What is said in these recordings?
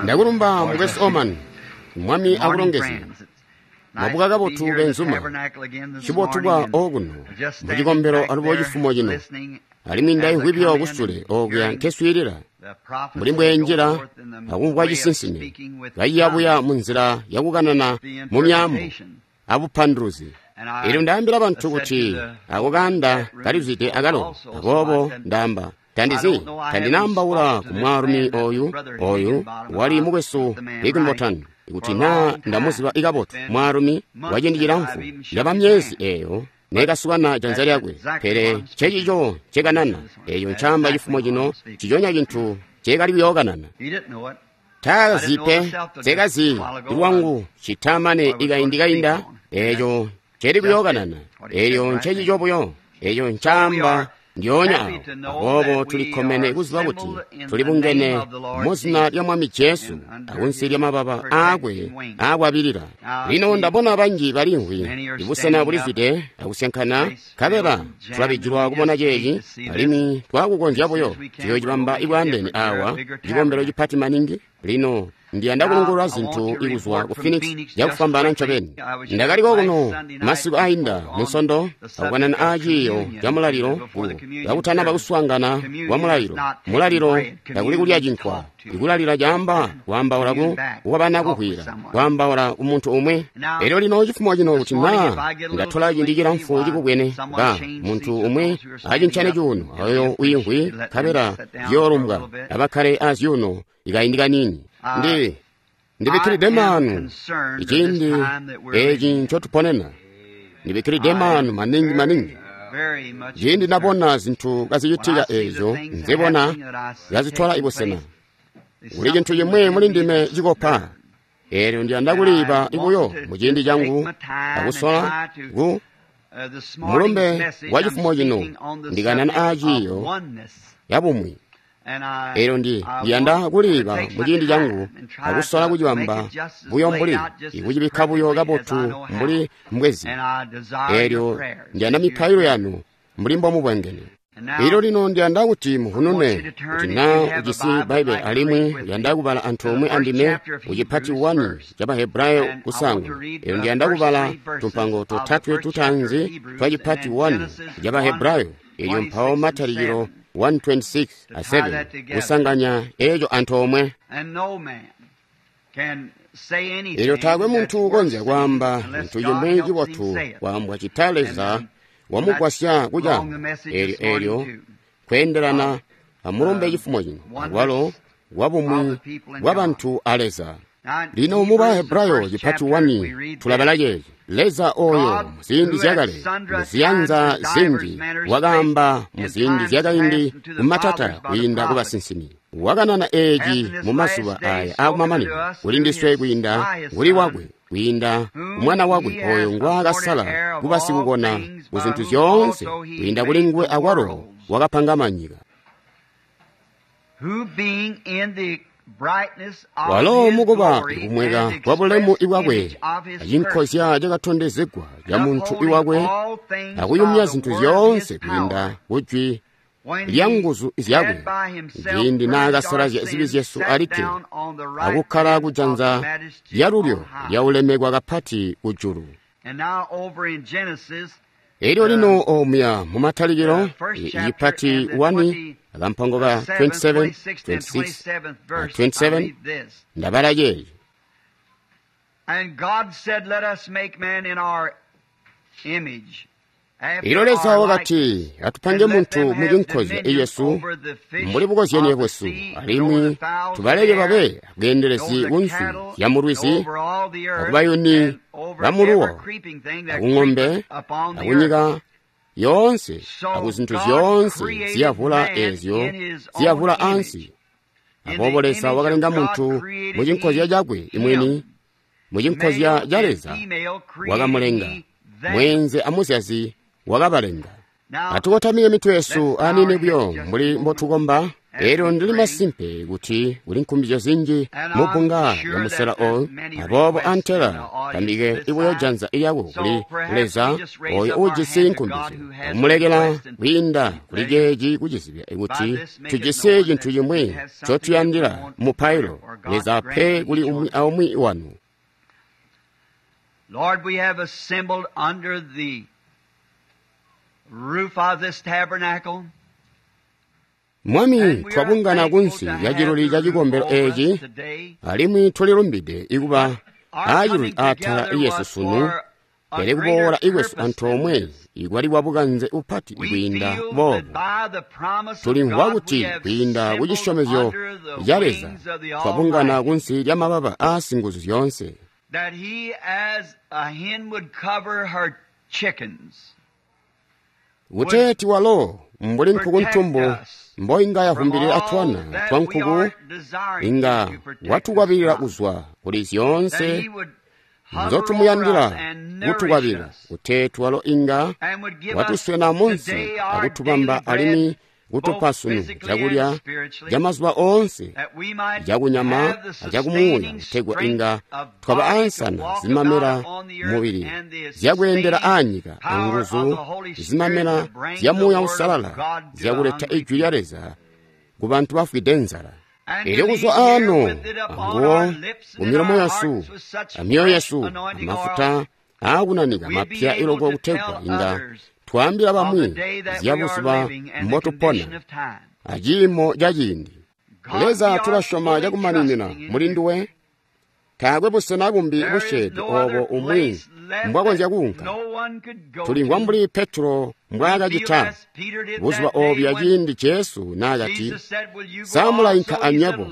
Ndakulumba mukwesu Oman. Mwami akulongezye. Mwabuka kabotu benzuma. Cibotu bwa okuno mucikombelo alubo cifumo cino. Alimwi ndaimvwi buyo kusule okuya nkeswiilila mbuli mbweenjila akumvwa cisinsime kaciyabuya munzila yakukanana mu myaambo abupanduluzi. Elyo ndaambila bantu kuti ako kaanda kalizwide akalo, aboobo ndaamba tandizi tandinaambaula ku mwaalumi oyu wali mukwesu Higginbotham kuti naa ndamuziba ikabotu mwaalumi waciindi cilamfu yaba myezi eeyo neekasukana janza lyakwe, pele ncecico ncekanana eeyo ncaamba cifumo cino nciconya cintu nceekali kuyookanana. Taakazi pe, nseekazi lwangu citamane ikaindi kainda eeco nceeli kuyookanana, eelyo ncecico buyo eeco ncaamba ndyoonya awo. Aboobo tulikkomene kuziba kuti tulibungene muzina lya Mwami Jesu akunsi lya mababa aakwe aakwabilila. Lino ndabona banji balimvwi ibusena bulizwide akusyankana, nkabela tulabijilwa kubona ceeci, alimwi twakukonzya buyo tuyoocibamba ibwaandeene aawa cikombelo cipati maningi. Lino ndiyanda kulungulula zintu ikuzwa ku Phoenix cakufwambaana ncobeni. Ndakali kokuno masiku ainda Munsondo akukanana aa ciiyo ca mulalilo kakutanaba kuswaangana kwa mulalilo. Mulalilo takuli kulya cinkwa, ikulalila caamba kwaambaula kukwabana kuhwila, kwaambaula kumuntu umwi. Elyo lino cifumo cino kuti naa ndatola ciindi cilamfu cikubwene ba muntu umwi acincane cuuno oyo wiimvwi nkabela ziyoolumbwa abakkale azyuuno ikaindi kaniini. Ndibikkilide maanu iciindi eci ncotuponena. Ndibikkilide maanu maningi maningi. Ciindi ndabona zintu kazicitika eezyo nzebona kazitwala ibusena, kuli cintu cimwi muli ndime cikopa. Eelyo ndiyanda kuliiba buyo muciindi cangu akusola ku mulumbe wa cifumo cino ndikanana aaciiyo yabumwi. Eelyo ndiyanda kuliiba muciindi cangu akusola kucibamba buyo mbuli ikucibikka buyo kabotu mbuli mbwezi. Eelyo ndiyanda mipailo yanu mbuli mbomubwengene. Elyo lino ndiyanda kuti muhunune kuti naa ujisi Bbaibbele alimwi uyanda kubala antoomwe andime kucipati 1 ca Bahebrayo kusaanguna. Elyo ndiyanda kubala tumpango totatwe tutaanzi twa cipati 1 ca Bahebrayo, elyo mpawo Matalikilo 1:26 a 7 kusanganya eeco antoomwe. Elyo taakwe muntu ukonzya kwaamba cintu cimwi cibotu kwaambwa cita Leza wamugwasya kucaamba. Eelyo kweendelana amulumbe cifumo cino akwalo wabumwi bwabantu a Leza. Lino mu Bahebrayo cipati 1 tulabala ceeci: Leza oyo muziindi zyakale muziyanza zinji wakaamba muziindi zyakaindi kumatata kwiinda kubasinsimi, wakanana eeci mumazuba aya aakumamanino kulindiswe kwiinda kuli wakwe, kwiinda kumwana wakwe oyo ngwaakasala kuba sikukona kuzintu zyoonse, kwiinda kuli nguwe akwalo wakapanga manyika. Walo mukuba ikumweka kwa bulemu ibwakwe acinkozya cakatondezegwa ca muntu iwakwe, akuyumya zintu zyoonse kwiinda kujwi lya nguzu zyakwe, ciindi naakasalazya zibi zyesu alikke akukkala kujanza lyalulyo lyaulemekwa kapati kujulu. Elyo lino omuya mumatalikilo icipati 1 akampango ka 27, 26 na 27 ndabala ceeci: Elyo Leza wakati, atupange muntu mucinkozya icesu mbuli bukozyenie bwesu, alimwi tubaleke babe abweendelezi kunswi zyamulwizi, akubayuni bamuluwo, akung'ombe, akunyika yoonse, akuzintu zyoonse ziyavula eezyo ziyavula ansi. Aboobo Leza wakalenga muntu mucinkozya cakwe imwini, mucinkozya ca Leza wakamulenga, mweenze amuzyazi wakabalenga. Atukotamike mitwe yesu aniini buyo mbuli mbotukomba. Elyo ndili masimpe kuti kuli nkumbizyo zinji mu bbunga lya musela oyu, aboobo antela tambike ibuyo janza lyako kuli Leza oyo uujisi nkumbizyo, akumulekela kwiinda kuli ceeci kucizibya kuti tujisi cintu cimwi ncotuyandila mupailo. Leza ape kuli umwi aumwi wanu. Lord, we have assembled under the roof of this tabernacle. Mwami, twabungana kunsi lya ciluli ca cikombelo eeci, alimwi tulilumbide ikuba aaciluli atala lyesu sunu, pele kuboola ikwesu antoomwe ikwali kwa bukanze bupati kwiinda boobu. Tulimvwa kuti kwiinda ku cisyomezyo ca Leza twabungana kunsi lya mababa aa Singuzu zyoonse. That he, as a hen would cover her chickens, kuteeti walo mbuli nkuku ntumbu mboinga yavumbilila twana twa nkuku, inga watukwabilila kuzwa kuli zyoonse nzotumuyandila kutukwabilila, kuteeti walo inga watuswena munsi akutubamba alimwi kutupa sunu cakulya ca mazuba oonse cakunyama acakumuuya, kutegwa inga twaba ansana zimamela mubili zyakweendela aanyika anguzu zimamela zya Muuya Uusalala zyakuleta ijwi lya Leza ku bantu bafwide nzala. Elyo kuzwa ano anguwo kumilomo yesu amyoyo yesu amafuta aakunanika mapya iloko kutegwa inga twaambila bamwi zya buzuba mbotupona aciimo ca ciindi. Leza, tulasyoma cakumaninina muli nduwe. Taakwe busena bumbi busyeede oobo umwi mbwakonzya kuunka. Tulimvwa mbuli Petro mbwaakacita buzuba oobuya ciindi Jesu naakati, “Sa mulainka anywebo?”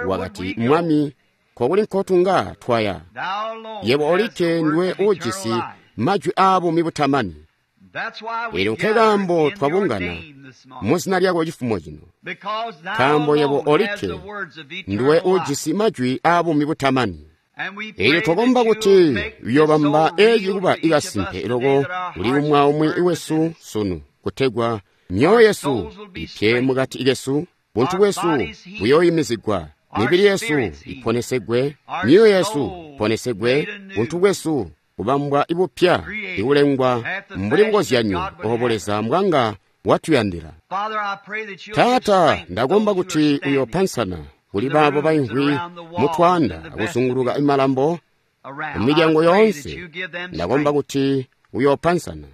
Wakati, “Mwami, kokuli nkotunga twaya? Yebo olikke nduwe uujisi majwi aabuumi butamani.” Elyo nkekaambo twabungana muzina lyako cifumo cino, nkaambo yebo olikke nduwe uujisi majwi aabuumi butamani. Elyo twakomba kuti uyoobamba eeci kuba ikasimpe loko kuli umwi aumwi wesu sunu, kutegwa myoyo yesu ipye mukati kesu, buntu bwesu buyooyimizigwa, mibili yesu iponesegwe, myoyo yesu iponesegwe, buntu bwesu kubambwa ibupya, ikulengwa mbuli bukozyanyo obo Leza mbwanga watuyandila. Taata, ndakomba kuti uyoopansana kuli baabo baimvwi mutwaanda akuzunguluka imalambo mumilyango yoonse. Ndakomba kuti uyoopansana,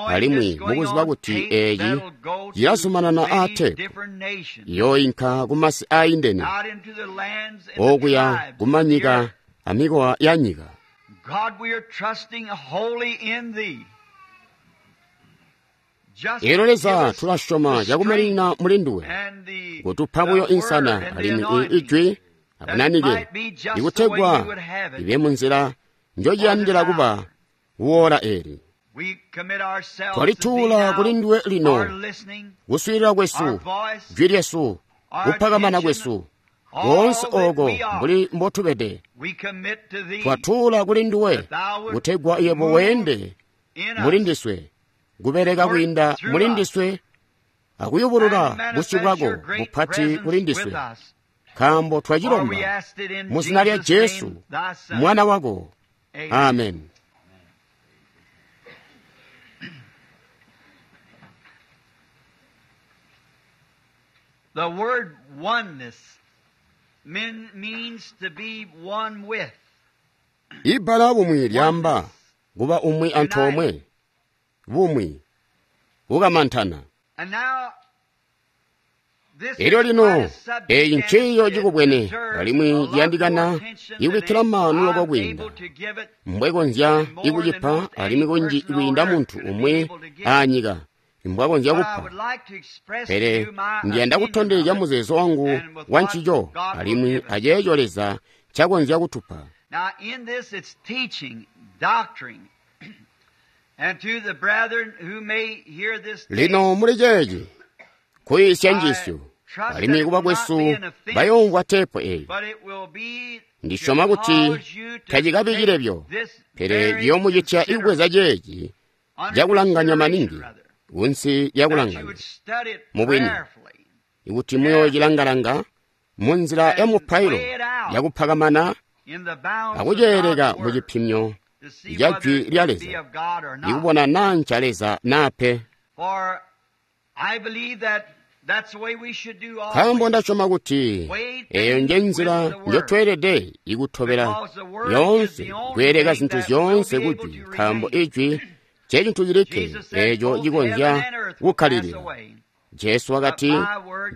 alimwi mukuziba kuti eeci cilazumanana aateepu, iyooinka kumasi aayindene okuya kumanyika amikowa ya nyika. Elyo Leza, tulasyoma cakumaninina muli nduwe, kutupa buyo insana alimwi ijwi akunanike, ikutegwa ibe munzila njociyandila kuba kuwoola eeli. Twalituula kuli nduwe lino, kuswiilila kwesu, jwi lyesu, kupakamana kwesu, koonse ooko mbuli mbotubede, twatuula kuli nduwe, kutegwa yebo weende muli ndiswe, kubeleka kwiinda muli ndiswe, akuyubulula busyu bwako bupati kuli ndiswe, nkaambo twacilomba mu zina lya Jesu, Mwana wako. Amen. The word oneness means to be one with. Ibbala bumwi lyaamba kuba umwi antoomwe, bumwi, kukamantana. Elyo lino eeci nciiyo cikubwene alimwi ciyandikana ikubikkila maanu loko kwiinda mbwekonzya ikucipa alimwi kunji kwiinda muntu umwi aanyika mbwakonzya kupa. Pele ndiyanda kutondezya muzeezo wangu wa ncico alimwi aceeco Leza ncakonzya kutupa. Lino muli ceeci kuyiisya njiisyo, alimwi kubakwesu bayoomvwa teepu eeyi. Ndisyoma kuti tacikabi cilebyo, pele ciyoomucitya ikubweza ceeci cakulanganya maningi kunsi lyakulanganya mubwini, Ikuti muyoocilanga-langa munzila ya mupailo yakupakamana akuceeleka mu cipimyo ca Jwi lya Leza, ikubona naa nca Leza naa pe. Nkaambo ndasyoma kuti eyo nje nzila njotweelede ikutobela lyoonse, kweeleka zintu zyoonse ku Jwi, nkaambo Ijwi ncecintu cilikke eeco cikonzya kukkalilila. Jesu wakati,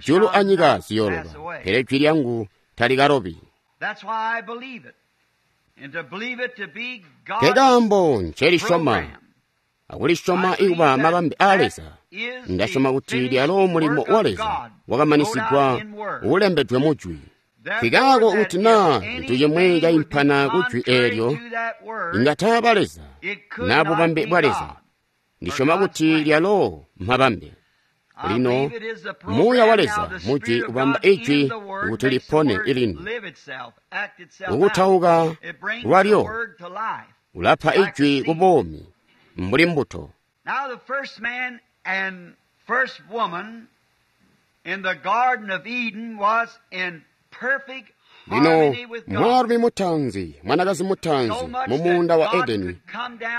julu anyika ziyooloba, pele jwi lyangu talikalobi. Nkekaambo ncelisyoma akulisyoma ikuba mabambe aa Leza. Ndasyoma kuti lyalo mulimo wa Leza wakamanisigwa uulembedwe mu Jwi. Nkikaako kuti naa cintu cimwi caimpana ku Jwi eelyo, inga taaba Leza naa bubambe bwa Leza. Ndisyoma kuti lyalo mabambe. Lino Muuya wa Leza mu Jwi ubamba Ijwi kuti lipone ilini. Kukutauka lwalyo ulapa Ijwi ku buumi mbuli mbuto. Now the first man and first woman in the Garden of Eden was in perfect Lino harmony with God. mwaalumi mutaanzi, mwanakazi mutaanzi mu muunda wa Edeni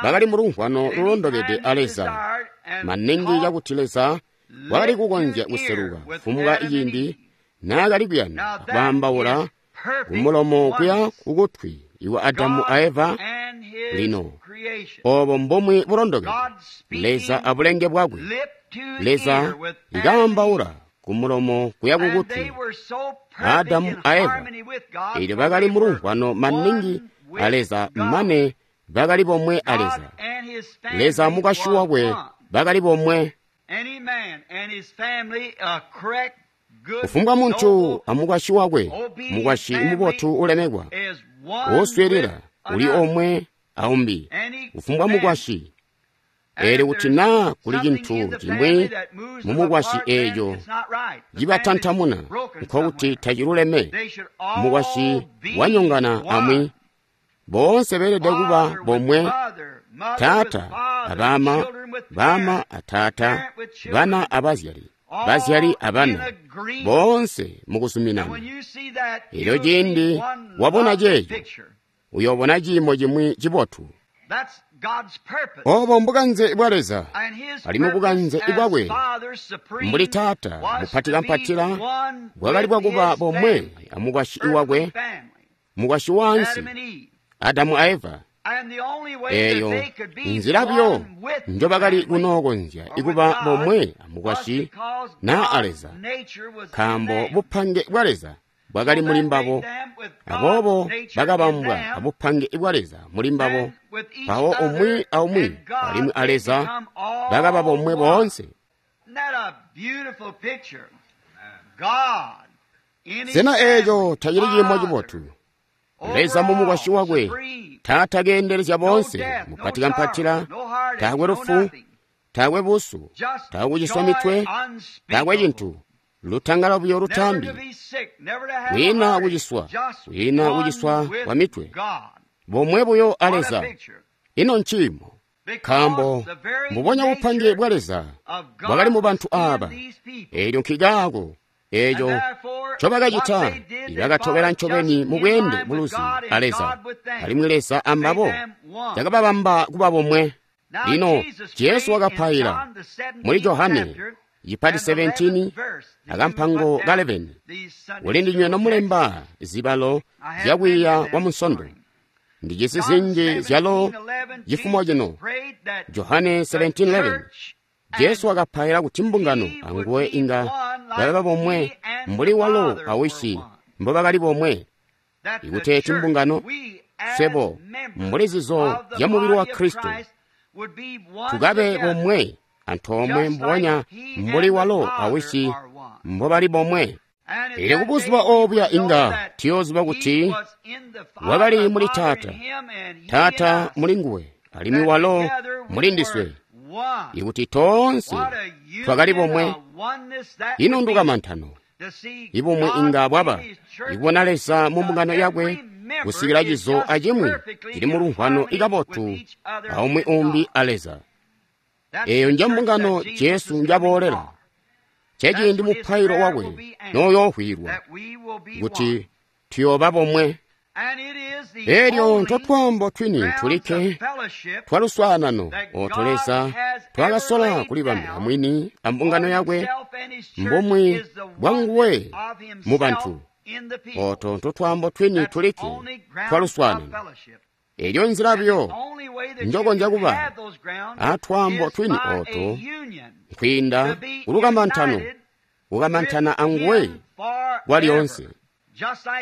bakali mu lumvwano lulondokede a Leza, maningi cakuti Leza wakali kukonzya kuseluka kufumbwa ciindi naakali kuyanda kwaambaula kumulomo kuya kukutwi iwa Adamu a Eva. Lino obo mbomwe bulondokede Leza abulenge bwakwe. Leza ikaambaula kumulomo kuya kukutwi Adamu a Eva, eelyo bakali mu lumvwano maningi a Leza mane bakali bomwe a Leza. Leza amukwasyi wakwe bakali bomwe. Kufumbwa muntu amukwasyi wakwe, mukwasyi mubotu ulemekwa, uuswiilila uli omwe aumbi, kufumbwa mukwasyi. Eelyo kuti naa kuli cintu cimwi mumukwasyi eeco cibatantamuna, nkokuti taciluleme, mukwasyi wanyongana amwi. Boonse beelede kuba bomwe, taata abama, bama ataata, bana abazyali, bazyali abana, boonse mukuzuminana. Eelyo ciindi wabona ceeco, uyoobona ciimo cimwi cibotu. Obo mbukanze bwa Leza, alimwi bukanze bwakwe mbuli Taata mupatikampatila bwakali bwakuba bomwe amukwasyi wakwe, mukwasyi waansi, Adamu a Eva. Eeyo nzila buyo njobakali kunookonzya ikuba bomwe amukwasyi naa a Leza, nkaambo bupange bwa Leza bwakali muli mbabo. Aboobo bakabambwa abupange bwa Leza muli mbabo, mpawo umwi aumwi alimwi a Leza bakaba bomwe boonse. Sena eeco tacili ciimo cibotu? Leza mumukwasyi wakwe, Taata keendelezya boonse, mupatikampatila, taakwe lufu, taakwe busu, taakwe kuciswa mitwe, taakwe cintu, lutangalo buyo lutambi, kwiina kuciswa, kwiina kuciswa kwa mitwe, bomwe buyo a Leza. Ino nciimo? Nkaambo mbubonya bupange bwa Leza bwakali mu bantu aaba. Eelyo nkikaako eeco ncobakacita, bakatobela ncobeni mu bweende buluzi a Leza, alimwi Leza ambabo cakababamba kuba bomwe. Lino Jesu wakapaila muli Johane cipati 17 akampango ka 11, kuli ndinywe nomulemba zibalo zyakwiiya kwa Munsondo. Ndijisi zinji zyalo cifumo cino. Johane 17:11, Jesu wakapaila kuti mbungano anguwe inga baba bomwe mbuli walo awisi mbobakali bomwe. Ikuteeti mbungano, swebo mbuli zizo zya mubili wa Kristo, tukabe bomwe antoomwe mbubonya mbuli walo awisi mbobali bomwe. Eelyo kubuzuba obuya inga tuyooziba kuti wakali muli Taata, Taata muli nguwe, alimwi walo muli ndiswe, ikuti toonse twakali bomwe. Ino ndukamantano ibumwi inga bwaba ikubona Leza mu mbungano yakwe kusikila cizo acimwi cili mu lumvwano ikabotu aumwi umbi a Leza. Eeyo nje mbungano Jesu njaboolela. Nceciindi mupailo wakwe noyoovwiilwa kuti tuyooba bomwe. Elyo ntotwaambo twini tulikke twaluswaanano oto Leza twakasola kulibambila mwini ambungano yakwe mbumwi bwanguwe mu bantu. Oto ntotwaambo twini tulikke twaluswaanano. Elyo nzila buyo njokonzya kuba atwaambo twini oto nkwiinda kulukamantano, kukamantana anguwe kwalyoonse.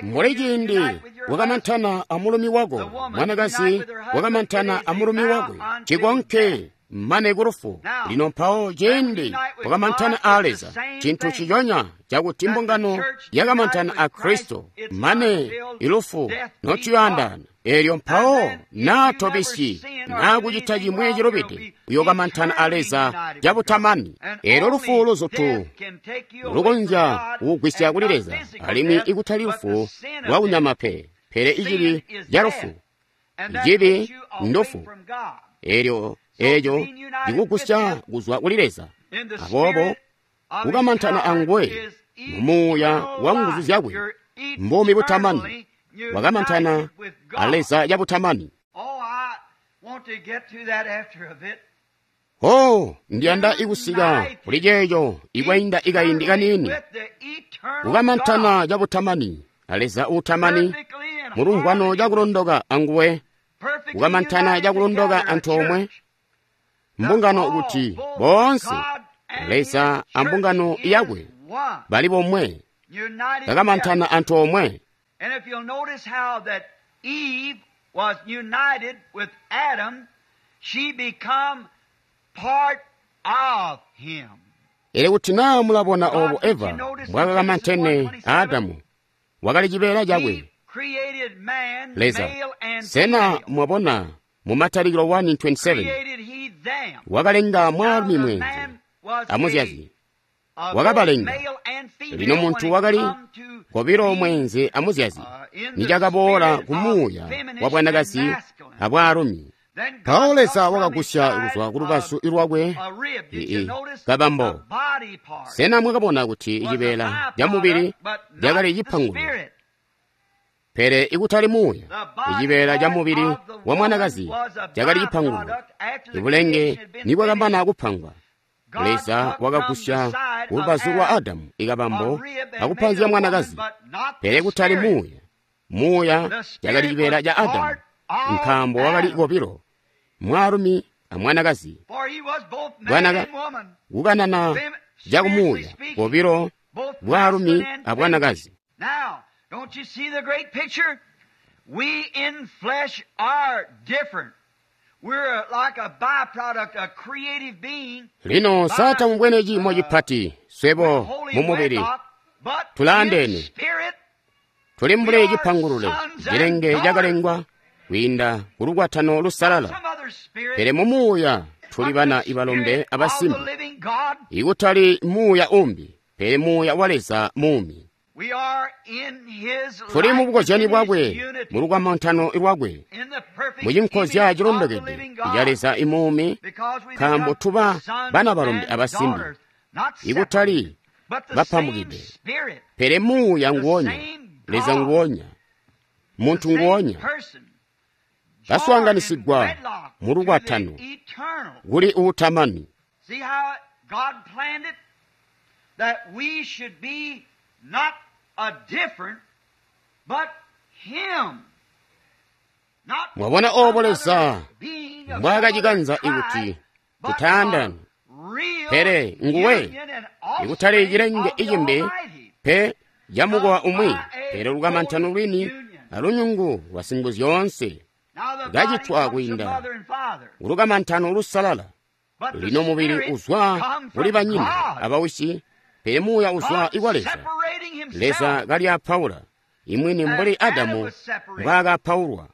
Mbuli ciindi wakamantana amulumi wako, mwanakazi wakamantana amulumi wakwe, cikonke mane kulufu. Lino mpawo ciindi wakamantana a Leza, cintu ciconya cakuti mbungano yakamantana a Kristo mane ilufu notuyoandana. Elyo mpawo naa tobisyi naa kucita cimwi cilubide, uyokamantana a Leza cabutamani. Elyo lufu luzutu lukonzya kukugwisya kuli Leza, alimwi ikutali lufu lwa kunyama pe, pele icibi ca lufu. Icibi ndufu. Elyo eco cikugusya kuzwa kuli Leza. Aboobo kukamantana anguwe mumuuya wa nguzu zyakwe mbuumi butamani, wakamantana a Leza cabutamani. Oh, ndiyanda ikusika kuli ceeco ikwainda ikaindi kaniini. Kukamantana cabutamani a Leza uutamani, mulumvwano cakulondoka anguwe, kukamantana cakulondoka antoomwe mbungano kuti boonse Leza ambungano yakwe bali bomwe, kakamantana antoomwe. And if you'll notice how that Eve was united with Adam, she become part of him. Ele kuti naa mulabona obo Eva mbwakakamantene Adamu, wakali cibeela cakwe. Leza, sena mwabona mu Matalikilo 1:27 wakalenga mwaalumi mwenze amuzyazi, wakabalenga. Lino muntu wakali kobilo mwenze amuzyazi, nicakaboola kumuuya wa bwanakazi abwaalumi. Mpawo Leza wakagusya kuzwa ku lubazu lwakwe kabambo. Sena mwakabona kuti cibeela ca mubili cakali cipangulo, pele ikutali muuya? Icibeela ca mubili wa mwanakazi cakali cipangulo. Ibulenge nibwakamana kupangwa, Leza wakagusya kulubazu lwa Adamu ikabambo akupanzya mwanakazi, pele kutali muuya. Muuya cakali cibeela ca Adamu, nkaambo wakali kobilo, mwaalumi amwanakazi. Bwanaka kukanana cakumuuya kobilo, bwaalumi abwanakazi. Don't you see the great picture? We in flesh are different. We're like a byproduct, a creative being. Lino sata mubwene ciimo cipati swebo mumubili tulaandeene, tuli mbuli cipangulule cilenge cakalengwa kwiinda kulukwatano lusalala, pele mumuuya tuli bana ibalombe abasimbi, ikutali muuya umbi, pele muuya wa Leza muumi. Tuli mu bukozyani bwakwe, mu lukamantano lwakwe, mu cinkozya cilondokede ca Leza imuumi, nkaambo tuba bana balombe abasimbi, ikutali bapambukide, pele muuya nguonya, Leza nguonya, muntu nguonya, baswaanganisigwa mu lukwatano kuli uutamani. Not a different, but him. Mwabona obo Leza mbwaakacikanza ikuti tutaandane, pele nguwe, ikutali cilenge icimbi pe camukowa umwi, pele lukamantano lwini alunyungu lwa Singuzyoonse kacitwa kwiinda kulukamantano lusalala. Lino mubili uzwa kuli banyina abawisi, pele muuya uzwa ikwa Leza. Leza kali apaula imwini mbuli Adamu mbwaakapaulwa.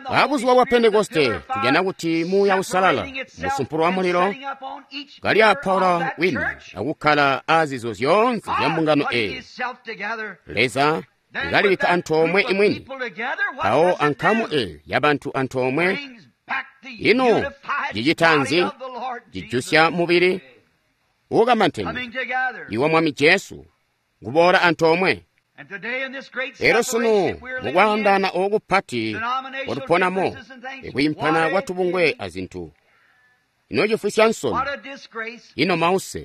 Abuzuba bwa Pentekoste tujana kuti muuya usalala musumpulo wa mulilo kali apaula wini akukkala azizo zyoonse zya mbungano eyi. Leza kalibikka antoomwe imwini, mpawo ankamu eyo yabantu antoomwe Ino cicita nzi? Cijusya mubili uukamantene iwa Mwami Jesu kuboola antoomwe. Elyo sunu mukwaandaana ooku kupati kwatuponamo, ikwiimpana kwa tubungwe azintu, ino cifwisya nsoni, ino mause.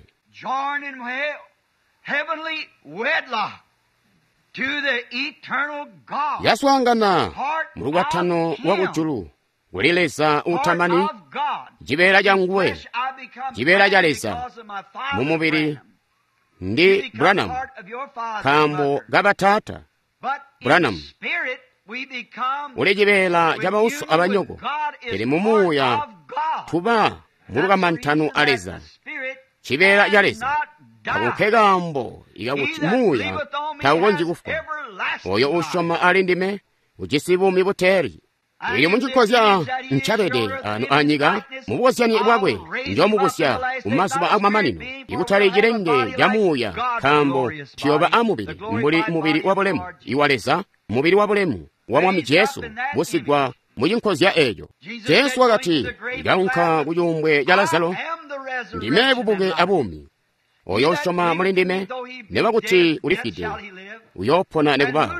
Yaswaangana mulukwatano lwa kujulu kuli Leza uutamani, cibeela canguwe, cibeela ca Leza mumubili ndi Branham, nkaambo kabataata Branham uli cibeela ca bauso abanyoko, pele mumuuya tuba mulukamantano a Leza, cibeela ca Leza. Ako nkekaambo ikakuti muuya taukonzyi kufwa. Oyo usyoma ali ndime ujisi buumi buteeli. Elyo mucikozya ncabede ano anyika, mubukozyani bwakwe njomubusya kumazuba akumamanino, ikutali cilenge ca muuya, nkaambo tuyooba amubili mbuli mubili wabulemu iwa Leza, mubili wabulemu wa Mwami Jesu busigwa mucinkozya eeco. Jesu wakati, ndaunka ku cuumbwe ca Lazaro, ndime bubuke abuumi. Oyo usyoma muli ndime, neba kuti ulifwide, uyoopona nekuba.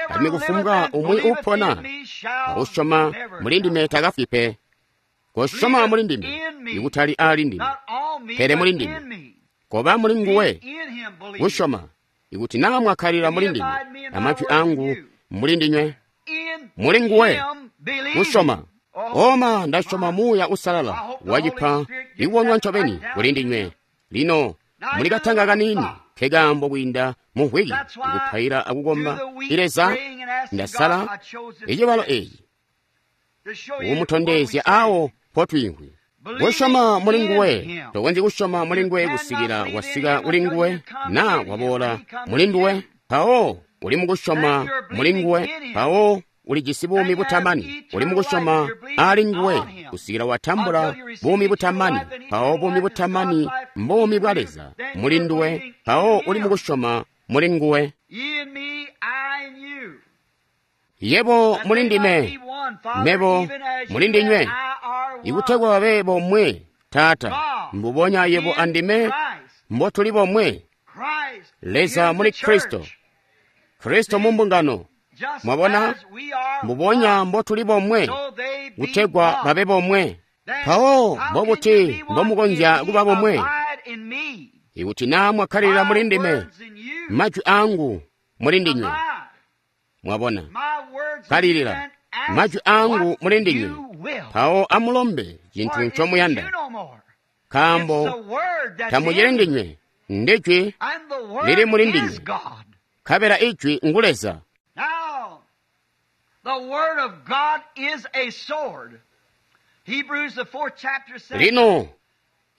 Alimwi kufumbwa umwi uupona akusyoma muli ndime takafwi pe. Kosyoma muli ndime, ikutali ali ndime, pele muli ndime. Koba muli nguwe, kusyoma, ikuti naa mwakkalila muli ndime, amajwi angu muli ndinywe, muli nguwe, kusyoma. Oma ndasyoma Muuya Uusalala wacipa ikuwonwa ncobeni kuli ndinywe. Lino muli katanga kaniini nkekaambo kwiinda mumvwiki ikupaila akukomba Leza, ndasala icibalo eeci kumutondezya awo mpotwiimvwi. Kusyoma muli nguwe, tokonzyi kusyoma muli nguwe kusikila wasika kuli nguwe naa waboola muli nduwe. Mpawo uli mukusyoma muli nguwe, mpawo ulijisi buumi butamani. Uli mukusyoma ali nguwe kusikila watambula buumi butamani, mpawo buumi butamani mbuumi bwa Leza muli nduwe, mpawo uli mukusyoma muli nguwe. Yebo muli ndime, mebo muli ndinywe, ikutegwa babe bomwe, Taata, mbubonya yebo andime mbotuli bomwe. Leza muli Kristo, Kristo mu mbungano. Mwabona, mbubonya mbotuli bomwe, kutegwa babe bomwe. Mpawo mbobuti mbomukonzya kuba bomwe? Ikuti naa mwakkalilila muli ndime, majwi angu muli ndinywe. Mwabona, kalilila majwi angu muli ndinywe, mpawo amulombe cintu ncomuyanda, nkaambo tamucili ndinywe, ndijwi lili muli ndinywe, nkabela ijwi ngu Leza. Now, the Word of God is a sword. Hebrews, the 4th chapter says, Lino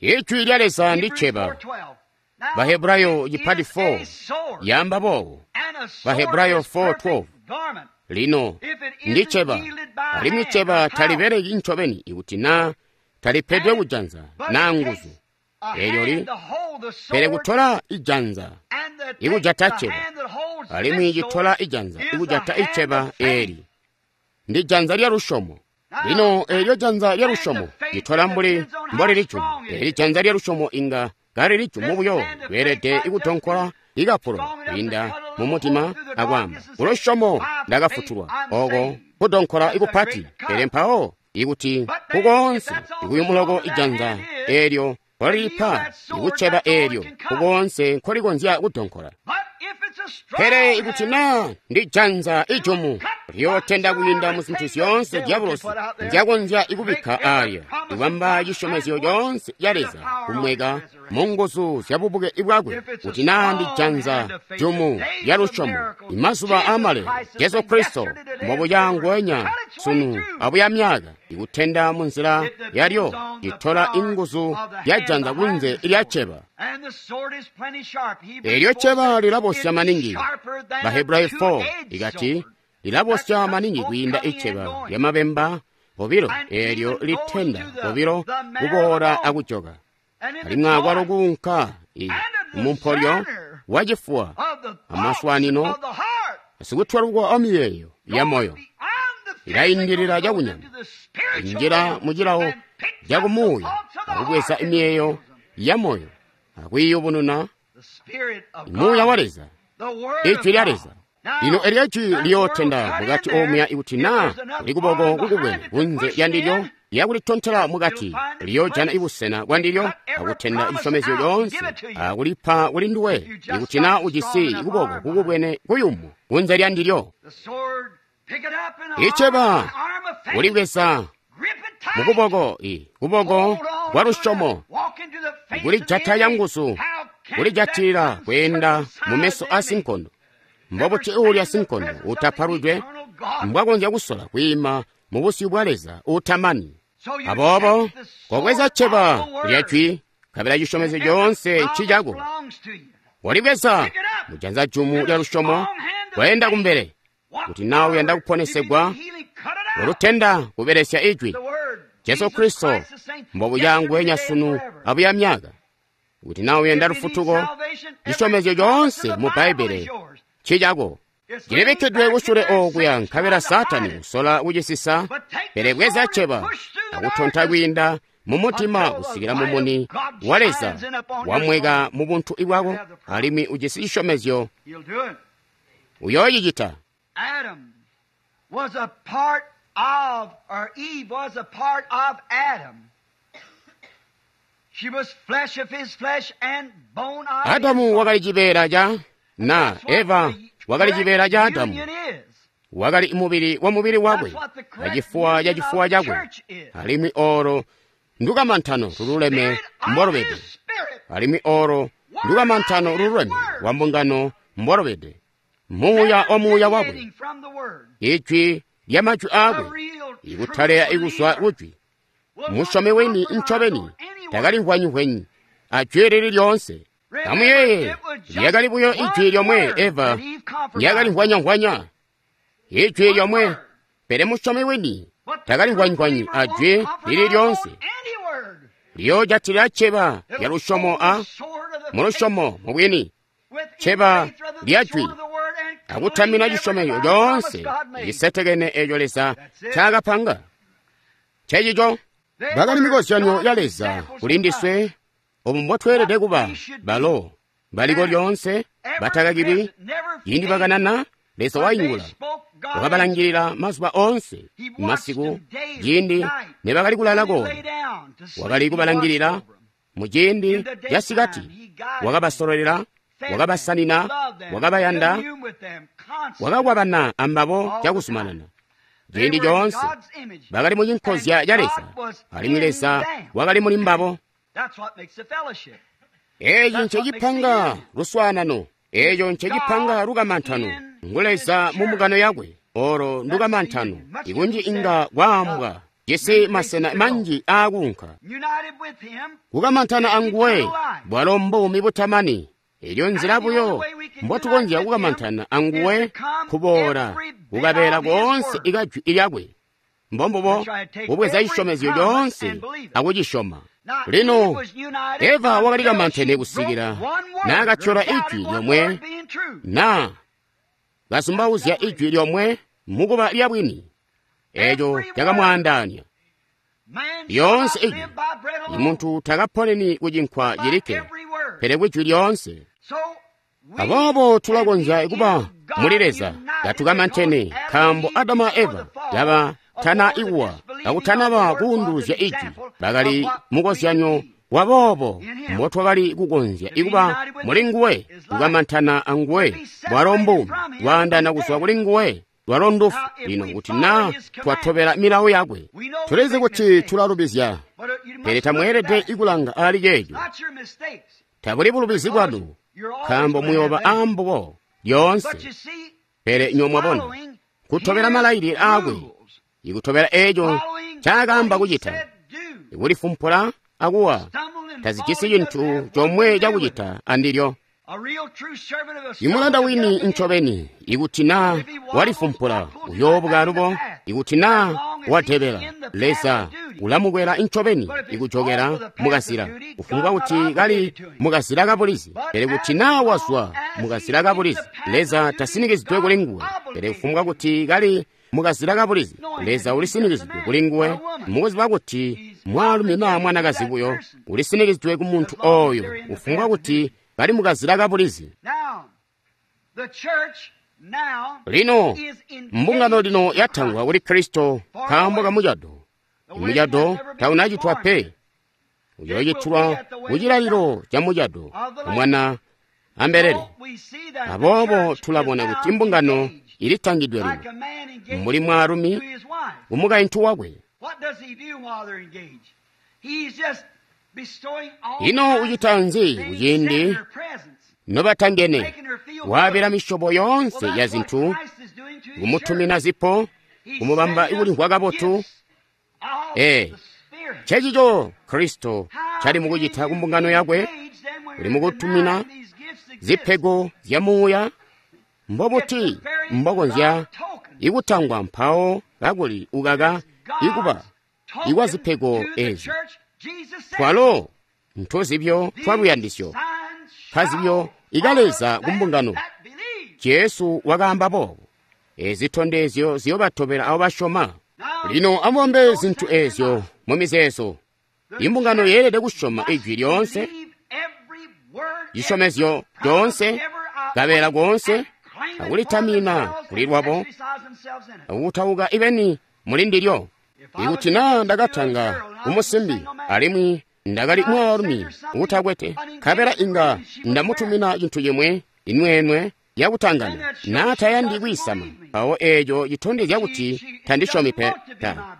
ijwi lya Leza ndi Hebrews cceba. 4:12. Now, Bahebrayo it chipati is a 4 sword, yamba bobo. and a sword Bahebrayo is perfect 4:12. garment. Lino If it ndi isn't cceba, wielded by alimwi hand cceba or power, talibereki ncobeni ikuti naa talipedwe kujanza but naa it nguzu. takes a Eelyo li hand to hold the pele sword kutola ijanza and to ikujata take the cceba, hand that holds alimwi this citola sword ijanza is the ikujata hand iceba of faith. eeli ndi janza lya lusyomo. Lino eelyo janza lya lusyomo litola mbuli mboli lijumu. Eeli janza lya lusyomo inga kali lijumu buyo, lweelede ikutonkola ikapulo kwiinda mumutima akwaamba, kulusyomo ndakafutulwa. Oko kudonkola ikupati, pele mpawo ikuti kukoonse ikuyumuloko ijanza eelyo nkolilipa ikuceba eelyo kukoonse nkolikonzya kudonkola. But if it's a strong Pele ikuti hand, naa ndi janza ijumu liyootenda kwiinda mu zintu zyoonse diabolosi nzyakonzya ikubikka aalya, ikubamba cisyomezyo coonse ca Leza kumweka mu nguzu zya bubuke bwakwe. Kuti naa ndi janza jumu lya lusyomo, imazuba aamale Jesu Kristo mbobuca nguwenya sunu abuya myaka, ikutenda mu nzila yalyo itola inguzu lya janza kunze lya cceba. And the sword is plenty sharp. Hebrews Eelyo 4 cceba says, lilabosya "It's maningi. sharper than a Bahebrayo 4 two-edged ikati sword." lilabosya maningi kwiinda iceba lya mabemba obilo, eelyo litenda obilo kuboola akujoka, And in the alimwi akwalo joint kuunka mumpolyo wachifuwa of the thoughts amaswanino of the heart sikutwalukwa amiyeeyo ya moyo goes beyond the ilayindilira physical, goes chakunyama into the Kunjila mu cilawo cakumuuya akubweza miyeeyo ya moyo akwiiyubununa muuya wa Leza, Ijwi lya Leza. Lino elyo Ijwi liyootenda mukati omuya ikuti naa kuli kuboko kukubwene kunze lya ndilyo lyakulitontela mukati, liyoojana ibusena bwa ndilyo akutenda cisyomezyo coonse akulipa kuli nduwe ikuti naa ujisi kuboko kukubwene kuyumu kunze lya ndilyo. Iceba kulibweza mukuboko kuboko kwa lusyomo, kulijata canguzu, kulijatilila kweenda mu meso a sinkondo. Mbobuti uulya sinkondo utapalwidwe mbwakonzya kusola kwiima mu busyu bwa Leza utamani? Aboobo kobweza cceba lya jwi, nkabela cisyomezyo coonse ncicako. Walibweza mujanza jumu lya lusyomo, kweenda kumbele. Kuti naa uyanda kuponesegwa, walutenda kubelesya ijwi. Jesu Kristo mbobuya nguwenya sunu abuya myaka. Kuti naa uyanda lufutuko, cisyomezyo coonse mu Bbaibbele ncicako. Cilibikkidwe kusule okuya, nkabela Saatani usola kucisisa, pele bweza cceba akutonta kwiinda mu mutima kusikila mumuni wa Leza wamweka mu buntu bwako, alimwi ujisi cisyomezyo. Uyoocicita. Adam was a part of, or Eve was a part of Adam. She was flesh of his flesh and bone of his Adamu wakali cibeela ca na Eva wakali cibeela ca Adamu, wakali mubili wa mubili wakwe na cifuwa ca cifuwa cakwe, alimwi olo ndukamantano lululeme mbwalubede, alimwi olo ndukamantano lululeme lwa mbungano mbwalubede, muuya wa muuya wakwe, ijwi lya majwi aakwe, ikutaleya ikuzwa kujwi. Musyomi weni ncobeni takalimvwanyi-vwenyi ajwi lili lyoonse. Amuyeeye, lyakali buyo ijwi lyomwe Eva lyakalimvwanya-mvwanya, ijwi lyomwe, pele musyomi wini takalimvwanyi-vwanyi ajwi lili lyoonse. Liyoojatila cceba lya lusyomo a mu lusyomo mubwini, cceba lya jwi, akutamina cisyomezyo coonse cisetekene eeco Leza ncaakapanga. Ncencico bakali mikozyanyo ya Leza kuli ndiswe, obu mbotweelede kuba. Balo baliko lyoonse, batakakilwi. Ciindi bakanana, Leza waingula, wakabalangilila mazuba oonse masiku. Ciindi nebakali kulala koona, wakali kubalangilila. Muciindi casikati wakabasololela, wakabasanina, wakabayanda, wakakwabana ambabo cakuzumanana. Ciindi coonse bakali mu cinkozya ca Leza, alimwi Leza wakali muli mbabo. Eeci ncecipanga luswaanano, eeco ncecipanga lukamantano. Ngu Leza mu mbungano yakwe, olo ndukamantano. Ikunji inga kwaambwa jisi masena manji aakunka. Kukamantana anguwe bwalo mbuumi butamani. Elyo nzila buyo mbotukonzya kukamantana anguwe kuboola kukabeela koonse ikajwi lyakwe. Mbombubo kubweza cisyomezyo coonse akucisyoma. Lino Eva wakali kamantene kusikila naakatyola ijwi lyomwe, naa kazumbauzya ijwi lyomwe mukuba lya bwini. Eeco cakamwaandaanya. Lyoonse ijwi, imuntu takaponeni ku cinkwa cilikke, pele kwijwi lyoonse. Aboobo tulakonzya kuba muli Leza katukamantene, nkaambo Adamu a Eva laba tana ikuwa kakutanaba kuunduluzya ijwi, bakali mukozyanyo waboobo mbotwakali kukonzya ikuba muli nguwe, kukamantana anguwe, bwalo mbuumi, lwaandana kuzwa kuli nguwe, lwalo ndufu. Lino kuti naa twatobela milawo yakwe, tulizi kuti tulalubizya, pele tamweelede ikulanga aali ceeco. Tabuli bulubizi bwanu, nkaambo muyooba aambubo lyoonse. Pele inywe mwabona, kutobela malailile aakwe, ikutobela eeco ncaakaamba kucita, ikulifumpula akuwa, tazijisi cintu comwe cakucita andilyo. Imulanda wini ncobeni, ikuti naa walifumpula, uyoobuka alubo. Ikuti naa wadebela, Leza ulamukwela ncobeni ikujokela mukazila, kufumbwa kuti kali mukazila kabulizi. Pele kuti naa wazwa mukazila kabulizi, Leza tasinikizidwe kuli nguwe. Pele kufumbwa kuti kali mukazila kabulizi, Leza ulisinikizidwe kuli nguwe, mukuziba kuti mwaalumi naa mwanakazi buyo ulisinikizidwe ku muntu oyo, kufumbwa kuti kali mukazila kabulizi. Lino mbungano lino yatangwa kuli Kristo nkaambo ka mucado. Imucado taunacitwa pe, uyoocitwa kucilalilo ca mucado mwana ambelele. Aboobo tulabona kuti mbungano ilitangidwe lino mbuli mwaalumi kumukaintu wakwe. Ino ucita nzi kuciindi nobatangene? Waabila misyobo yoonse ya zintu, kumutumina zipo, kumubamba kulimvwa kabotu. Ncencico Kristo cali mukucita kumbungano yakwe, uli mukutumina zipego zya muuya. Mbobuti mbokonzya ikutangwa mpawo kakuli ukaka ikuba ikwa zipego ezi? Twalo ntuzibyo twa luyandisyo, nkazibyo ikaleza kumbungano. Jesu wakaamba boobo, ezi zitondezyo ziyobatobela abo basyoma. Lino amubambe zintu ezyo mu mizeezo. Imbungano yeelede kusyoma ijwi lyoonse, cisyomezyo coonse, kabeela koonse, akulitamina kuli lwabo, akukutauka ibeni muli ndilyo. Ikuti naa ndakatanga kumusimbi alimwi ndakali mwaalumi uutakwete, nkabela inga ndamutumina cintu cimwe, inwenwe yakutangana, naa tayandi kwiisama, mpawo eeco citondezya kuti tandisyomi pe,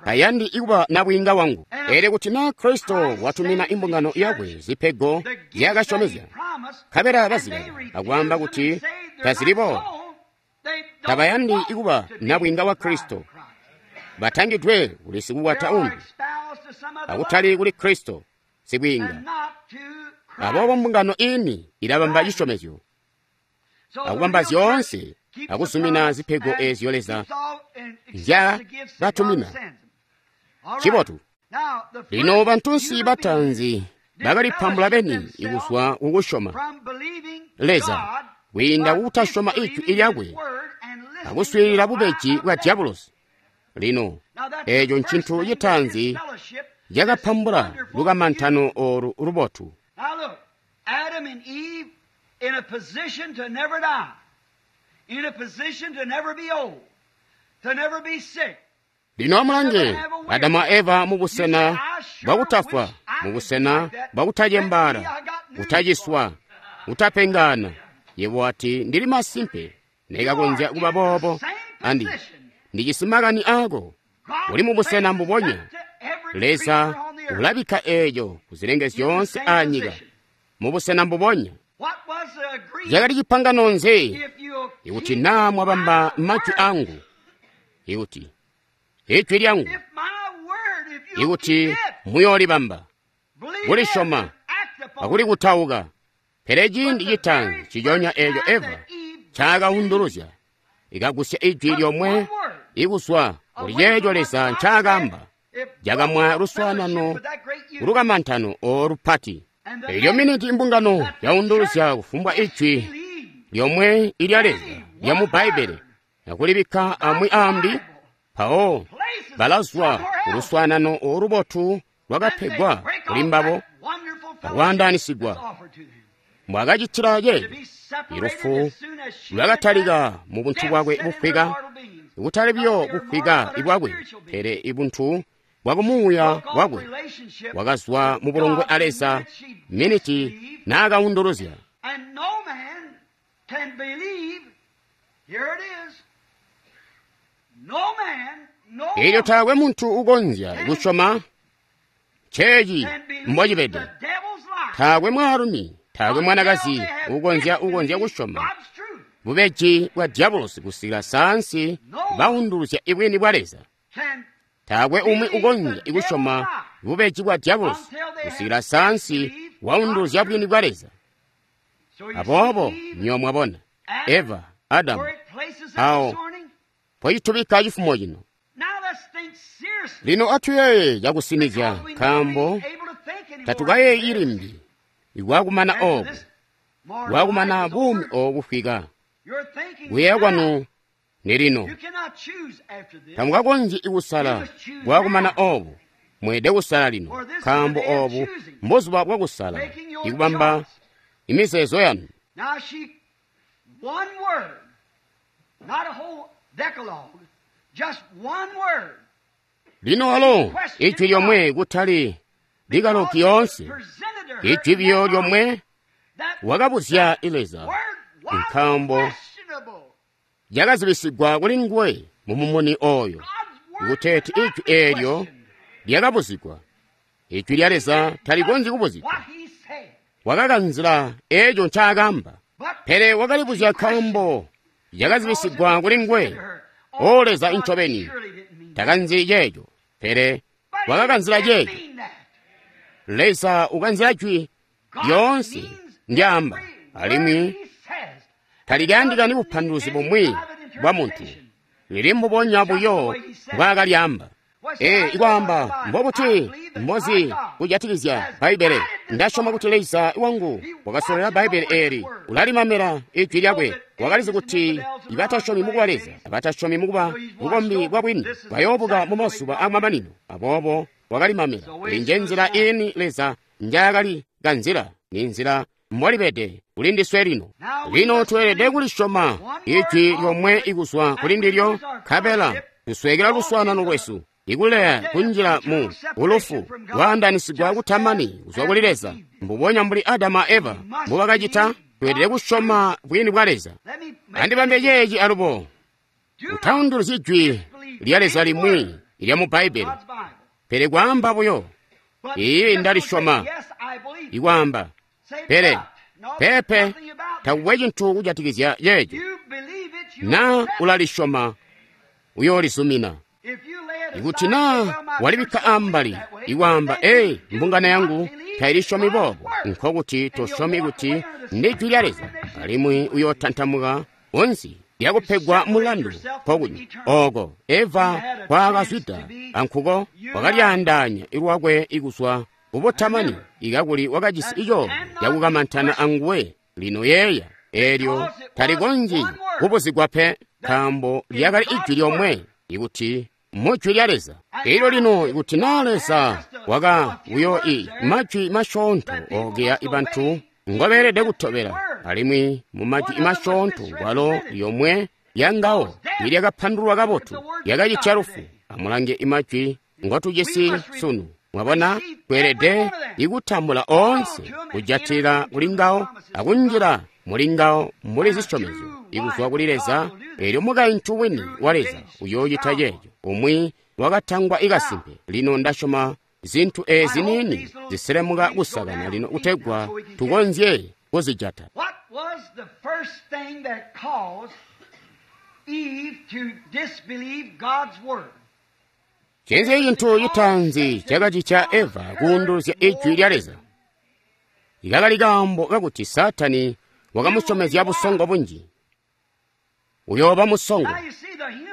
tayandi ikuba nabwiinga wangu. Pele kuti naa Kristo watumina imbungano yakwe zipego zyakasyomezya, nkabela bazikaka akwaamba kuti tazili boobo, tabayandi ikuba nabwiinga wa Kristo, batangidwe kuli sikukwata umbi, akutali kuli Kristo sibwiinga. Aboobo mbungano ini ilabamba cisyomezyo, akubamba zyoonse, akuzumina zipego ezyo Leza nzyakatumina. Cibotu. Lino bantunsi bataanzi bakalipambula beni kuzwa kukusyoma Leza kwiinda kukutasyoma ijwi lyakwe akuswiilila bubeji bwa Diabolosi. Lino eeco ncintu citaanzi cakapambula lukamantano olu lubotu. In a position to never die, in a position to never be old, to never be sick. Lino amulange Adamu a Eva mubusena bwakutafwa, mubusena bwakutacembaala, kutaciswa, kutapengana. Yebo wati, ndili masimpe nekakonzya kuba boobo, andi ndijisi makani aako. Uli mubusena mbubonya. Leza ulabikka eeco kuzilenge zyoonse aanyika mubusena mbubonya. Cakali cipangano nzi? Ikuti naa mwabamba majwi angu, ikuti ijwi lyangu, ikuti muyoolibamba, kulisyoma akulikutauka. Pele ciindi citaanzi ciconya eeco Eva ncaakaunduluzya, ikagusya ijwi lyomwe ikuzwa kuli ceeco Leza ncaakaamba, cakamwa luswaanano lukamantano olupati. Elyo miniti imbungano yaunduluzya kufumbwa ijwi lyomwe ilya Leza lyamu Bbaibbele akulibikka amwi aambi, mpawo balazwa kuluswaanano olubotu lwakapegwa kuli mbabo akwaandaanisigwa. Mbwakacitila ceeco, ilufu lwakatalika mu buntu bwakwe bufwika, kutali buyo bufwika bwakwe, pele ibuntu bwakumuuya bwakwe wakazwa mu bulongwe a Leza miniti naakaunduluzya. Elyo taakwe muntu ukonzya kusyoma ceeci mbocibede. Taakwe mwaalumi, taakwe mwanakazi ukonzya kusyoma bubeji bwa diabolosi kusikila saansi baunduluzya ibwini bwa Leza. Taakwe umwi ukonzya kusyoma bubeji bwa diabolosi kusikila saansi waunduluzya bwini bwa Leza. Aboobo nywebo mwabona Eva, Adamu, awo poyitubikka cifumo cino. Lino atuyeeye cakusinizya, nkaambo tatukayeeyi limbi ikwakumana oobu. Bwakumana buumi obu bufwika. Kuyeeya kwanu ni lino. Tamukakonzyi kusala bwakumana obu. Mweelede kusala lino, nkaambo obu mbuzuba bwakusala, ikubamba imizeezo yanu. Lino walo ijwi lyomwe kutali likaloki yoonse, ijwi biyo lyomwe wakabuzya Leza, nkaambo lyakazibisigwa kuli nguwe mu mumuni oyo, kuteeti ijwi eelyo lyakabuzigwa. Ijwi lya Leza talikonzyi kubuzigwa. Wakakanzila eeco ncaakamba, pele wakalibuzya nkaambo lyakazibisigwa kuli nguwe. O Leza incobeni takanzili ceeco, pele wakakanzila ceeco. Leza ukanzila jwi lyoonse ndyaamba, alimwi talikayandikani bupanduluzi bumwi bwa muntu, lili mbubonya buyo mbwaakalyamba. Ikwaamba mbobuti mbozi kujatikizya Bbaibbele. Ndasyoma kuti Leza wangu wakasololela Bbaibbele eeli, ulalimamela ijwi lyakwe. Wakalizi kuti ibatasyomi mukuba Leza, abatasyomi mukuba bukombi bwa bwini bayoobuka mu mazuba amamanino. Aboobo wakalimamela. Eyi nje nzila ini Leza njaakali kanzila, ni nzila mbolibede kuli ndiswe lino. Lino tweelede kulisyoma ijwi lyomwe ikuzwa kuli ndilyo, nkabela tuswekela luswaanano lwesu, ikuleya kunjila mu bulufu lwaandanisigwa kutamani kuzwa kuli Leza, mbubonya mbuli Adamu a Eva mbubakacita. Tweelede kusyoma bwini bwa Leza. Andibambe ceeci alubo, utaunduluzyi jwi lya Leza limwi lyamu Bbaibbele, pele kwaamba buyo, "Iiyi, ndalisyoma," ikwaamba, pele peepe, takukwe cintu kujatikizya ceeco. Na ulalisyoma, uyoolizumina. Ikuti naa walibikka ambali, ikwaamba, "Ee, mbungano yangu tailisyomi boobo," nkokuti tosyomi kuti ndi jwi lya Leza, alimwi uyootantamuka onsi lyakupegwa mulandu nkokunya. Oko Eva kwaakazwida ankuko wakalyaandaanya lwakwe ikuzwa kubutamani, ikakuli wakajisi icoolwe cakukamantana anguwe. Lino yeeya, eelyo talikonzyi kubuzigwa pe, nkaambo lyakali ijwi lyomwe ikuti mu jwi lya Leza. Elyo lino ikuti naa Leza waka buyo i majwi masyoonto ogeya ibantu ngobeelede kutobela, alimwi mu majwi masyoonto kwalo lyomwe lyangawo ilyakapandululwa kabotu lyakacitya lufu. Amulange imajwi ngotujisi sunu. Mwabona, tweelede ikutambula oonse, kujatilila kuli ngawo akunjila muli ngawo mbuli zisyomezyo ikuzwa kuli Leza. Eelyo mukaintu wini wa Leza uyoocita ceeco, umwi wakatangwa ikasimpe. Lino ndasyoma zintu eezi niini ziselemuka kusakana lino kutegwa tukonzye kuzijata. Ncinzi cintu citaanzi cakacitya Eva kuunduluzya ijwi lya Leza? Ikakali kaambo kakuti Saatani wakamusyomezya busongo bunji. Uyooba musongo.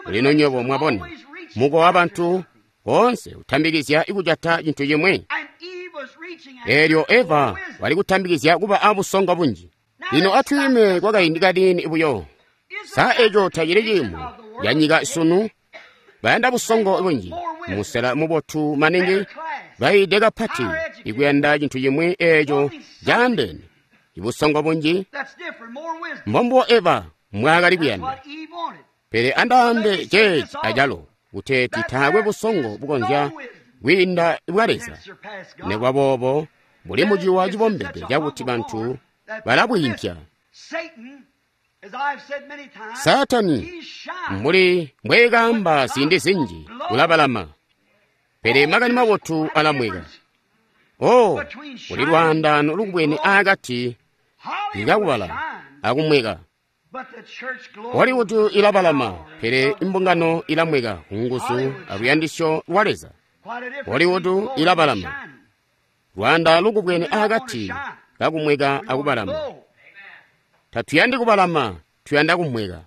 Lino nywebo mwabona, mukowa wabantu boonse utambikizya ikujata cintu cimwi. Eelyo Eva wali kutambikizya kuba abusongo bunji. Lino atwiime kwakaindi kaniini buyo. Sa eco tacili ciimo canyika sunu? Bayanda busongo bunji, musela mubotu maningi, baide kapati ikuyanda cintu cimwi eeco caandeene, ibusongo bunji. Mbombubo Eva mbwaakali kuyanda. Pele andaambe ceeci acalo, kuteeti taakwe busongo bukonzya kwiinda bwa Leza. Nikuba boobo, buli muciwa cibombede cakuti bantu balabwiimpya. Saatani, mbuli mbweekaamba ziindi zinji, ulabalama, pele makani mabotu alamweka. Oh, kuli lwaandaano lukubwene aakati kakubalama akumweka. Hollywood ilabalama, pele imbungano ilamweka kunguzu aluyandisyo lwa Leza. Hollywood ilabalama, lwaanda lukubwene aakati kakumweka akubalama. Tatuyandi kubalama, tuyanda kumweka.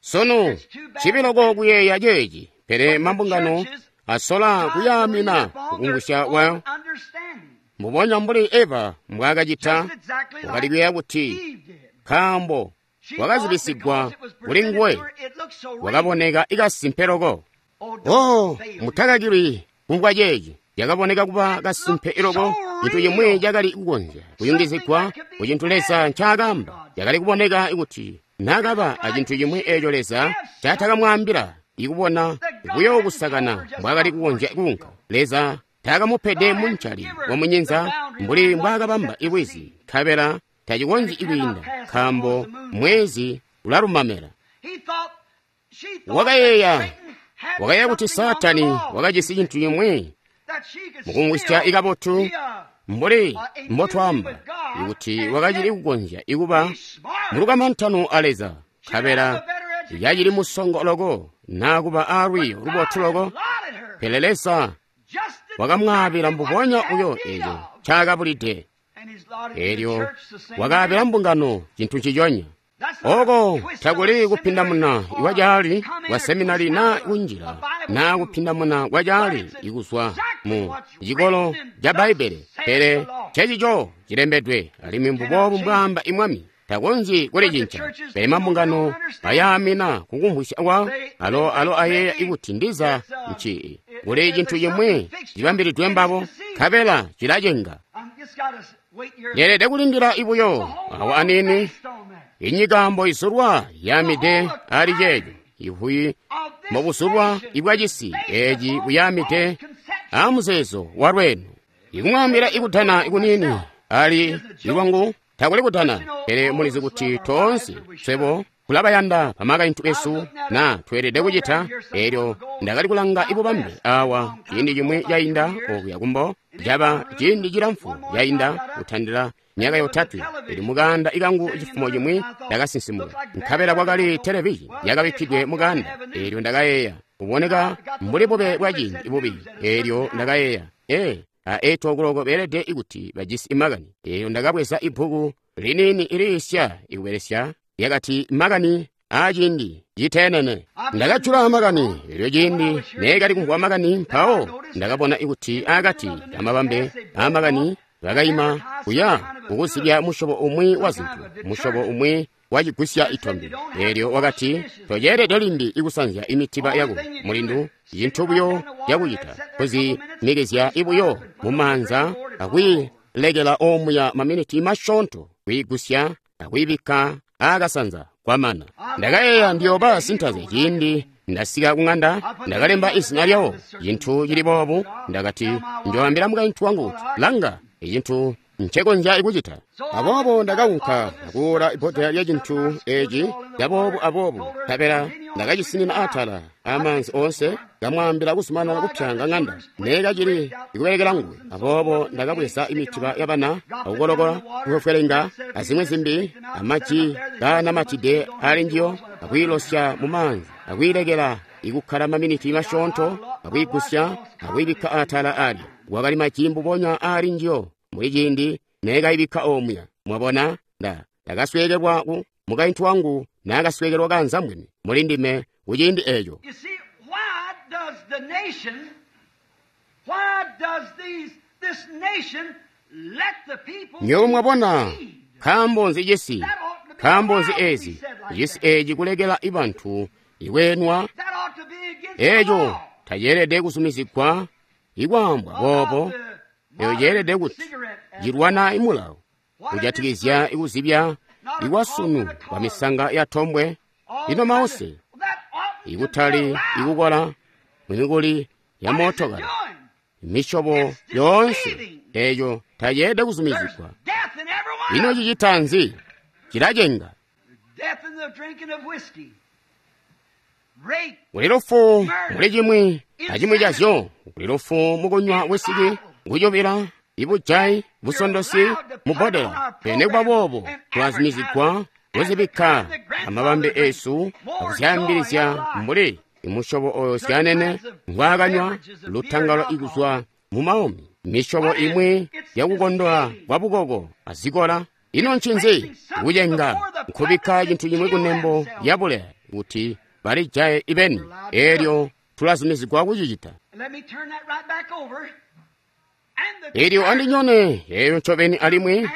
Sunu cibiloko kuyeeya ceeci, pele mambungano asola kuyaamina kukungusya kwayo. Mbubonya mbuli Eva mbwaakacita, wakali kuyeeya kuti nkaambo wakazibisigwa kuli nguwe, wakaboneka ikasimpe loko. Oh, mutakakilwi kumvwa ceeci. Yakaboneka kuba kasimpe loko, cintu cimwi cakali kukonzya kuyungizigwa ku cintu Leza ncaakaamba. Cakali kuboneka kuti naakaba acintu cimwi eeco Leza ncaatakamwaambila, ikubona buyo kusakana mbwaakali kukonzya kuunka. Leza taakamupede muncali wamunyinza mbuli mbwaakabamba ibwizi, nkabela tacikonzyi kwiinda, nkaambo mwezi ulalumamela. Wakayeeya kuti Saatani wakajisi cintu cimwi mukumvwisya ikabotu mbuli mbotwaamba, ikuti wakacili kukonzya ikuba mulukamantano a Leza, nkabela yacili musongo loko naa kuba aalwiiyo lubotu loko, pele Leza wakamwaabila mbubonya buyo eeco ncaakabulide. Eelyo wakaabila mbungano cintu nciconya. Oko takuli kupindamuna kwacaali kwa seminari naa kunjila naa kupindamuna kwacaali ikuzwa mu cikolo ca Bbaibbele, pele ncecico cilembedwe, alimwi mbuboobu mbwaamba imwami. Takonzyi kulicinca, pele mambungano bayaamina kukumvwisya kwawo, alo ayeeya ikuti ndiza nci kuli cintu cimwi cibambilidwe mbabo, nkabela cilacenga. Ndeelede kulindila ibuyo awa aniini. Inyika mboizulwa yaamide ali ceeco, ivuyi mbobusulwa ibwacisi eeci buyaamide aamuzeezo walweeno. Ikumwaambila ikudana ikuniini ali ilwangu takuli kudana, pele mulizi kuti toonse swebo kulabayanda bamakaintu besu na tweelede kucita. Eelyo ndakali kulanga ibubambe awa ciindi cimwi cainda okuya kumbo, caba ciindi cilamfu cainda kutandila myaka yotatwe. Ili mukanda ikangu cifumo cimwi ndakasinsimuka, nkabela kwakali televizhi yakabikkidwe mukanda. Eelyo ndakayeeya, kuboneka mbuli bube bwaciindi bubi. Eelyo ndakayeeya, a 8 o'clock beelede ikuti bajisi imakani. Eelyo ndakabweza ibbuku liniini iliisya ikubelesya lyakati makani aaciindi citeenene. Ndakajula makani, eelyo ciindi neekali kumvwa makani, mpawo ndakabona ikuti akati kamabambe aamakani bakaima kuya kukuzibya musyobo umwi wa zintu, musyobo umwi wacigusya itombe. Eelyo wakati, toceelede limbi ikusanzya imitiba yako mulindu, cintu buyo cakucita kuzimikizya ibuyo mumaanza akwiilekela omuya maminiti masyoonto, kwiigusya akwiibikka aakasanza kwamana. Ndakayeeya ndiyooba sintaze ciindi ndasika kung'anda. Ndakalemba izina lyawo cintu cili boobu. Ndakati njoambila mukaintu wangu kuti, langa icintu ncekonzya kucita. Aboobo ndakaunka akuula ibbodela lya cintu eeci caboobu aboobu, nkabela ndakacisinina atala amaanzi oonse, kamwaambila kuzumanana kupyanga ng'anda neekacili ikubelekela nguwe. Aboobo ndakabweza imitiba yabana akukolokola kufwefwelenga azimwi zimbi amaji kaanamatide ali njiyo, akwiilosya mumaanzi akwiilekela ikukkala maminiti masyoonto, akwiigusya akwiibikka atala alya. Kwakali maji mbubonya ali njiyo muli ciindi neekaibikka omuya. Mwabona, ndakasweekelwa ku mukaintu wangu naakasweekelwa kanzambwene muli ndime kuciindi eeco. Nywebo mwabona, nkaambo nzi cisi, nkaambo nzi eezi cisi eeci kulekela ibantu ikweenwa? Eeco taceelede kuzumizigwa ikwaambwa boobo. Eeco ceelede kuti cilwana imulawo kujatikizya ikuzibya ikwasunu kwa misanga ya tombwe. Ino mause ikutali ikukola mumikuli ya mootokala misyobo yoonse, eeco taceelede kuzumizigwa. Ino cicita nzi? Cilacenga. Kuli lufu muli cimwi acimwi cazyo. Kuli lufu mukunywa wisiki, kucubila, ibujayi, busondosi, mubbodela. Pele nikuba boobo tulazumizigwa kuzibikka amabambe eesu akuzyaambilizya mbuli imusyobo oyo syanene ngwaakanywa lutangalo ikuzwa mumaumi, misyobo imwi yakukondola kwa bukoko azikola. Ino ncinzi? Kucenga nkubikka cintu cimwi kunembo lyabuleya kuti balijaye ibeni. Eelyo tulazumizigwa kucicita. Elyo andinyone eyo ncobeni alimwi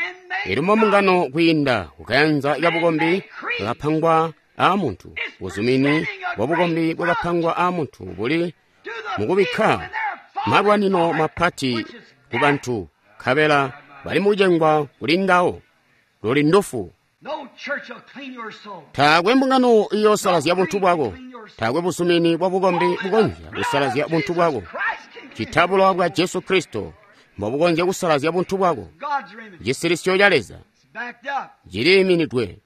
iluma mbungano kwiinda kukayanza kabukombi bwakapangwa aamuntu. Buzumini bwabukombi bwakapangwa aamuntu buli mukubikka malwanino mapati ku bantu, nkabela bali mukucengwa kuli ngawo. Luli ndufu. Taakwe mbungano iyoosalazya buntu bwako. Taakwe buzumini bwabukombi bukonzya kusalazya buntu bwako. Ccita bulowa bwa Jesu Kristo mbobukonzya kusalazya buntu bwako. Cisilisyo ca Leza ciliiminidwe.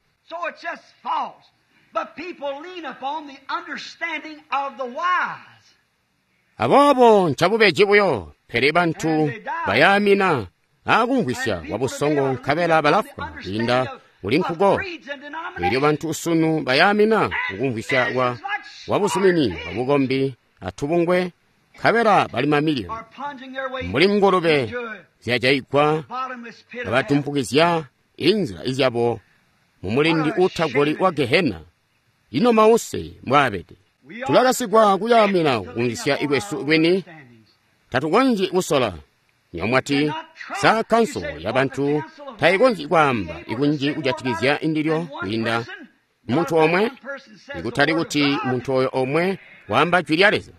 Aboobo ncabubeji buyo, pele bantu bayaamina aakumvwisya kwa busongo nkabela balafwa kwiinda kuli nkuko. Elyo bantu sunu bayaamina kukumvwisya kwa buzumini bwabukombi atubungwe, nkabela bali mamiliyoni mbuli ngulube zyajaigwa kabatumpukizya inzila izyabo mumulindi uutagoli wa Gehena. Ino mause mbwaabede. Tulakasigwa kuyaamina kukumvwisya kwesu kwini. Tatukonzyi kusola. Nyomwati sa kanso ya bantu tayikonzyi kwaamba ikunji kujatikizya indilyo kwiinda muntu omwe, ikutali kuti muntu oyo omwe waamba jwi lya Leza.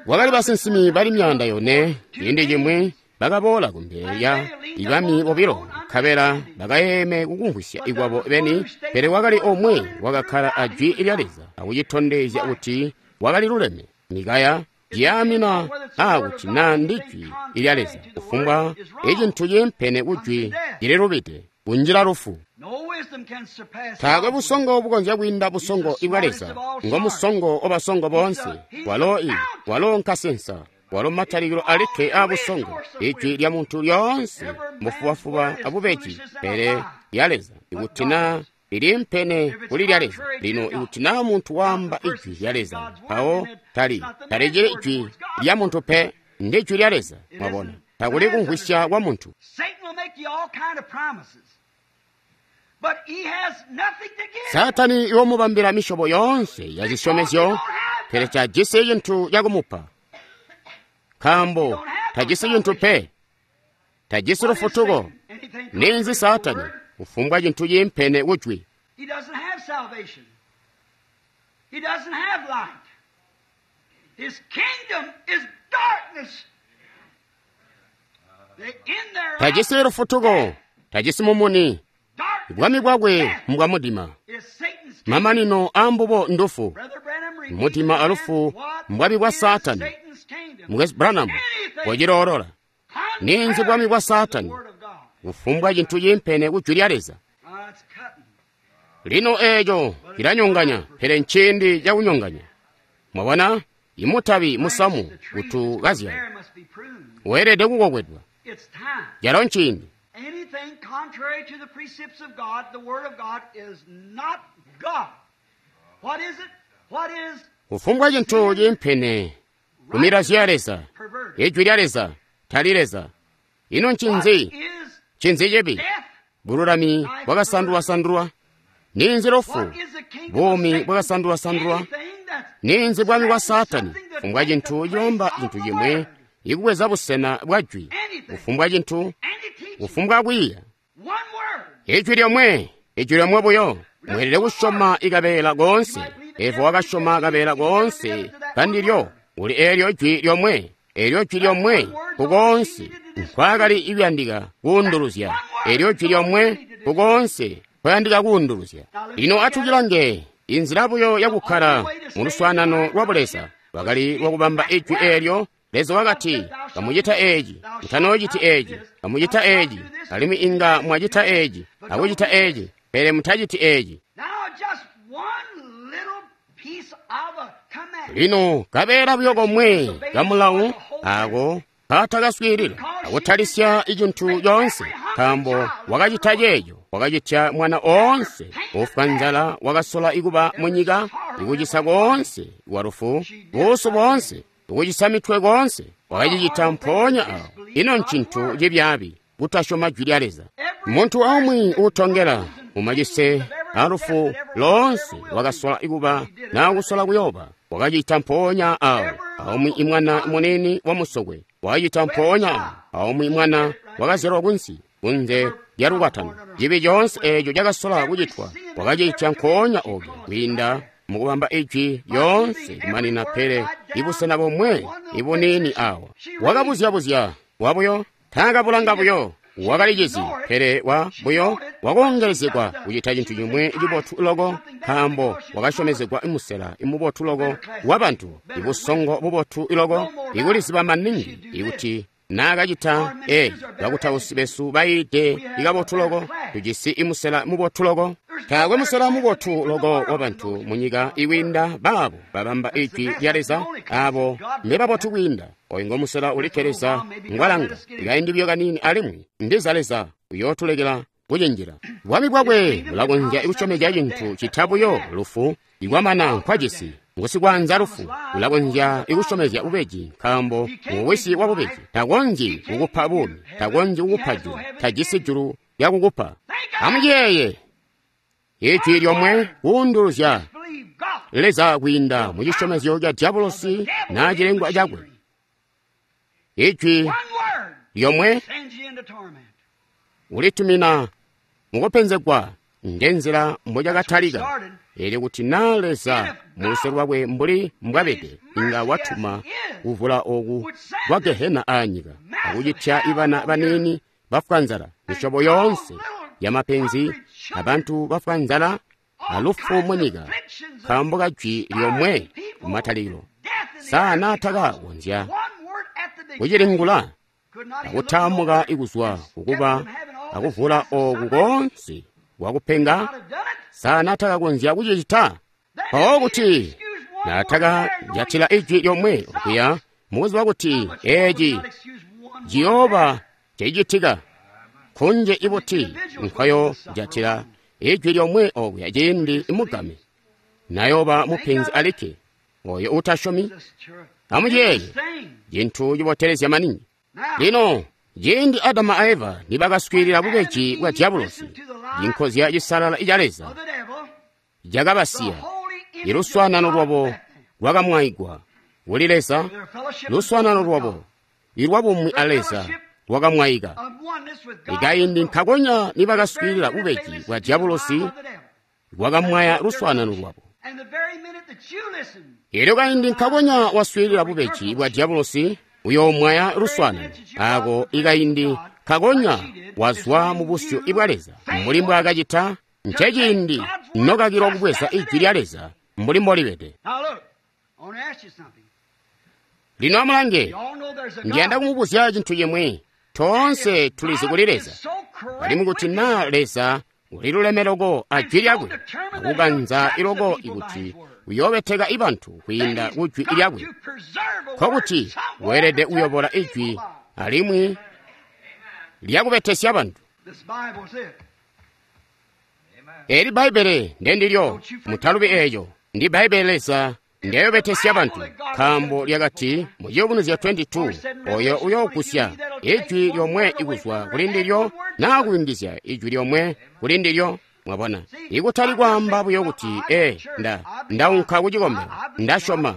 Kwakali basinsimi bali 400 ciindi cimwi bakaboola kumbele lya ibami bobilo, nkabela bakayeeme kukumvwisya ikwabo beni, pele wakali omwe wakakkala a jwi lya Leza akucitondezya kuti wakali luleme. Mikaya ciyaamina aakuti naa ndi jwi lya Leza, kufumbwa icintu ciimpene ku jwi cililubide, kunjila lufu. Taakwe busongo bukonzya kwiinda busongo bwa Leza. Ngo musongo wabasongo boonse. Walo walo nkasensa, walo matalikilo alikke aabusongo. Ijwi lya muntu lyoonse mbufubafuba abubeji, pele lya Leza ikuti naa liliimpene kuli lya Leza. Lino ikuti naa muntu waamba ijwi lya Leza, mpawo talicili ijwi lya muntu pe, ndi jwi lya Leza. Mwabona, takuli kumvwisya kwa muntu. Saatani iwomubambila misyobo yoonse ya zisyomezyo, pele tajisi cintu cakumupa, nkaambo tajisi cintu pe, tajisi lufutuko. Ninzi Saatani? Kufumbwa cintu ciimpene kujwi. Tajisi lufutuko, tajisi mumuni. Bwami bwakwe mbwa mudima. Mamanino aambubo ndufu. Mudima alufu mbwami bwa Saatani. Mukwesu Branham wociloolola. Ninzi bwami bwa Saatani? Kufumbwa cintu ciimpene ku jwi lya Leza. Lino eeco cilanyonganya, pele nciindi cakunyonganya. Mwabona, imutabi musamu kuti kazyala weelede kukokwedwa. Calo nciindi. Anything contrary to the precepts of God, the Word of God, is not God. What is it? What is Kufumbwa cintu ciimpene ku milazyo ya Leza, ijwi lya Leza tali Leza. Ino ncinzi? Ncinzi cibi? Bululami bwakasandulwasandulwa. Ninzi lufu? Buumi bwakasandulwasandulwa. Ninzi bwami bwa Saatani? Kufumbwa cintu cilomba cintu cimwi ikubweza busena bwa jwi. Kufumbwa cintu, kufumbwa kwiiya. Ijwi lyomwe, ijwi lyomwe buyo. Mweelede kusyoma ikabeela koonse. Eva wakasyoma kabeela koonse kandilyo. Uli eelyo jwi lyomwe, eelyo jwi lyomwe kukoonse nkwaakali ikuyandika kuunduluzya. Eelyo jwi lyomwe kukoonse kwayandika kuunduluzya. Lino atucilange inzila buyo yakukkala mu luswaanano lwa Buleza lwakali lwakubamba ijwi eelyo. Leza wakati, kamucita eeci, mutanoociti eeci, kamucita eeci, alimwi inga mwacita eeci, akucita eeci, pele mutaciti eeci. Lino kabeela buyo komwe kamulawu ako kaatakaswiilila akutalisya icintu coonse, nkaambo wakacita ceeco, wakacitya mwana oonse ufwa nzala wakasola ikuba munyika, ikucisa koonse kwa lufu, buusu boonse, ukucisa mitwe koonse, wakacicita mpoonya awo. Ino ncintu cibyaabi kutasyoma jwi lya Leza. Muntu aumwi uutongela mumacise alufu loonse wakasola kuba naa kusola kuyoba, wakacita mpoonya awo. Aumwi imwana muniini wa musokwe Wacita mpoonya aumwi mwana wakazyalwa kunsi kunze lya lukwatano. Cibi coonse eeco cakasola kucitwa wakacita nkoonya oku kwiinda mukubamba ijwi lyoonse kumanina, pele ibusena bomwe ibuniini awa. Wakabuzyabuzya wabuyo, taakabulanga buyo, wakalicizi, pele wa buyo wakoongelezegwa kucita cintu cimwi cibotu loko, nkaambo wakasyomezegwa musela imubotu loko wa bantu, ibusongo bubotu loko, ikuliziba maningi ikuti naakacita bakutausi besu bayiide ikabotu loko, tujisi imusela mubotu loko. Taakwe musela mubotu loko wa bantu munyika ikwiinda baabo babamba ijwi lya Leza, abo mbebabotu kwiinda. Oyu ngo musela ulikke Leza ngwalanga ikaindi buyo kaniini, alimwi ndiza Leza uyootulekela kucinjila. Bwami bwakwe bulakonzya kusyomezya cintu cita buyo lufu ikwamana nkwajisi. Ngusikwaanza lufu ulakonzya ikusyomezya bubeji, nkaambo nguwisi wa bubeji. Takonzyi kukupa buumi, takonzyi kukupa julu, tajisi julu lyakukupa. Amuyeeye ijwi lyomwe kuunduluzya Leza kwiinda mu cisyomezyo ca diabolosi naa cilengwa cakwe. Ijwi lyomwe ulitumina mukupenzegwa, ngenzila mbocakatalika. Eelyo kuti naa Leza muluse lwakwe mbuli mbwabede inga watuma kuvula oku kwa gehena aanyika akucitya ibana baniini bafwa nzala, misyobo yoonse yamapenzi abantu bafwa nzala alufu munyika, nkaambo ka jwi lyomwe kumatalikilo. Sa naatakakonzya kucilingula akutaamuka ikuzwa kukuba akuvula oku koonse wakupenga? Sa naatakakonzya kucicita? Mpawo kuti naatakajatila ijwi lyomwe okuya, mukuziba kuti eeci ciyooba cicitika, kunje ibuti nkoyo jatila ijwi lyomwe okuya ciindi imugame nayoba mupenzi alikke oyo utasyomi. Amuyeeye cintu cibotelezya maningi. Lino ciindi Adamu a Eva nibakaswiilila bubeji bwa diabolosi, cinkozya cisalala ca Leza cakabasiya. Iluswaanano lwabo lwakamwaigwa kuli Leza, luswaanano lwabo ilwabumwi a Leza lwakamwaika. Ikaindi nkakonya nibakaswiilila bubeji bwa diabolosi, lwakamwaya luswaanano lwabo. Elyo kaindi nkakonya waswiilila bubeji bwa diabolosi, uyoomwaya luswaanano. Ako ikaindi nkakonya wazwa mu busyu bwa Leza mbuli mbwaakacita, nceciindi nokakilwa kubweza ijwi lya Leza mbuli mbolibede. Lino amulange, ndiyanda kumubuzya cintu cimwi. Toonse tulizi kuli Leza, alimwi kuti naa Leza uliluleme loko a jwi lyakwe, akukanza iloko ikuti uyoobeteka ibantu kwiinda ku jwi lyakwe, nkokuti weelede kuyobola ijwi alimwi lyakubetesya bantu. Eli Bbaibbele ndendilyo, mutalubi eeco. Ndi Bbaibbele Leza ndiyobetesya bantu, nkaambo lyakati mu Ciyubunuzyo 22, oyo uyoogusya ijwi lyomwe ikuzwa kuli ndilyo naa kuyungizya ijwi lyomwe kuli ndilyo. Mwabona, ikutali kwaamba buyo kuti ndaunka ku cikombelo, ndasyoma,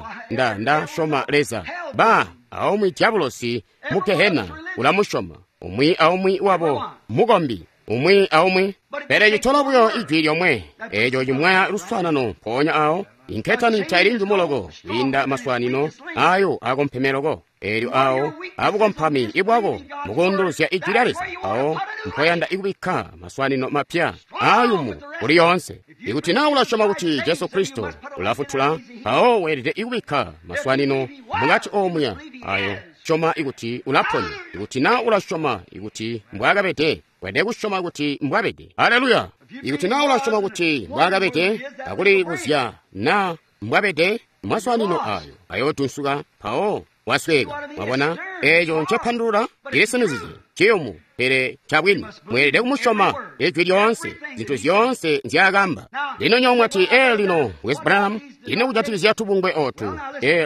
ndasyoma Leza. Ba aumwi diabolosi mu gehena ulamusyoma, umwi aumwi wabo mukombi, umwi aumwi. Pele citola buyo ijwi lyomwe eeco cimwaya luswaanano mpoonya awo. Inketani taili njumu loko kwiinda maswaanino ayo akompeme loko, eelyo awo abukompami ibwako mukuunduluzya ijwi lya Leza, awo mpoyanda ikubikka maswaanino mapya aayumu kuli yoonse. Ikuti naa ulasyoma kuti Jesu Kristo ulafutula, mpawo weelede ikubikka maswaanino mukati omuya ayo. Syoma ikuti ulaponya. Ikuti naa ulasyoma ikuti mbwaakabede, weelede kusyoma kuti mbwabede. Haleluya! Ikuti naa ulasyoma kuti mbwaakabede, akulibuzya naa mbwabede, maswaanino ayo ayoodunsuka, mpawo wasweeka. Mwabona eeco ncepandulula? Cilisinizizye, ciyumu, pele ncabwini. Mweelede kumusyoma ijwi lyoonse, zintu zyoonse nzyaakamba. Lino nyowe mwati, lino Wes Branham, ino kujatikizya tubungwe ootu?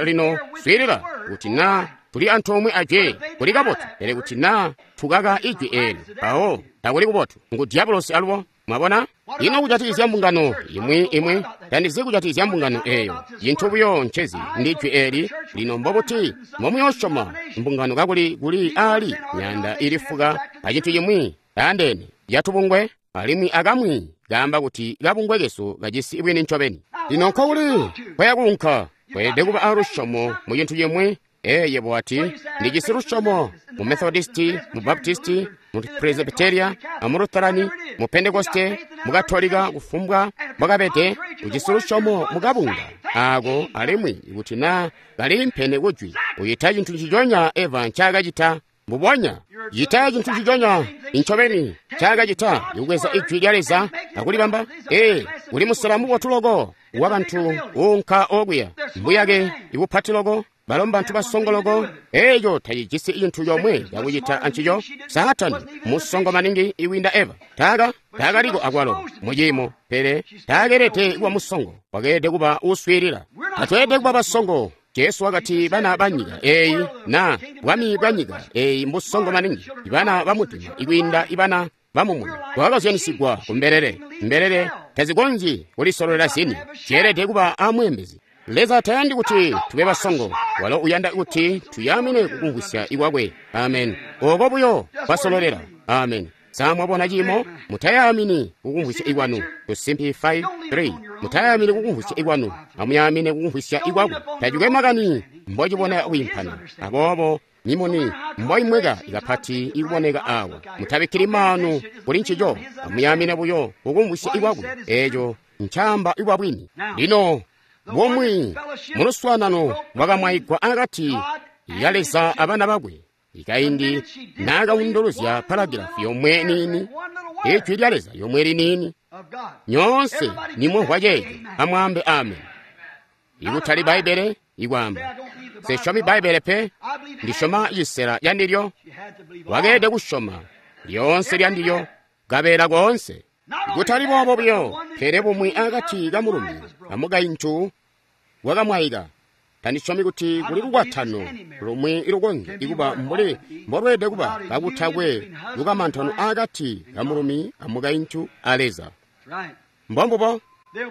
Lino swiilila, kuti naa tuli antoomwe ajwi kuli kabotu, pele kuti naa tukaka ijwi eeli, mpawo takuli kubotu. Ngu diabolosi alubo. Mwabona? Ino kujatikizya mbungano imwi tandizi kujatikizya mbungano eyo. Cintu buyo ncezi ndi jwi eli. Lino mbobuti mbomuyosyoma mbungano kakuli kuli ali myaanda ili fuka a cintu cimwi taandeene yatubungwe, alimwi akamwi kaamba kuti kabungwe kesu kajisi bwini ncobeni. Lino nkokuli kwaya kuunka? Weelede kuba a lusyomo mu cintu cimwi. Yebo wati, ndijisi lusyomo mu Methodisti, mu Baptisti, mu Presbyteria, mu Lutherani, mu Pentekoste, mu Katolika, kufumbwa mbwakabede, ujisi lusyomo mu kabunga ako, alimwi kuti na kaliimpene kujwi, ucita cintu nciconya Eva ncaakacita. Mbubonya cita cintu nciconya incobeni ncaakacita, ikubweza ijwi lya Leza akulibamba. Uli musela mubotu loko wa bantu uunka okuya, mbuyake ibupati loko, balo mbantu basongo loko. Eco tacijisi cintu comwe cakucita ancico. Saatani musongo maningi iwinda Eva. Taakaliko akwalo muciimo, pele taakeelede kuba musongo, wakeelede kuba uswiilila. Tatweelede kuba basongo. Jesu wakati bana ba nyika eyi na bwami bwa nyika eyi mbusongo maningi, ibana ba mudima ikwiinda ibana ba mumuni. Bwakazyanisigwa ku mbelele. Mbelele tazikonzyi kulisololela zini, zyeelede kuba amweembezi. Leza tayandi kuti tube basongo, walo uyanda kuti tuyamine kukumvwisya ikwakwe. Amen. Oko buyo kwasololela. Amen. Sa mwabona ciimo? Mutayamini kukumvwisya ikwanu. Tusimpi 5:3. Mutayamini kukumvwisya ikwanu, amuyamine kukumvwisya ikwakwe. Tacikwe makani mbocibona kwiimpana. Aboobo mimuni mboimweka ikapati ikuboneka awa. Mutabikkili maanu kuli ncico, amuyamine buyo kukumvwisya ikwakwe. Eco ncaamba ikwa bwini. Lino bumwi muluswaanano bwakamwaigwa akati ya Leza abana bakwe. Ikaindi naakaunduluzya paragilafu yomwe niini, ijwi lya Leza yomwe liniini. Nyoonse nimumvwa ceeco, amwaambe amen. Ikutali Bbaibbele ikwaamba, nsisyomi Bbaibbele pe, ndisyoma cisela candilyo. Wakeelede kusyoma lyoonse lyandilyo, kabeela koonse. Kutali boobo buyo, pele bumwi akati kamulumi amukaintu bwakamwaika. Tandisyomi kuti kuli lukwatano lumwi ilukonzya ikuba mbuli mbolweelede kuba kakutakwe lukamantano akati kamulumi amukaintu a Leza. Mbombubo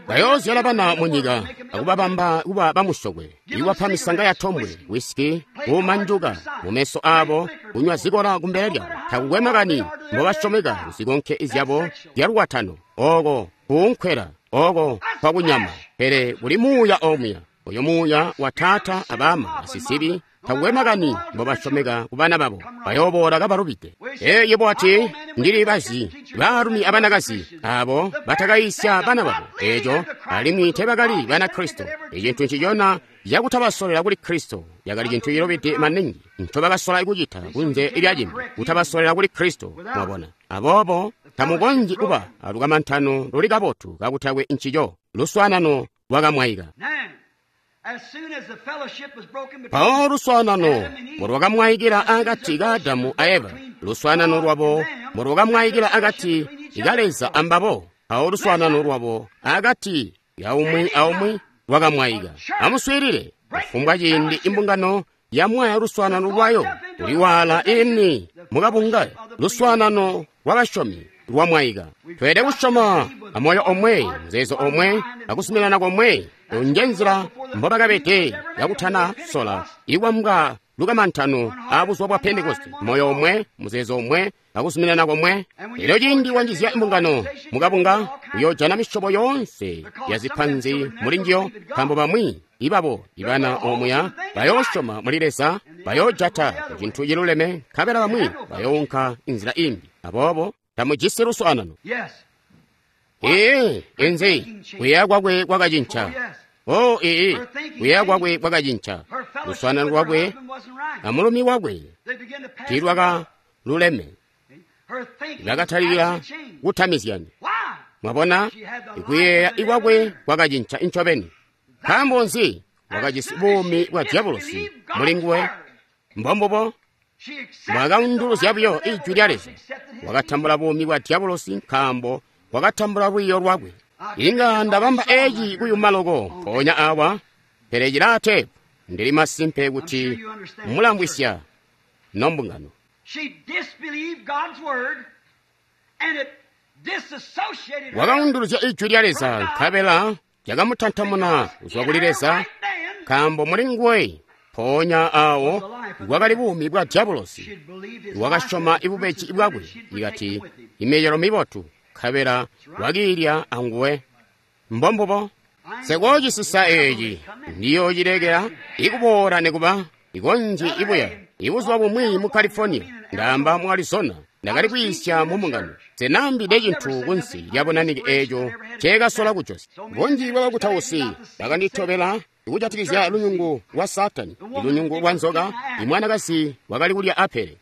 bayoozyala bana munyika akubabamba kuba bamusokwe, ikubapa misanga ya tombwe, wisiki, kuumanjuka mumeso aabo, kunywa zikola kumbele lyabo. Takukwe makani mbobasyomeka kuzikonke zyabo zyalukwatano, oko kuunkwela, oko kwakunyama, pele kuli muuya omuya. Oyo muuya wa taata abama basisibi, takukwe makani mbobasyomeka ku bana babo, bayooboola kabalubide. Yebo wati, ndili bazi baalumi abanakazi abo batakayisya bana babo eco, alimwi teebakali bana Kristo. Icintu ncicona cakutabasolela kuli Kristo yakali cintu cilubide maningi ncobakasola kucita kunze lya cimbi, kutabasolela kuli Kristo. Mwabona? Aboobo tamukonzyi kuba alukamantano luli kabotu kakutakwe ncico. Luswaanano lwakamwaika. Mpawo luswaanano mbolwakamwaikila akati ka Adamu a Eva, luswaanano lwabo mbolwakamwaikila akati ka Leza ambabo, mpawo luswaanano lwabo akati ka umwi aumwi lwakamwaika. Amuswiilile, kufumbwa ciindi imbungano yamwaya luswaanano lwayo kuliwaala ini mukabunga, luswaanano lwabasyomi lwamwaika. Tweelede kusyoma amoyo omwe, muzeezo omwe, akuzuminana komwe. Nje nzila mbobakabede kakutana sola ikwambwa lukamantano abuzuba bwa Pentekoste, moyo omwe, muzeezo omwe, akuzuminana komwe. Elyo ciindi wanjizya imbungano mukabunga, uyoojana misyobo yoonse ya zipanzi muli njiyo, nkaambo bamwi ibabo ibana omuya bayoosyoma muli Leza, bayoojata ku cintu ciluleme, nkabela bamwi bayounka inzila imbi. Aboobo tamujisi luswaanano. Inzi kuyeeya kwakwe kwakacinca. Kuyeeya kwakwe kwakacinca. Luswaanano lwakwe amulumi wakwe tiilwakaluleme. Bakatalikila kutamizyana. Mwabona, kuyeeya kwakwe kwakacinca incobeni. Nkaambo nzi? Wakajisi buumi bwa dyabulosi muli nguwe. Mbombubo bwakaunduluzya buyo ijwi lya Leza. Wakatambula buumi bwa dyabulosi nkaambo wakatambula lwiiyo lwakwe. Inga ndabamba eci kuyuma loko mpoonya awa, pele cilaa teepu. Ndili masimpe kuti mulamvwisya nombungano. Wakaunduluzya Ijwi lya Leza, nkabela cakamutantamuna kuzwa kuli Leza, nkaambo muli nguwe mpoonya awo bwakali buumi bwa dyabulosi. Wakasyoma ibubeji bwakwe, ikati imicelo mibotu, nkabela wakiilya anguwe. Mbombubo. Nsekoocisisa eeci, ndiyoocilekela ikuboola nikuba ikonzyi ibuya. Ibuzuba bumwi mu California, ndaamba mu Arizona, ndakali kwiisya mu mbungano. Nsenaambide cintu kunsi lya bunanike eeco nceekasola kujosya. Bunji bwa bakutausi bakanditobela kujatikizya lunyungu lwa Saatani, lunyungu lwa nzoka, imwanakazi wakali kulya apele.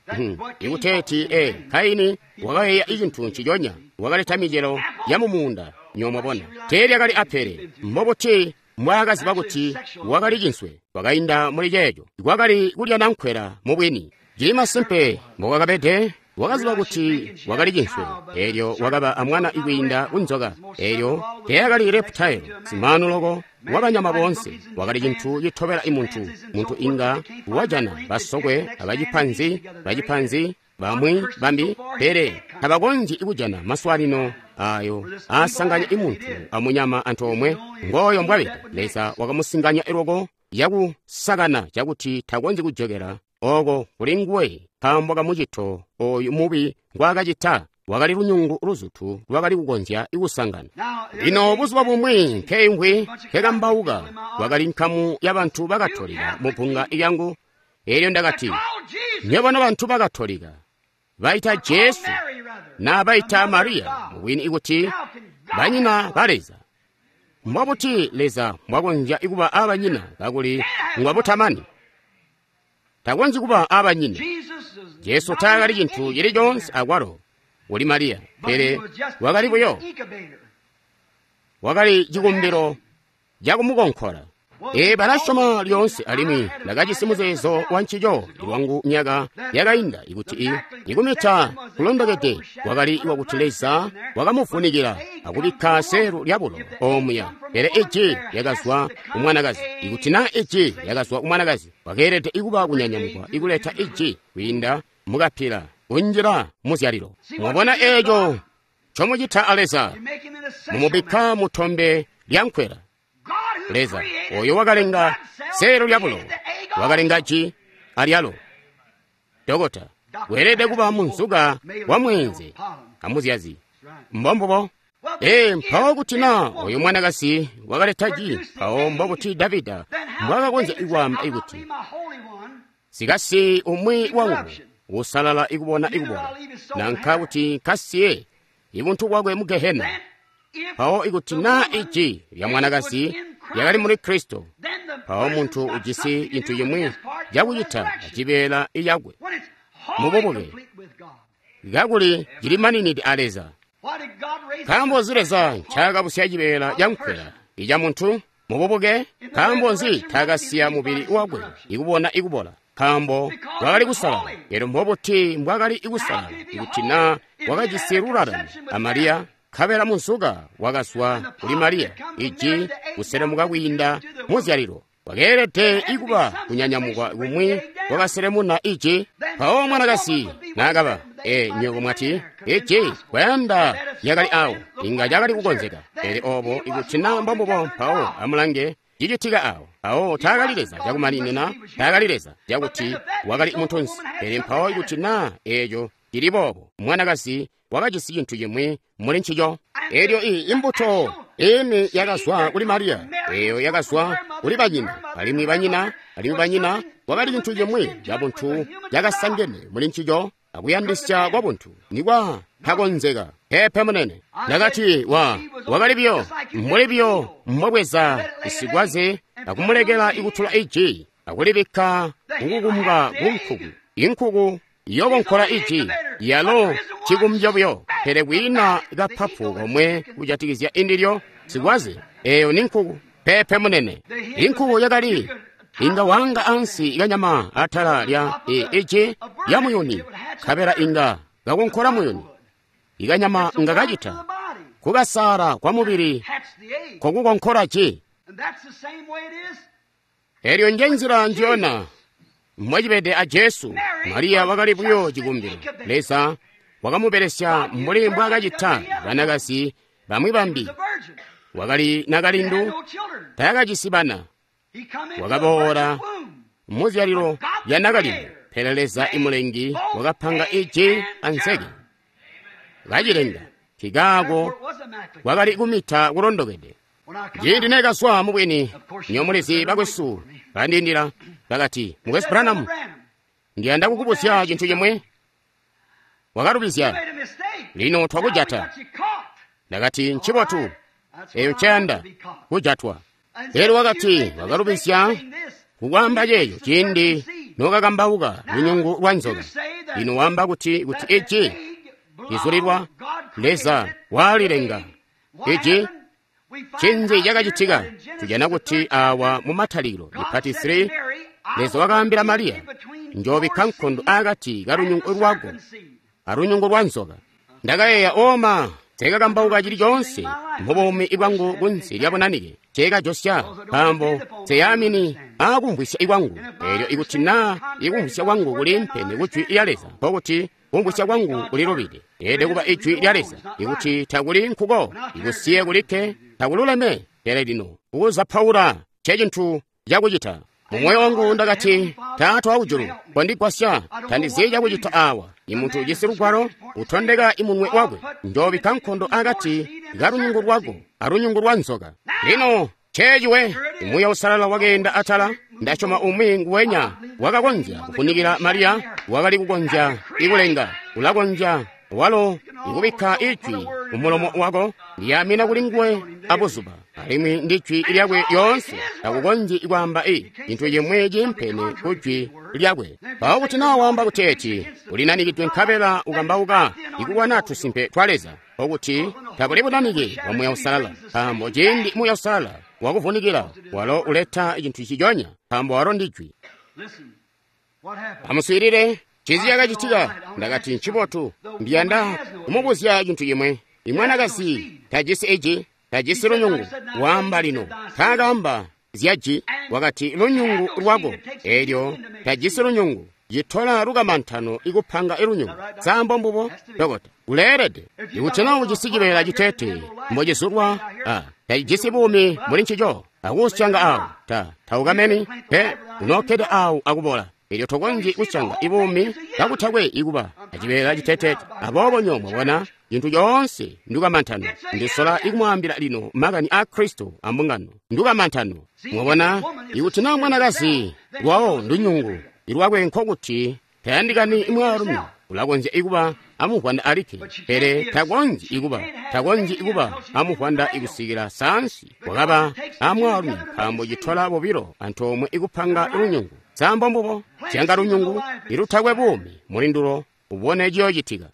Ikuteeti Kaini wakayeeya icintu nciconya, wakaleta micelo ya mumuunda. Nywebo mwabona, teelyakali apele. Mbobuti mbwaakaziba kuti wakali cinswe? Wakainda muli ceeco, kwakali kulya nankwela mubwini. Cili masimpe mbokakabede. Wakaziba kuti wakali cinswe, eelyo wakaba amwana kwiinda kunzoka. Eelyo teyakali reptile, simaanu loko wabanyama boonse, wakali cintu citobela imuntu. Muntu inga wajana basokwe abacipanzi, bacipanzi bamwi bambi, pele tabakonzyi kujana maswalino ayo aasanganya imuntu amunyama antoomwe. Ngooyo mbwabede. Leza wakamusinganya loko yakusakana cakuti takonzyi kujokela oko kuli nguwe, nkaambo kamucito oyu mubi ngwaakacita. Wakali lunyungu luzutu lwakali kukonzya kusangana. Lino buzuba bumwi nkeingwi nkekambauka, kwakali nkamu ya bantu bakatolika mu bbunga lyangu. Eelyo ndakati, nywebo nobantu bakatolika baita Jesu na baita Mariya mubwini ikuti banyina ba Leza. Mbobuti Leza mbwakonzya kuba abanyina kakuli ngwabutamani? Takonzyi kuba abanyina. Jesu taakali cintu cili coonse akwalo kuli Mariya, pele wakali buyo, wakali cikumbilo cakumukonkola. Balasyoma lyoonse, alimwi ndakajisi muzeezo wa ncico lwangu myaka yakainda ikuti ikumita kulondokede kwakali wakuti Leza wakamuvunikila akubikka selu lyabulo omuya. Pele iji lyakazwa kumwanakazi. Ikuti naa iji lyakazwa kumwanakazi, wakeelede ikuba kunyanyamukwa ikuleta iji kwiinda mukapila kunjila muzyalilo. Mwabona eeco ncomucita a Leza? Mumubikka mutombe lyankwela. Leza oyo wakalenga seelo lyabulo, wakalenga ji alyalo. Dokota weelede kuba munzuka wa mweenze amuzyazi. Mbombubo. Mpawo kuti naa oyo mwanakazi wakaleta ji, mpawo mbokuti Davida mbwakakonzya ikwaamba ikuti sikasi umwi wangu usalala ikubona ikubola, nanka kuti nkasiye ibuntu bwakwe mu Gehena. Mpawo ikuti naa iji lya mwanakazi lyakali muli Kristo, mpawo muntu ujisi cintu cimwi cakucita acibeela iyakwe mububuke, kakuli cilimaninide a Leza. Nkaambo nzi Leza ncaakabusya cibeela cankwela ica muntu mububuke? Nkaambo nzi taakasiya mubili wakwe ikubona ikubola? Nkaambo wakali kusalala. Elyo mbobuti mbwakali kusalala ikuti naa wakajisi lulalano a Mariya? Nkabela munzuka wakazwa kuli Mariya, iji kuselemuka kwiinda muzyalilo. Wakeelede ikuba kunyanyamukwa kumwi kwakaselemuna iji. Mpawo mwanakazi naakaba, nywebo mwati, iji kwayanda lyakali awo, inga cakali kukonzeka. Pele obo ikuti naa mbombubo, mpawo amulange cicitika awo. Mpawo taakali Leza cakumaninina, taakali Leza cakuti wakali muntunsi. Pele mpawo ikuti naa eeco cili boobo, mwanakazi wakajisi cintu cimwi muli ncico. Elyo imbuto ini yakazwa kuli Mariya, eyo yakazwa kuli banyina, alimwi banyina, alimwi banyina, wakali cintu cimwi cabuntu cakasangene muli ncico akuyandisya kwa buntu nikwa takonzeka. Pepe munene. Ndakati wakali biyo mbuli biyo mbwabweza isigwaze akumulekela ikutula iji akulibikka kukukumbwa ku nkuku. Inkuku yokonkola iji yalo cikumbyo buyo, pele kwiina kapapu komwe kujatikizya indilyo sikwaze. Eyo ni nkuku. Pepe munene. Inkuku yakali inga wanga ansi kanyama atala lya iji ya muyuni, nkabela inga kakonkola muyuni. Ikanyama nga kacita kukasala kwa mubili kokukonkola ji. Elyo nje nzila njiyona mwacibede a Jesu. Mariya wakali buyo cikumbilo. Leza wakamubelesya mbuli mbwaakacita banakazi bamwi bambi. Wakali nakalindu, taakajisi bana. Wakaboola muzyalilo lya nakalindu, pele Leza imulengi wakapanga iji anseke kacilenga. Nkikaako kwakali kumita kulondokede. Ciindi neekazwa mubwini, nyomulizi bakwesu bandindila bakati, Mukwesu Branham, ndiyanda kukubuzya cintu cimwe. Wakalubizya, lino twakujata. Ndakati, ncibotu, eyo nceyanda kujatwa. Elyo wakati, wakalubizya kukwaamba ceeco ciindi nokakambauka lunyungu lwa nzoka. Lino waamba kuti iji lizulilwa Leza walilenga iji. Ncinzi cakacitika? Tujana kuti awa mu Matalikilo ipati 3, Leza wakaambila Mariya, njoobikka nkondo akati kalunyungu lwako alunyungu lwa nzoka. Ndakayeeya, oma nseekakambauka cili coonse mubuumi bwangu kunsi lya bunanike nceekajosya, nkaambo nseyaamini aakumvwisya kwangu. Eelyo ikuti naa ikumvwisya kwangu kuli mpene ku Jwi lya Leza, nkokuti kumvwisya kwangu kulilubide. Leelede kuba Ijwi lya Leza. Ikuti takuli nkuko, ikusiye kulikke takululeme. Pele lino kukuzapaula ncecintu cakucita. Mumoyo wangu ndakati, Taata wakujulu, kondigwasya, tandizi cakucita awa. Imuntu ujisi lugwalo utondeka imunwe wakwe, njoobikka nkondo akati kalunyungu lwako alunyungu lwa nzoka. Lino ceeciwe Muuya Uusalala wakeenda atala. Ndasyoma umwi nguwenya wakakonzya kufunikila Mariya, wakali kukonzya ikulenga, ulakonzya walo ikubikka ijwi mumulomo wako. Ndiyamina kuli nguwe abuzuba, alimwi ndi jwi lyakwe lyoonse. Takukonzyi kwaamba cintu cimwi ciimpene ku jwi lyakwe. Mpawo kuti naa waamba kuteeti ulinanikidwe nkabela ukambauka ikulwana tusimpe twa Leza, okuti tabuli bunanike bwa Muuya Uusalala, nkaambo ciindi Muuya Uusalala wakuvunikila, walo uleta cintu ciconya, nkaambo walo ndi jwi. Amuswiilile cizi cakacitika. Ndakati, ncibotu, ndiyanda kumubuzya cintu cimwe. Imwanakazi tajisi iji, tajisi lunyungu. Waamba lino taakaamba zyaji, wakati lunyungu lwako. Eelyo tajisi lunyungu, citola lukamantano ikupanga ilunyungu. Sambo mbubo dokota uleelede. Ikuti naa ujisi cibeela citete mbocizulwa, tacijisi buumi muli ncico, akuusyanga awo taukameni pe, unokkede awo akubola. Elyo tokonzyi kusyanga ibuumi kakutakwe ikuba acibeela citetete. Aboobo nyo mwabona cintu coonse ndukamantano. Ndisola ikumwaambila lino makani a Kristo ambungano. Ndukamantano. Mwabona, ikuti naa mwanakazi lwawo ndunyungu ilwakwe, nkokuti tayandikani mwaalumi. Ulakonzya ikuba amuvwanda alikke, pele takonzyi ikuba amuvwanda ikusikila saansi wakaba amwaalumi, nkaambo citola bobilo antoomwe ikupanga lunyungu. Sambo mbubo syanga lunyungu ilutakwe buumi muli ndulo, ubone ciyoocitika.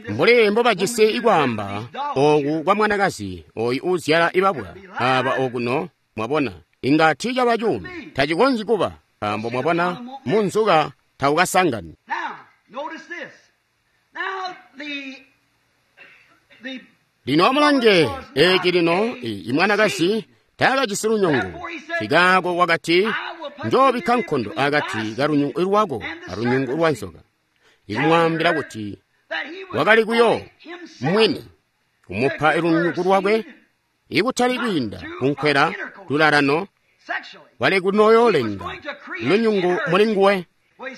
Mbuli mbobajisi ikwaamba ooku kwa mwanakazi oyu uuzyala ibabwa aba okuno, mwabona, inga tiicaba cuumi, tacikonzyi kuba, nkaambo mwabona munzuka taukasangani. Lino amulange eci lino, imwanakazi taakajisi lunyungu. Nkikaako wakati, njoobikka nkondo akati kalunyungu lwako alunyungu lwa nzoka. Ikumwaambila kuti wakali kuyo mwini kumupa lunyungu lwakwe, ikutali kwiinda kunkwela lulalano, wali kunoyolenga lunyungu muli nguwe.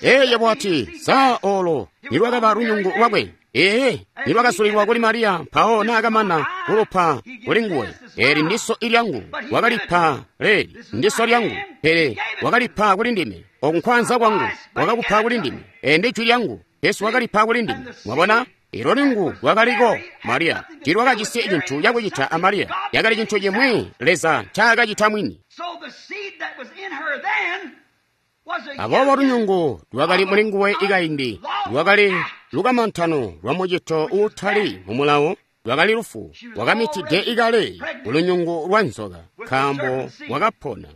Eye bwati saa olo nilwakaba lunyungu lwakwe. Ee, nilwakasulilwa kuli Mariya, mpawo naakamana kulupa kuli nguwe. Eli ndiso ilyangu, wakalipa leli ndiso lyangu, pele wakalipa kuli ndime. Oku nkwanza kwangu, wakakupa kuli ndime. Eli ndi jwi lyangu, Yesu wakalipa kuli ndime. Mwabona, ilo lungu lwakaliko Mariya tilwakajisi cintu cakucita a Mariya, yakali cintu cimwi Leza ncaakacita mwini. Aboobo lunyungu lwakali muli nguwe ikaindi lwakali lukamantano lwa mucito uutali mumulawo, lwakali lufu, wakamitide ikale kulunyungu lwa nzoka, nkaambo wakapona.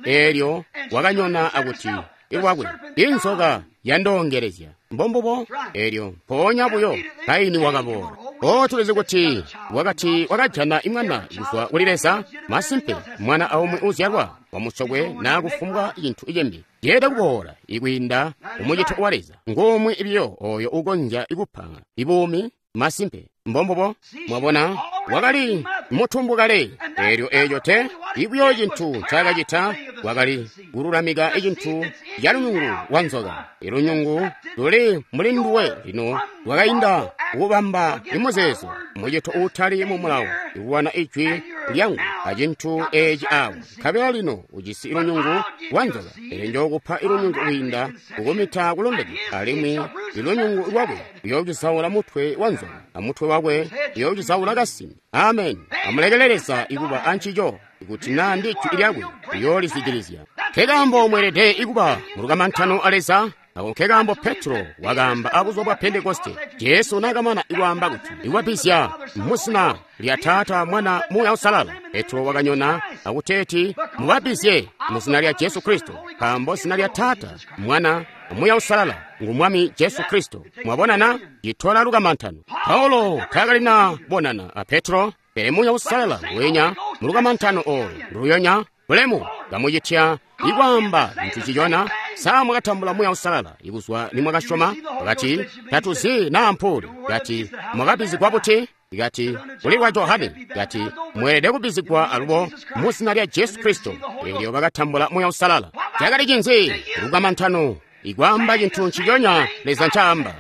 Eelyo wakanyona akuti ilwakwe inzoka yandoongelezya. Mbombubo. Eelyo mpoonya buyo Kaini wakaboola. O tulizi kuti wakati wakajana imwana kuzwa kuli Leza. Masimpe mwana aumwi uzyalwa wamusokwe naa kufumbwa cintu cimbi. Yeelede kuboola ikwiinda kumucito wa Leza. Ngumwi biyo oyo ukonzya ikupa ibuumi masimpe. Mbombubo. Mwabona, wakali mutumbu kale. Elyo eeco te ibuyo cintu ncaakacita wakali kululamika icintu ca lunyungu lwa nzoka. Ilunyungu luli muli nduwe lino lwakainda kubamba imuzeezo mucito uutali mu mulawo ikulwana ijwi lyangu acintu eeci awo. Nkabela lino ujisi ilunyungu lwa nzoka, pele njookupa ilunyungu kwiinda kukumita kulondeke, alimwi ilunyungu lwakwe luyoocisaula mutwe wa nzoka, amutwe wakwe uyoocisaula kasimi. Amen. Amulekele Leza ikuba ancico. Ikuti naa ndi ijwi lyakwe, uyoolizwidilizya. Nkekaambo mweelede ikuba mulukamantano a Leza. Ako nkekaambo Petro wakaamba abuzuba bwa Pentekoste, Jesu naakamana ikwaamba kuti ikubabbizya muzina lya Taata, Mwana, Muuya Uusalala. Petro wakanyona akuteeti mubabbizye muzina lya Jesu Kristo, nkaambo zina lya Taata, Mwana, Muuya Uusalala ngu Mwami Jesu Kristo. Mwabonana citola lukamantano. Paulo taakalina bonana a Petro, pele Muuya Uusalala wenya mulukamantano olo luyonya bulemu kamucitya ikwaamba cintu cicona. Sa mwakatambula Muuya Uusalala ikuzwa nimwakasyoma? Bakati tatuzi naa mpuli. Kati mwakabbizigwa buti? Kati kuli lwa Johane. Kati mweelede kubbizigwa alubo muzina lya Jesu Kristo. Elyo bakatambula Muuya Uusalala. Cakali cinzi? Lukamantano ikwaamba cintu nciconya Leza ncaamba.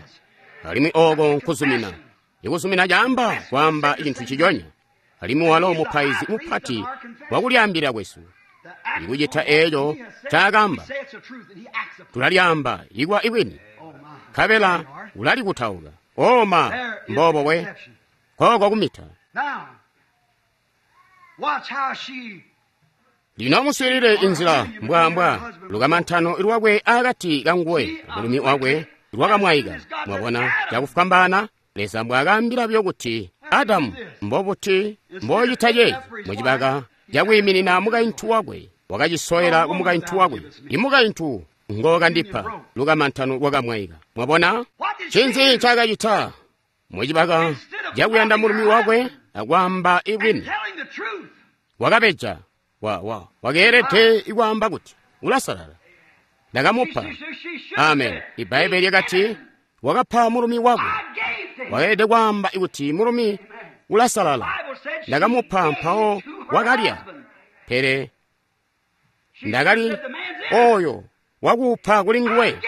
Alimwi oko nkuzumina. Ikuzumina caamba kwaamba cintu nciconya. Alimwi walo mupaizi mupati wakulyaambila kwesu. Ikucita eeco ncaakaamba, tulalyaamba ikwa ibwini, nkabela ulalikutauka. Oma mbobo we kooko kumita. Lino muswiilile inzila mbwaambwa lukamantano lwakwe akati kanguwe amulumi wakwe lwakamwaika. Mwabona cakufwambaana Leza mbwaakaambila buyo kuti Adamu mbobuti mbocita ceeci mucibaka cakwiiminina mukaintu wakwe, wakacisoyela kumukaintu wakwe. Imukaintu ngookandipa. Lukamantano lwakamwaika. Mwabona ncinzi ncaakacita mucibaka cakuyanda mulumi wakwe akwaamba ibwini, wakabeja. Wakeelede ikwaamba kuti ulasalala, ndakamupa. Amen. Ibbaibbele lyakati wakapa mulumi wakwe. Wakeelede kwaamba kuti mulumi ulasalala, ndakamupa, mpawo wakalya. Pele ndakali oyo wakuupa kuli nguwe.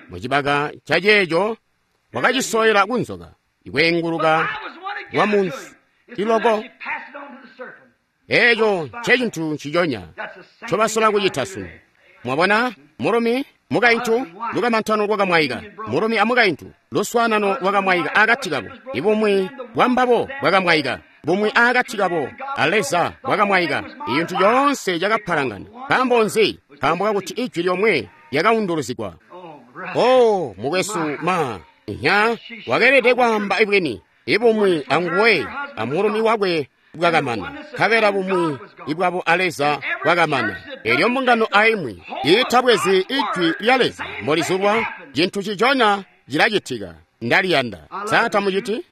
Mucibaka ca ceeco wakacisoyela kunzoka, ikweenguluka kwa munsi iloko. Eeco ncecintu nciconya ncobasola kucita sunu. Mwabona, mulumi mukaintu lukamantano lwakamwaika, mulumi amukaintu luswaanano lwakamwaika akati kabo, ibumwi bwambabo bwakamwaika, bumwi akati kabo a Leza bwakamwaika. Icintu coonse cakapalangana. Nkaambo nzi? Nkaambo kakuti ijwi lyomwe lyakaunduluzigwa. Oh, mukwesu ma nya wakeelede kwaamba ibwini. Ibumwi anguwe amulumi wakwe bwakamana, nkabela bumwi ibwabo a Leza bwakamana. Elyo mbungano aimwi iitabwezi ijwi lya Leza mbolizulwa, cintu ciconya cilacitika. Ndaliyanda. Sa tamuciti?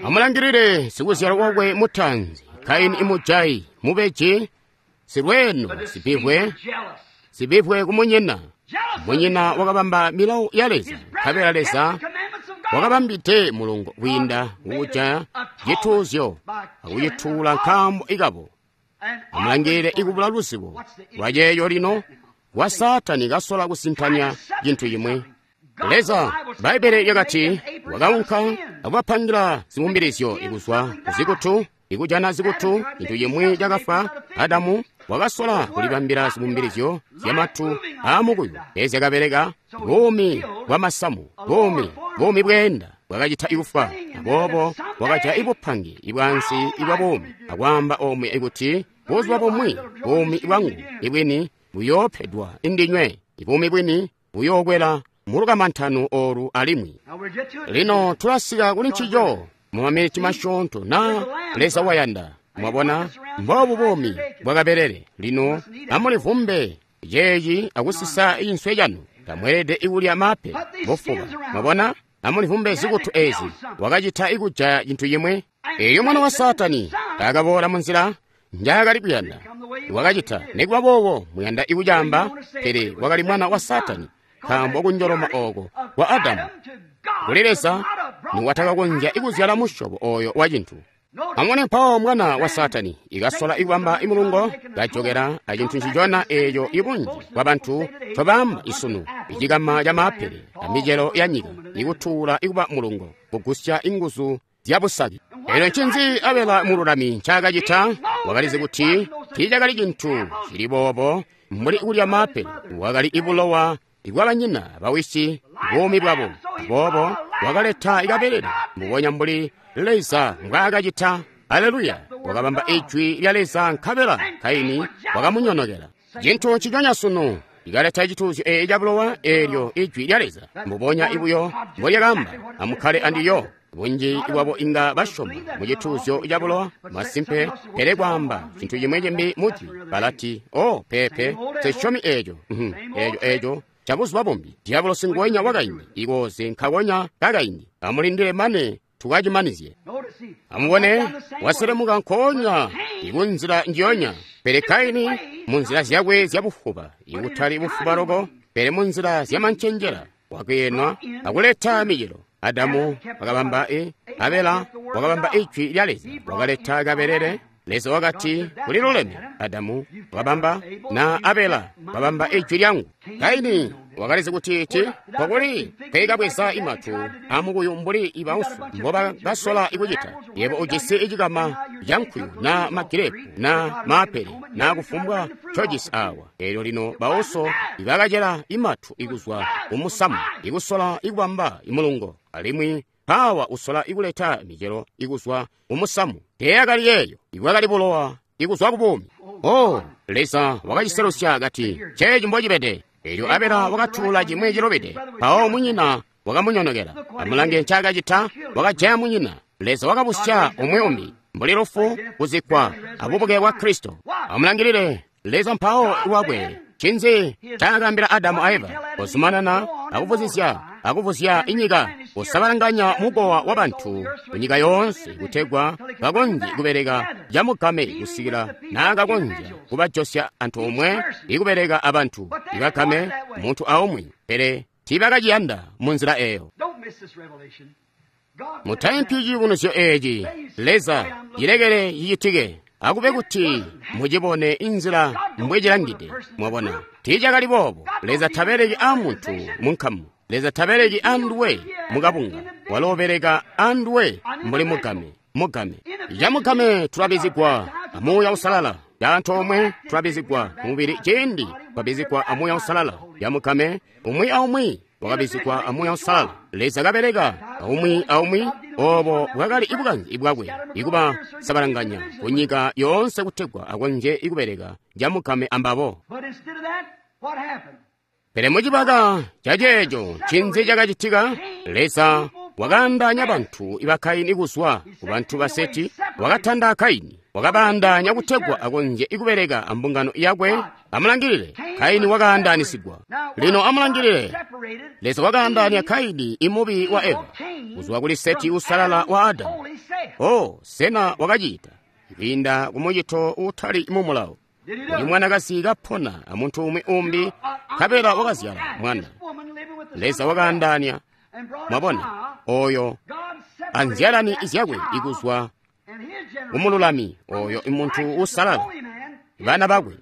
Amulangilile sikuzyalwa wakwe mutaanzi, Kaini imujayi, mubeji, silweeno, sibivwe, sibivwe kumunyina. Munyina wakabamba milawo ya Leza, nkabela Leza wakabambide mulungo kwiinda kukujaya cituuzyo akucituula nkaambo ikabo. Amulangilile ikubula luzibo lwaceeyo lino kwa Saatani kasola kusintanya cintu cimwi. Leza, Bbaibbele lyakati wakaunka akubapangila ziwumbilizyo ikuzwa kuzikutu, ikujana zikutu, cintu cimwi cakafwa. Adamu wakasola kulibambila ziwumbilizyo zyamatu aamukuyu, ezyakabeleka buumi bwa masamu, buumi bweenda bwakacita ikufwa. Aboobo wakaja ibupangi ibwansi ibwa buumi akwaamba omwe ikuti buzuba bumwi buumi bwangu ibwini buyoopedwa indinywe, ibuumi bwini buyookwela mulukamantano olu alimwi. Lino tulasika kuli ncico mu maminiti masyoonto na Leza wayanda. Mwabona, mbobu buumi bwakabelele. Lino amulivumbe ceeci akusisa inswe canu. Tamweelede ikulya mape bufuba. Mwabona, amulivumbe zikutu ezi. Wakacita ikujaya cintu cimwi. Elyo mwana wa Saatani akaboola munzila njaakali kuyanda. Wakacita nikuba boobo muyanda ikucaamba, pele wakali mwana wa Saatani, nkaambo kunjoloma ooko kwa Adamu kuli Leza niwatakakonzya ikuzyala musyobo oyo wa cintu. Amubone mpawo mwana wa Saatani ikasola ikubamba imulungo, kajokela acintu ncicona eeco ibunji bwa bantu ncobaamba isunu, icikama ca maapele amicelo ya nyika, ikutuula ikuba mulungo, kugusya inguzu zya busaki. Elyo ncinzi Abela mululami ncaakacita? Wakalizi kuti tiicakali cintu cili boobo mbuli kulya maapele, wakali ibulowa ibwabanyina bawisi buumi bwabo. Aboobo wakaleta ikabelele mbubonya mbuli Leza mbwaakacita. Aleluya! Wakabamba ijwi lya Leza, nkabela Kaini wakamunyonokela. Cintu nciconya sunu ikaleta cituuzyo eeci cabulowa, eelyo ijwi lya Leza mbubonya ibuyo mbolyakaamba, amukkale andiyo. Bunji bwabo inga basyoma mu cituuzyo cabulowa masimpe, pele kwaamba cintu cimwe cimbi mujwi balati, o peepe, sisyomi eeco. Eeco eeco cabuzuba bumbi. Diabolosi nguwenya wakaindi, ikooze nkakonya kakaindi. Amulindile mane tukacimanizye. Amubone, waselemuka nkoonya ikunzila njiyonya, pele Kaini munzila zyakwe zyabufuba, ikutali bufuba loko, pele munzila zyamancenjela, wakeenwa akuleta micelo. Adamu wakabamba Abela wakabamba ijwi lya Leza, wakaleta kabelele. Leza wakati kuli luleme. Adamu wakabamba na Abela wakabamba ijwi lyangu. Kaini wakalizi kuti ti kokuli kwekabweza imatu amukuyu mbuli ibausu mbobakasola ikucita. Yebo ujisi icikama ca nkuyu na magirepu na maapele na kufumbwa ncojisi awa. Elyo lino bauso ibakacela imatu ikuzwa kumusamu ikusola ikubamba imulungo, alimwi pawa usola ikuleta micelo ikuzwa kumusamu. Teyakali yeeyo, ibwakali bulowa ikuzwa kubuumi. Oh, Leza wakaciselusya kati ceeci mbocibede. Elyo Abela wakatuula cimwi cilubide, mpawo munyina wakamunyonokela. Amulange ncaakacita, wakajaya munyina. Leza wakabusya umwi umbi mbuli lufu, kuzikkwa abubuke bwa Kristo. Amulangilile Leza mpawo lwakwe. Ncinzi ncaakaambila Adamu a Eva? Kuzumanana akuvuzizya akuvuzya inyika, kusabalanganya mukowa wa bantu kunyika yoonse, kutegwa bakonzye kubeleka camugame kusikila naakakonzya kubajosya antoomwe ikubeleka abantu ibagame muntu aumwi, pele tiibakaciyanda munzila eeyo. Mutaimpi ciyubunuzyo eeci. Leza cilekele cicitike, akube kuti mucibone inzila mbwecilangide. Mwabona, tiicakali boobo. Leza tabeleki a muntu munkamu. Leza tabeleki anduwe mukabunga. Walo ubeleka anduwe mbuli mugame. Mugame camugame tulabizigwa amuuya usalala. Caantoomwe tulabizigwa mubili ciindi twabizigwa amuuya usalala. Camugame umwi aumwi wakabizigwa amuuya usalala. Leza kabeleka aumwi aumwi. Obo bwakali ibukanzi bwakwe ikuba sabalanganya kunyika yoonse kutegwa akonzye ikubeleka camugame ambabo. Pele mucibaka caceeco ncinzi cakacitika? Leza wakaandaanya bantu iba Kaini kuzwa ku bantu ba Seti, wakatanda Kaini, wakabaandaanya kutegwa akonzye ikubeleka ambungano yakwe. Amulangilile, Kaini wakaandaanisigwa. Lino amulangilile, Leza wakaandaanya Kaini imubi wa Eva kuzwa kuli Seti usalala wa Adamu. Oh, sena wakacita kwiinda kumucito uutali mumulawo. Uli mwanakazi kapona amuntu umwi umbi, nkabela wakazyala mwana. Leza wakaandaanya, mwabona, oyo anzyalani zyakwe ikuzwa kumululami oyo imuntu usalala, bana bakwe.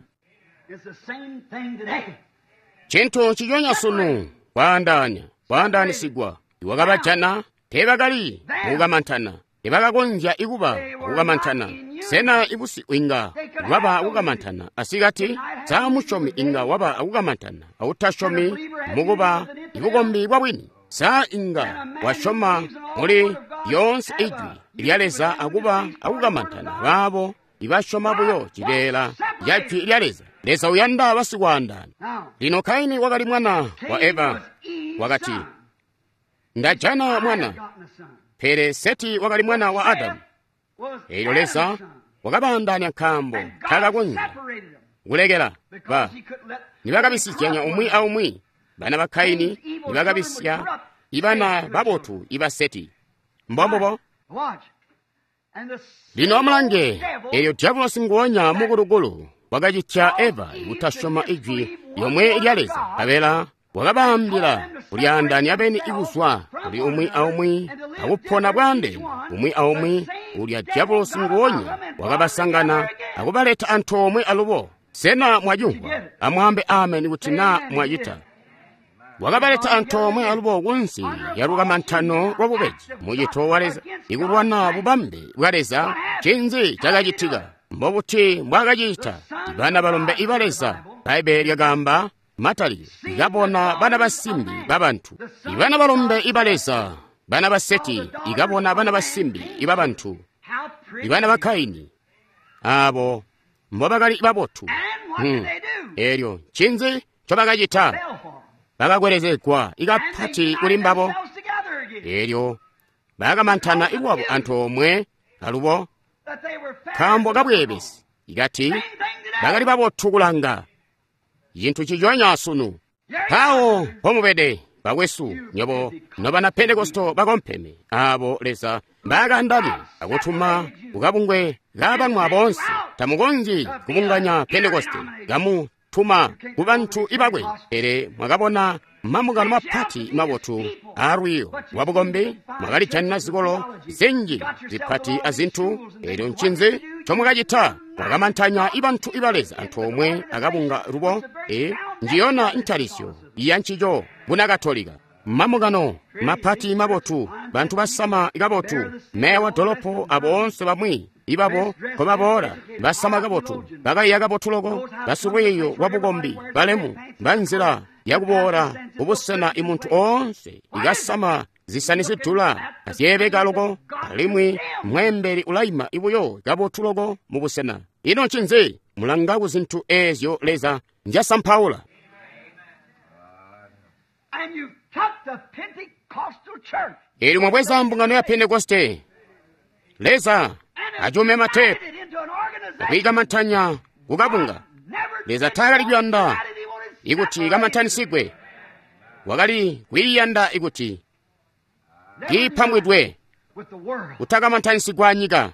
Cintu nciconya sunu, kwaandaanya, kwaandaanisigwa. Iwakabajana teebakali mukukamantana, teebakakonzya ikuba akukamantana. Sena ibusiku inga waba akukamantana asikati? Sa musyomi inga waba akukamantana autasyomi mukuba ibukombi bwa bwini? Sa inga wasyoma muli lyoonse ijwi lya Leza akuba akukamantana baabo ibasyoma buyo cibeela ca jwi lya Leza? Leza uyanda basikwaandaana. Lino Kaini wakali mwana wa Eva, wakati, ndajana mwana. Pele Seti wakali mwana wa Adamu. Elyo Leza wakabaandaanya nkaambo taakakonzya kulekela ba nibakabisizyanya umwi aumwi. Bana ba Kaini nibakabisya ibana babotu iba Seti. Mbombubo. Lino amulange, Elyo dyabulosi nguonya mukulukulu wakacitya Eva kutasyoma ijwi lyomwe lya Leza, nkabela wakabaambila kulyaandaanya beni ikuzwa kuli umwi aumwi akupona bwaandeene umwi aumwi. Ulya dyabulosi nguonya wakabasangana akubaleta antoomwe alubo. Sena mwacimvwa? Amwaambe ameni kuti naa mwacita. Wakabaleta antoomwe alubo kunsi ya lukamantano lwa bubeji, mucito wa Leza, ikulwana bubambe bwa Leza. Ncinzi cakacitika? Mbobuti mbwaakacita? Bana balombe iba Leza, Bbaibbele lyakaamba, Matalikilo, ikabona bana basimbi babantu. Ibana balombe iba Leza, bana ba Seti, ikabona bana basimbi iba bantu. Ibana ba Kaini, abo mbobakali babotu. Elyo ncinzi ncobakacita? Bakakwelezegwa ikapati kuli mbabo. Elyo bakamantana lwabo antoomwe alubo, nkaambo kabweebesi, ikati bakali babotu kulanga. Cintu ciconya sunu. Mpawo mpomubede, bakwesu, nyobo nobana Pentekosto bakompeme, abo Leza mbaakandamya akutuma kukabungwe kabanwa boonse. Tamukonzyi kubunganya Pentekoste, kamutuma ku bantu ibakwe. Pele mwakabona mambungano mapati mabotu aalwiiyo lwabukombi, mwakalijanina zikolo zinji zipati azintu. Elyo ncinzi ncomwakacita? Mwakamantanya ibantu iba Leza antoomwe akabunga lubo. Njiyona ntalisyo ya ncico Bunakatolika. Mambungano mapati mabotu, bantu basama kabotu, meya wa dolopo aboonse bamwi ibabo nkobaboola basama kabotu, bakaiya kabotu loko, basilwiiyo lwa bukombi, balemu banzila yakuboola kubusena imuntu oonse ikasama zisani zidula azyeebeka loko, alimwi mweembeli ulaima ibuyo kabotu loko mu busena. Ino ncinzi? Mulanga ku zintu eezyo Leza njasampaula. Elyo mwabweza mbungano ya Pentekoste, Leza acume matepu akwiikamantanya kukabunga. Leza taakali kuyanda ikuti kamantanisigwe, wakali kwiiyanda ikuti kiipambwidwe, kutakamantanisigwa anyika.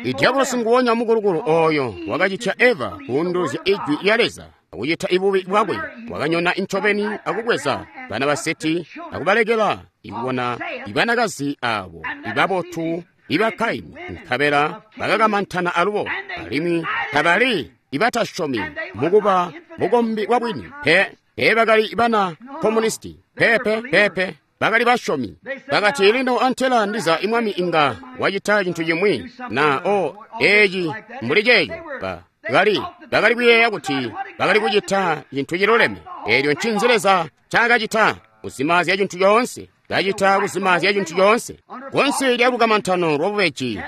Idyabulosi nguwonya mukulukulu oyo wakacitya Eva kuunduluzya ijwi lya Leza akucita ibubi bwakwe, wakanyona incobeni akubweza bana ba Seti akubalekela ikubona ibanakazi abo ibabotu iba Kaini, nkabela bakakamantana alubo, alimwi tabali ibatasyomi mukuba bukombi bwa bwini. Pe bakali bana komunisti, pepe bakali basyomi. Bakati, lino antela ndiza imwami inga wacita cintu cimwi na o eci mbuli ceeco. Bakali kuyeeya kuti bakali kucita cintu ciluleme. Elyo ncinzi Leza ncaakacita? Kuzimaazya cintu coonse. Kacita kuzimaazya cintu coonse. Kunsi lya lukamantano lwa bubeji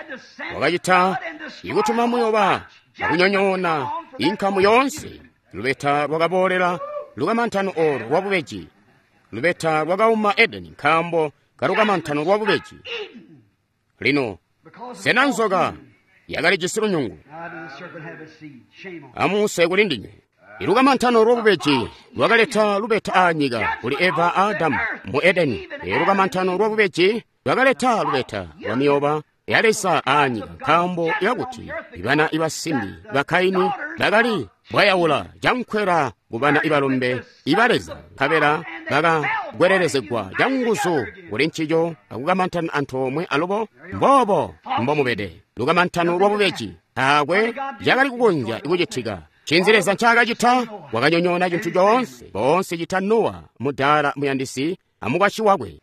wakacita ikutuma muyoba akunyonyoona inkamu yoonse. Lubeta lwakaboolela lukamantano olu lwa bubeji. Lubeta lwakauma Edeni nkaambo kalukamantano lwa bubeji. Lino sena nzoka yakalijisi lunyungu? Amuse kuli ndinywe. Ilukamantano lwa bubeji lwakaleta lubeta aanyika kuli Eva a Adamu mu Edeni. Ilukamantano lwa bubeji lwakaleta lubeta lwa miyoba ya Leza aanyika nkaambo yakuti ibana ibasimbi ba Kaini bakali bwayaula cankwela kubana ibalombe iba Leza, nkabela bakakwelelezegwa canguzu kuli ncico akukamantana antoomwe alubo. Mboobo mbomubede lukamantano lwa bubeji. Taakwe cakali kukonzya kucitika. Ncinzi Leza ncaakacita? Wakanyonyoona cintu coonse, boonse cita Nowa mudaala muyandisi amukwasyi wakwe.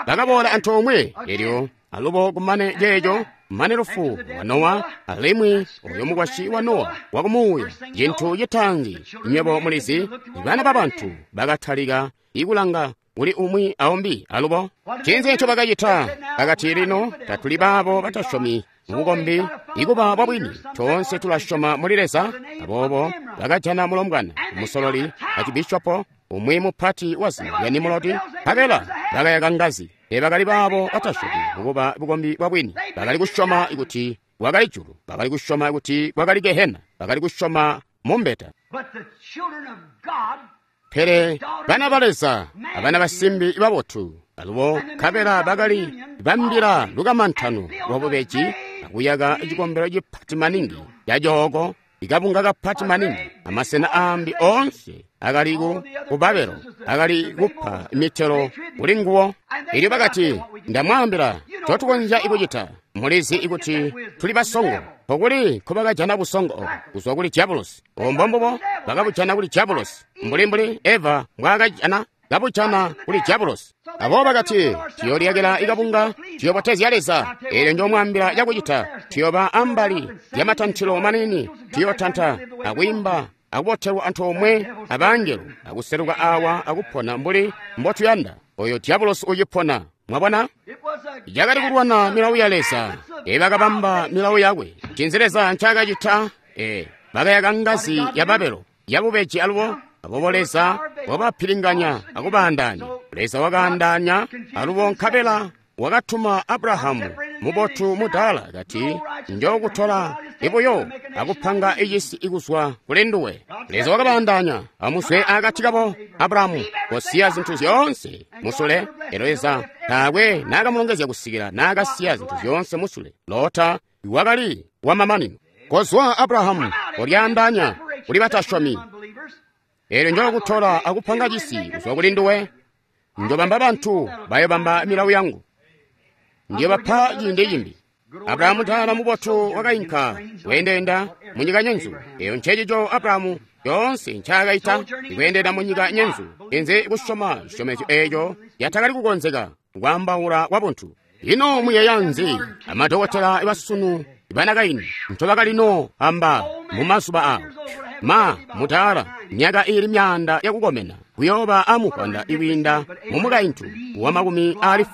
Bakaboola antoomwe elyo alubo kumane ceeco, mane lufu lwa Nowa, alimwi oyo mukwasyi wa Nowa wakumuuya. Cintu citaanzi nywebo mulizi, bana babantu bakatalika ikulanga kuli umwi aumbi alubo. Ncinzi nco bakacita? Bakati, lino tatuli baabo batasyomi mubukombi ikuba bwabwini, toonse tulasyoma muli Leza. Aboobo bakajana mulombwana musololi acibishopo umwi mupati wa zina lya Nimurodi, nkabela bakayaka ngazi. Bakali baabo batasyomi mukuba bukombi bwabwini. Bakali kusyoma kuti kwakali julu, bakali kusyoma kuti kwakali gehena, bakali kusyoma mumbeta. Pele bana ba Leza abana basimbi babotu Alubo nkabela bakali bambila lukamantano lwabubeji akuyaka cikombelo cipati maningi cacooko, ikabunga kapati maningi, amasena aambi oonse akali ku Babelo akali kupa mitelo kuli nguwo. Elyo bakati, ndamwaambila ncotukonzya kucita. Mulizi ikuti tuli basongo. Pokuli nkobakajana busongo obo kuzwa kuli diabolosi. Obo mbombubo bakabujana kuli diabolosi, mbuli Eva mbwaakajana kabujana kuli diabolosi. Aboobo bakati, tuyooliyakila ikabunga, tuyobotezya Leza. Eelyo njoomwaambila cakucita, tuyooba ambali lyamatantilo maniini, tuyootanta akwiimba akubotelwa antoomwe abangelo, akuseluka awa akupona mbuli mbotuyanda. Oyo diabolosi ucipona. Mwabona? Yakali kulwana milawu ya Leza. Bakabamba milawu yakwe. Ncinzi Leza ncaakacita? Bakayaka ngazi ya Babelo yabubeji alubo. Aboobo Leza wakabapilinganya akubaandaanya. Leza wakaandaanya alubo nkabela wakatuma Abrahamu mubotu mudaala kati, njokutola ibuyo akupanga icisi ikuzwa kuli nduwe. Leza wakabaandaanya amuswe akati kabo. Abrahamu kosiya zintu zyoonse musule. Elyo Leza taakwe naakamulongezya kusikila naakasiya zintu zyoonse musule. Lota wakali wamamanino. Kozwa Abrahamu, kolyaandaanya kuli batasyomi. Elyo njokutola akupanga cisi kuzwa kuli nduwe. Njobamba bantu bayobamba milawu yangu. Ndiyobapa ciindi cimbi. Abrahamu taala mubotu wakainka kweendeenda munyika nyenzu. Eyo ncecico Abrahamu yoonse ncaakaita, ikweendenda munyika nyenzu, inze kusyoma cisyomezyo eeco yatakali kukonzeka kwaambaula kwabuntu. Ino muyeeya nzi amadokotela basunu banakaini ncobakalino amba mumazuba awo? Ma mutaala myaka iili myaanda yakukomena kuyooba amuvwanda ikwiinda mumukaintu wa 80.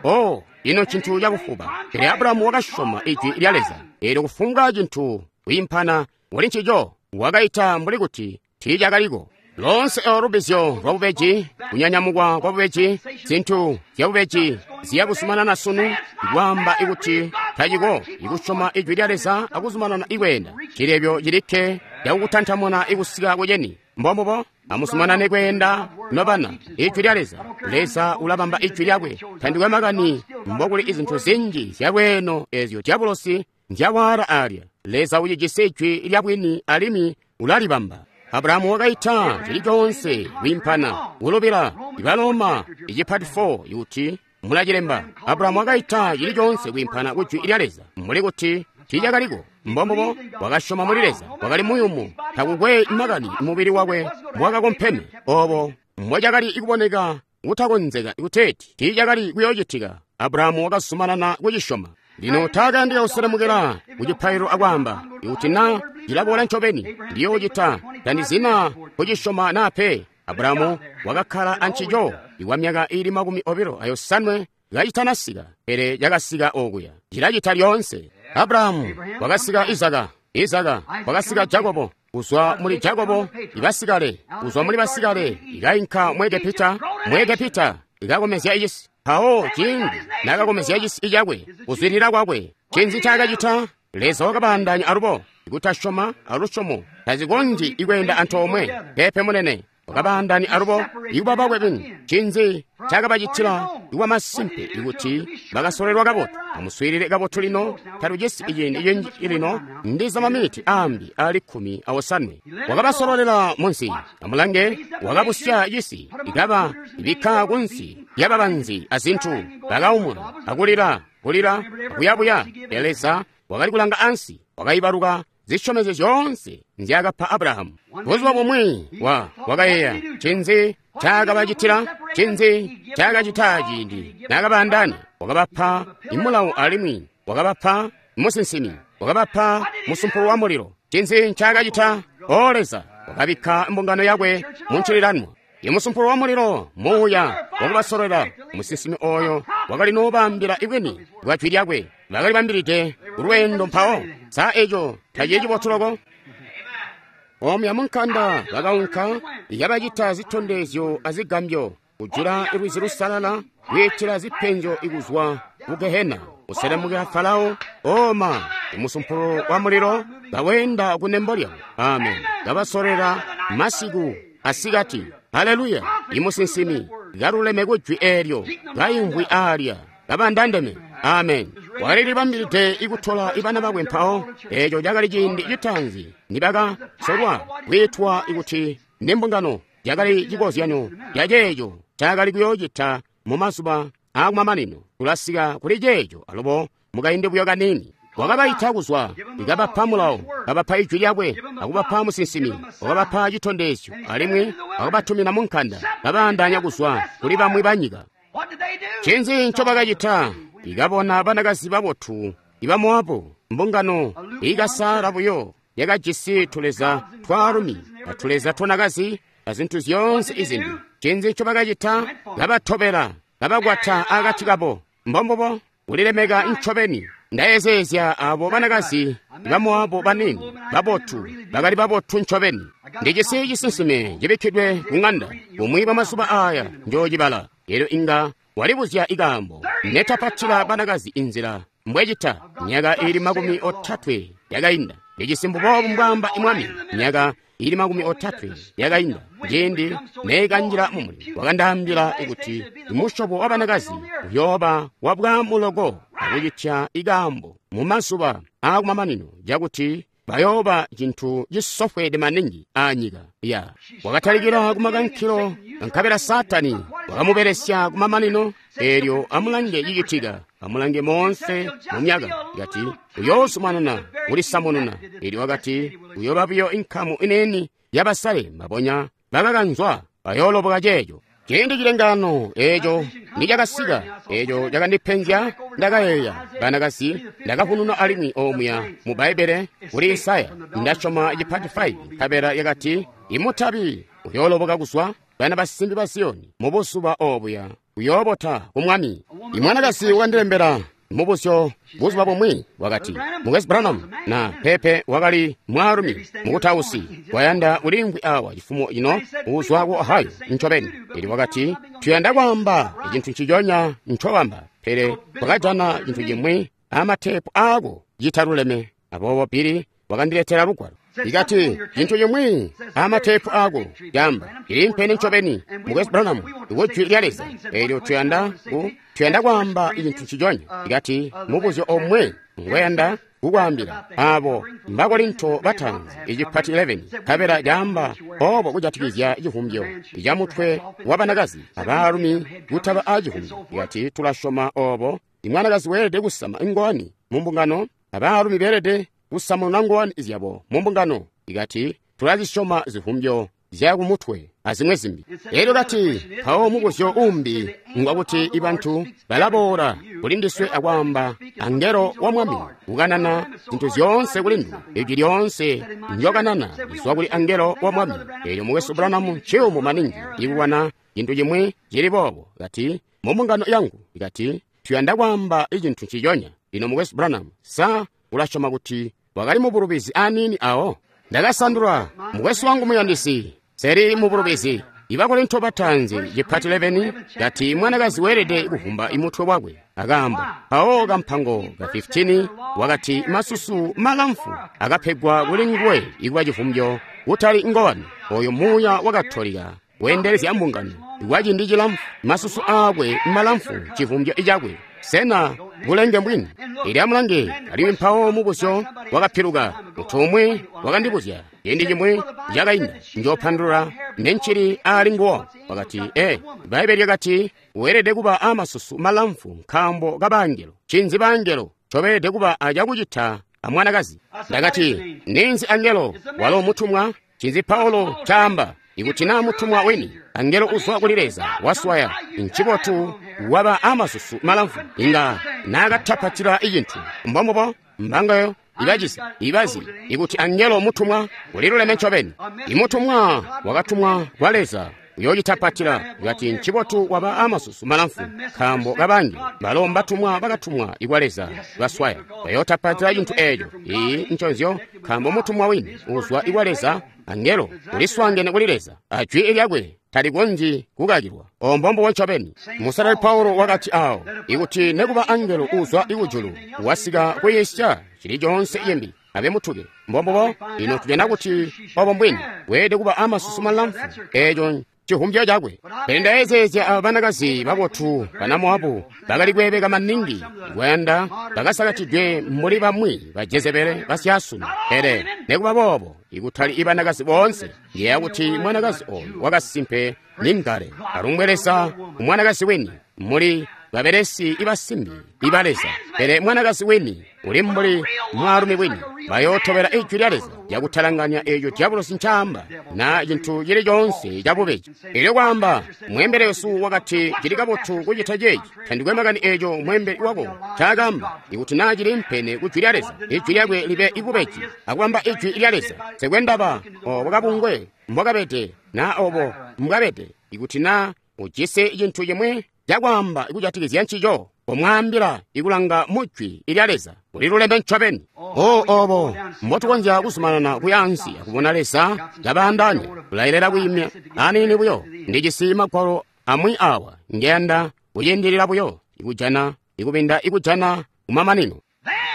Oh, ino ncintu cakufuba. Pele Abrahamu wakasyoma ijwi lya Leza. Eelyo kufumbwa cintu kwiimpana kuli ncico wakaita mbuli kuti tiicakaliko. Loonse olo lubizyo lwabubeji, kunyanyamukwa kwabubeji, zintu zyabubeji ziyakuzumanana sunu, ikwaamba ikuti taciko, ikusyoma ijwi lya Leza akuzumanana ikweenda. Cilebyo cilikke cakukutantamuna ikusika kuceni. Mbombubo, amuzumanane kweenda nobana. Ijwi lya Leza. Leza ulabamba ijwi lyakwe. Tandikwe makani mbokuli izintu zinji zyalweeno ezyo diabolosi nzyawaala alya. Leza ucijisi ijwi lyabwini alimwi ulalibamba. Abrahamu wakaita cili coonse kwiimpana kulubila Baloma icipati 4 kuti mulacilemba. Abrahamu wakaita cili coonse kwiimpana kujwi lya Leza mbuli kuti tiicakaliko. Mbombubo wakasyoma muli Leza, wakali muyumu, takukwe makani mubili wakwe mbwakakompeme. Obo mbocakali kuboneka kutakonzeka kuteeti tiicakali kuyoocitika. Abrahamu wakazumanana kucisyoma. Lino taakayandika kuselemukela kucipaililo akwaamba, ikuti na cilaboola ncobeni, ndiyoocita, tandizina kucisyoma naa pe. Abrahamu wakakkala ancico ikwa myaka iili 28 kacitanasika, pele cakasika okuya. Cilacita lyoonse. Abrahamu wakasika Izaka, Izaka wakasika Jakobo, kuzwa muli Jakobo ibasikale, kuzwa muli basikale ikainka mu Egepita, mu Egepita ikakomezya icisi. Mpawo ciindi naakakomezya cisi cakwe, kuzwidilila kwakwe, ncinzi ncaakacita? Leza wakabaandaanya alubo. Ikutasyoma alusyomo tazikonzyi ikweenda antoomwe. Peepe munene, wakabaandaanya alubo ikuba bakwe beni. Ncinzi ncaakabacitila ikuba masimpe ikuti bakasolelwa kabotu? Amuswiilile kabotu lino, tatujisi iciindi cinji lino, ndiza maminiti aambi aali 18. Wakabasololela munsi, amulange, wakabusya cisi, ikaba ibikka kunsi lyababanzi azintu, bakaumuna akulila, kulila, akuyabuya. Pele Leza wakali kulanga ansi, wakaibaluka zisyomezyo zyoonse nzyaakapa Abrahamu. Buzuba bumwi wakayeeya ncinzi ncaakabacitila, ncinzi ncaakacita ciindi naakabaandaanya. Wakabapa imulawo alimwi wakabapa musinsimi, wakabapa musumpulu wa mulilo. Ncinzi ncaakacita? O Leza wakabikka mbungano yakwe mu ncililanwa. Imusumpulu wa mulilo muuya wakubasololela. Musinsimi oyo wakali noobaambila ibwini bwa jwi lyakwe. Bakali bambilide kulweendo mpawo. Sa eco tacili cibotu loko? Omuya munkanda bakaunka, yabacita zitondezyo azigambyo, kujula lwizi lusalala, kwiitila zipenzyo ikuzwa ku Gehena, kuselemukila Farao, oma imusumpulu wa mulilo kaweenda kunembo lyabo. Amen. Kabasolera masiku asikati. Haleluya! Imusinsimi kaluleme ku jwi eelyo, kaimvwi aalya, kabandandeme. Amen. Wakali libambilide ikutola ibana bakwe mpawo. Eeco cakali ciindi citaanzi nibaka solwa kwiitwa kuti nimbungano. Cakali cikozyanyo ca ceeco cakali kuyoocita mu mazuba aakumamanino. Tulasika kuli ceeco alubo mukaindi buyo kaniini. Wakabaita kuzwa, kabapa mulawo, kabapa ijwi lyakwe, akubapa musinsimi, wakabapa citondezyo, alimwi wakabatumina mu nkanda, kabaandaanya kuzwa kuli bamwi banyika. Ncinzi ncobakacita? Ikabona banakazi babotu iba Moabu, mbungano ikasaala buyo, yakajisi tuleza twaalumi atuleza twanakazi azintu zyoonse izimbi. Ncinzi ncobakacita? Kabatobela, kabakwata akati kabo. Mbombubo, kulilemeka ncobeni. Ndayezeezya abo banakazi ba Moabu banini babotu, bakali babotu ncobeni. Ndijisi cisinsime cibikkidwe ku ŋanda, bumwi bwamazuba aaya njoocibala. Elyo inga walibuzya ikaambo netapatila banakazi inzila mbwecita. Myaka ili 30 yakainda, ndijisi mbuboobu mbwaamba Mwami. Myaka ili 30 yakainda, ciindi neekanjila mumuli, wakandaambila kuti musyobo wa banakazi uyooba wabwaamuloko akucitya ikaambo mu mazuba aakumamanino, cakuti bayooba cintu cisofweede maningi aanyika. Ya wakatalikila kumakankilo, nkabela Saatani wakamubelesya kumamanino. Eelyo amulange cicitika, amulange moonse mu myaka. Kati uyoozumanana kulisamununa. Eelyo wakati uyooba buyo inkamu ineeni yabasale, mabonya bakakanzwa bayooloboka ceeco. Ciindi cilengano eeco nicakasika, eeco cakandipenzya. Ndakayeeya banakazi, ndakavununa alimwi omuya mu Bbaibbele kuli Isaya, ndasyoma cipati 5, nkabela yakati imutabi uyooloboka kuzwa bana basimbi ba Ziyoni mubuzuba obuya, uyoobota ku Mwami. Imwanakazi wakandilembela mubuzyo buzuba bumwi, wakati, Mukwesu Branham, na pepe wakali mwaalumi mukutausi wayanda ulimvwi awa cifumo ino uzwa ku Ohio ncobeni. Elyo wakati, tuyanda kwaamba cintu nciconya ncobamba, pele twakajana cintu cimwi amateepu aako citaluleme. Aboobo Billy wakandiletela lugwalo. Ikati, cintu cimwi amateepu aako camba cilimpene ncobeni, Mukwesu Branham, ku jwi lya Leza. Elyo tuyanda kwaamba cintu nciconya. Ikati, mubuzyo omwe ngweyanda kukwaambila, abo Mbakorinto bataanzi icipati 11, nkabela caamba obo kujatikizya civumbyo ca mutwe wa banakazi abaalumi kutaba a civumbyo. Ikati, tulasyoma obo imwanakazi weelede kusama ingowani mu mbungano, abaalumi beelede kusamununa ngowani zyabo mu mbungano. Ikati, tulazisyoma zivumbyo zya kumutwe azimwe zimbi. Elyo kati, mpawo mubuzyo umbi ngwakuti ibantu balaboola kuli ndiswe akwaamba angelo wa Mwami kukanana zintu zyoonse kuli nduwe, ijwi lyoonse ndyokanana lizwa kuli angelo wa Mwami. Elyo Mukwesu Branham nciyumu maningi ikukwana cintu cimwi cili boobo. Kati, mu mbungano yangu, kati, tuyanda kwaamba icintu nciconya. Lino Mukwesu Branham, sa ulasyoma kuti wakali mubulubizi aniini awo? Ndakasandula, mukwesu wangu muyandisi, seri mubulubizi. Ibakorinto bataanzi cipati 11 kati mwanakazi weelede kuvumba imutwe wakwe akaambo. Mpawo kampango ka 15 wakati masusu malamfu akapegwa kuli nguwe ikuba civumbyo, kutali ngowani. Oyo muuya wa Katolika weendelezya mbungano kwa ciindi cilamfu, masusu aakwe malamfu civumbyo cakwe. Sena bulenge mbwini? Ili amulange, alimwi mpawo mubuzyo wakapiluka. Mutu umwi wakandibuzya ciindi cimwi cakainda, njoopandulula nencili aali nguwo. Wakati, Bbaibbele lyakati weelede kuba amasusu malamfu nkaambo ka bangelo. Ncinzi bangelo ncobeelede kuba acakucita amwanakazi? Ndakati, ninzi angelo? Walo mutumwa. Ncinzi Paulo caamba? Ikuti naa mutumwa weni, angelo uzwa kuli Leza waswaya, ncibotu waba amasusu malamfu, inga naakatapatila icintu. Mbombubo mbangayo ibacizi ibazi ikuti angelo mutumwa uliluleme ncobeni. Imutumwa wakatumwa kwa Leza uyoocitapatila. Ikati ncibotu waba amasusu malamfu nkaambo kabangi balo mbatumwa bakatumwa ikwa Leza baswaya bayootapatila cintu eeco. Iyi nconzyo, nkaambo mutumwa wini uzwa ikwa Leza, angelo uliswaangene kuli Leza, ajwi lyakwe talikonzyi kukakilwa. Ombombo ncobeni. Musalali Paulo wakati awo, ikuti nekuba angelo uzwa ikujulu wasika kuyiisya cili coonse cimbi, abe mutuke. Mbombobo ino tujana kuti obo mbwini weelede kuba amasusu malamfu. Eeco civumbyo cakwe. Pele ndayezeezya aba banakazi babotu bana Moabu bakali kweebeka maningi kwayanda bakasakatidwe mbuli bamwi ba Jezebele basyaasunu. Pele nekuba boobo ikutali ibanakazi boonse, ngeya kuti mwanakazi oyu wakasimpe ni ngale. Alumbwe Leza umwanakazi wini muli babelesi ibasimbi iba Leza. Pele mwanakazi wini uli mbuli mwaalumi wini, bayootobela ijwi lya Leza lyakutalanganya eeco diabolosi ncaamba na cintu cili coonse cabubeji. Elyo kwaamba mwembele wesu wakati cili kabotu kucita ceeci, tandikwe makani eeco mwembeli wako ncaakamba, ikuti naa cili mpene ku jwi lya Leza, ijwi lyakwe libe ibubeji akubamba ijwi lya Leza. Sekwendaba obo kabungwe mbwakabede na obo mbwabede, ikuti naa ujisi cintu cimwi cakwaamba kujatikizya ncico, komwaambila ikulanga mujwi ilya Leza uliluleme ncobeni. O obo mbotukonzya kuzumanana kuya ansi akubona Leza kabaandaanya, kulayelela kwiimya aniini buyo. Ndijisi magwalo amwi awa ngeyanda kuciindilila buyo ikujana ikubinda ikujana kumamanino.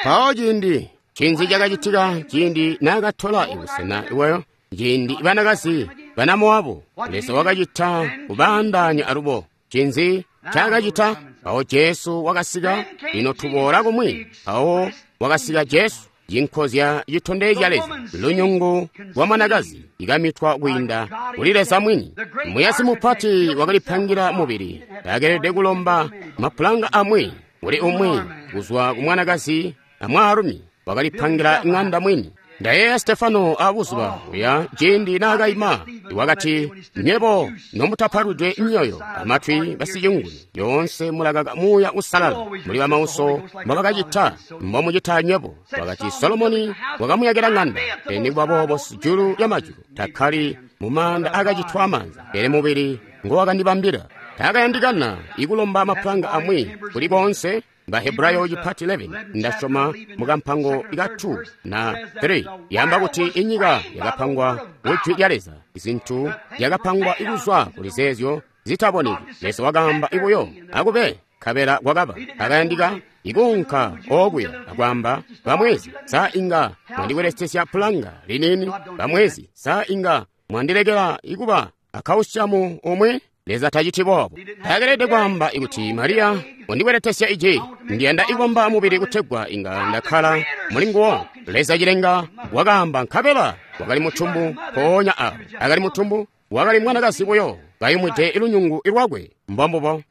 Mpawo ciindi cinzi cakacitika ciindi naakatola ibusena iweyo, ciindi banakazi bana Moabu Leza wakacita kubaandaanya alubo. Cinzi cakacita? Mpawo Jesu wakasika. Lino tuboola kumwi. Mpawo wakasika Jesu, cinkozya citondezya Leza, lunyungu lwa mwanakazi ikamitwa kwiinda kuli Leza mwini. Muyasi mupati wakalipangira mubili, takelede kulomba mapulanga amwi kuli umwi kuzwa ku mwanakazi amwaalumi, wakalipangira ng'anda mwini. Ndayeeya Stefano abuzuba buya ciindi naakaima, wakati, nywebo nomutapalwidwe myoyo amatwi basicinguni, lyoonse mulakaka Muuya Uusalala, muli bamauso mbobakacita mbomucita nywebo. Wakati Solomoni wakamuyakila ng'anda, pele nikuba boobo sijulu lyamajulu takkali mumaanda akacitwa amaanza, pele mubili ngowakandibambila. Taakayandikana ikulomba mapulanga amwi kuli koonse. Bahebrayo chipati 11 ndasyoma mukampango ka 2 na 3 yamba kuti inyika yakapangwa kujwi lya Leza, izintu yakapangwa ikuzwa kuli zeezyo zitaboneki. Leza wakaamba ibuyo akube, nkabela kwakaba. Akayandika ikuunka okuya akwaamba, bamwezi sa inga mwandibweletesya pulanga liniini, bamwezi sa inga mwandilekela ikuba akausiamu omwe. Leza taciti boobo. Takelede kwaamba ikuti Mariya undibweletesya iji, ndiyanda ikubamba mubili kutegwa inga ndakkala muli nguwo. Leza cilenga wakaamba, nkabela wakali mutumbu. Mpoonya awo akali mutumbu, wakali mwanakazi buyo kayumwide ilunyungu ilwakwe. Mbombubo.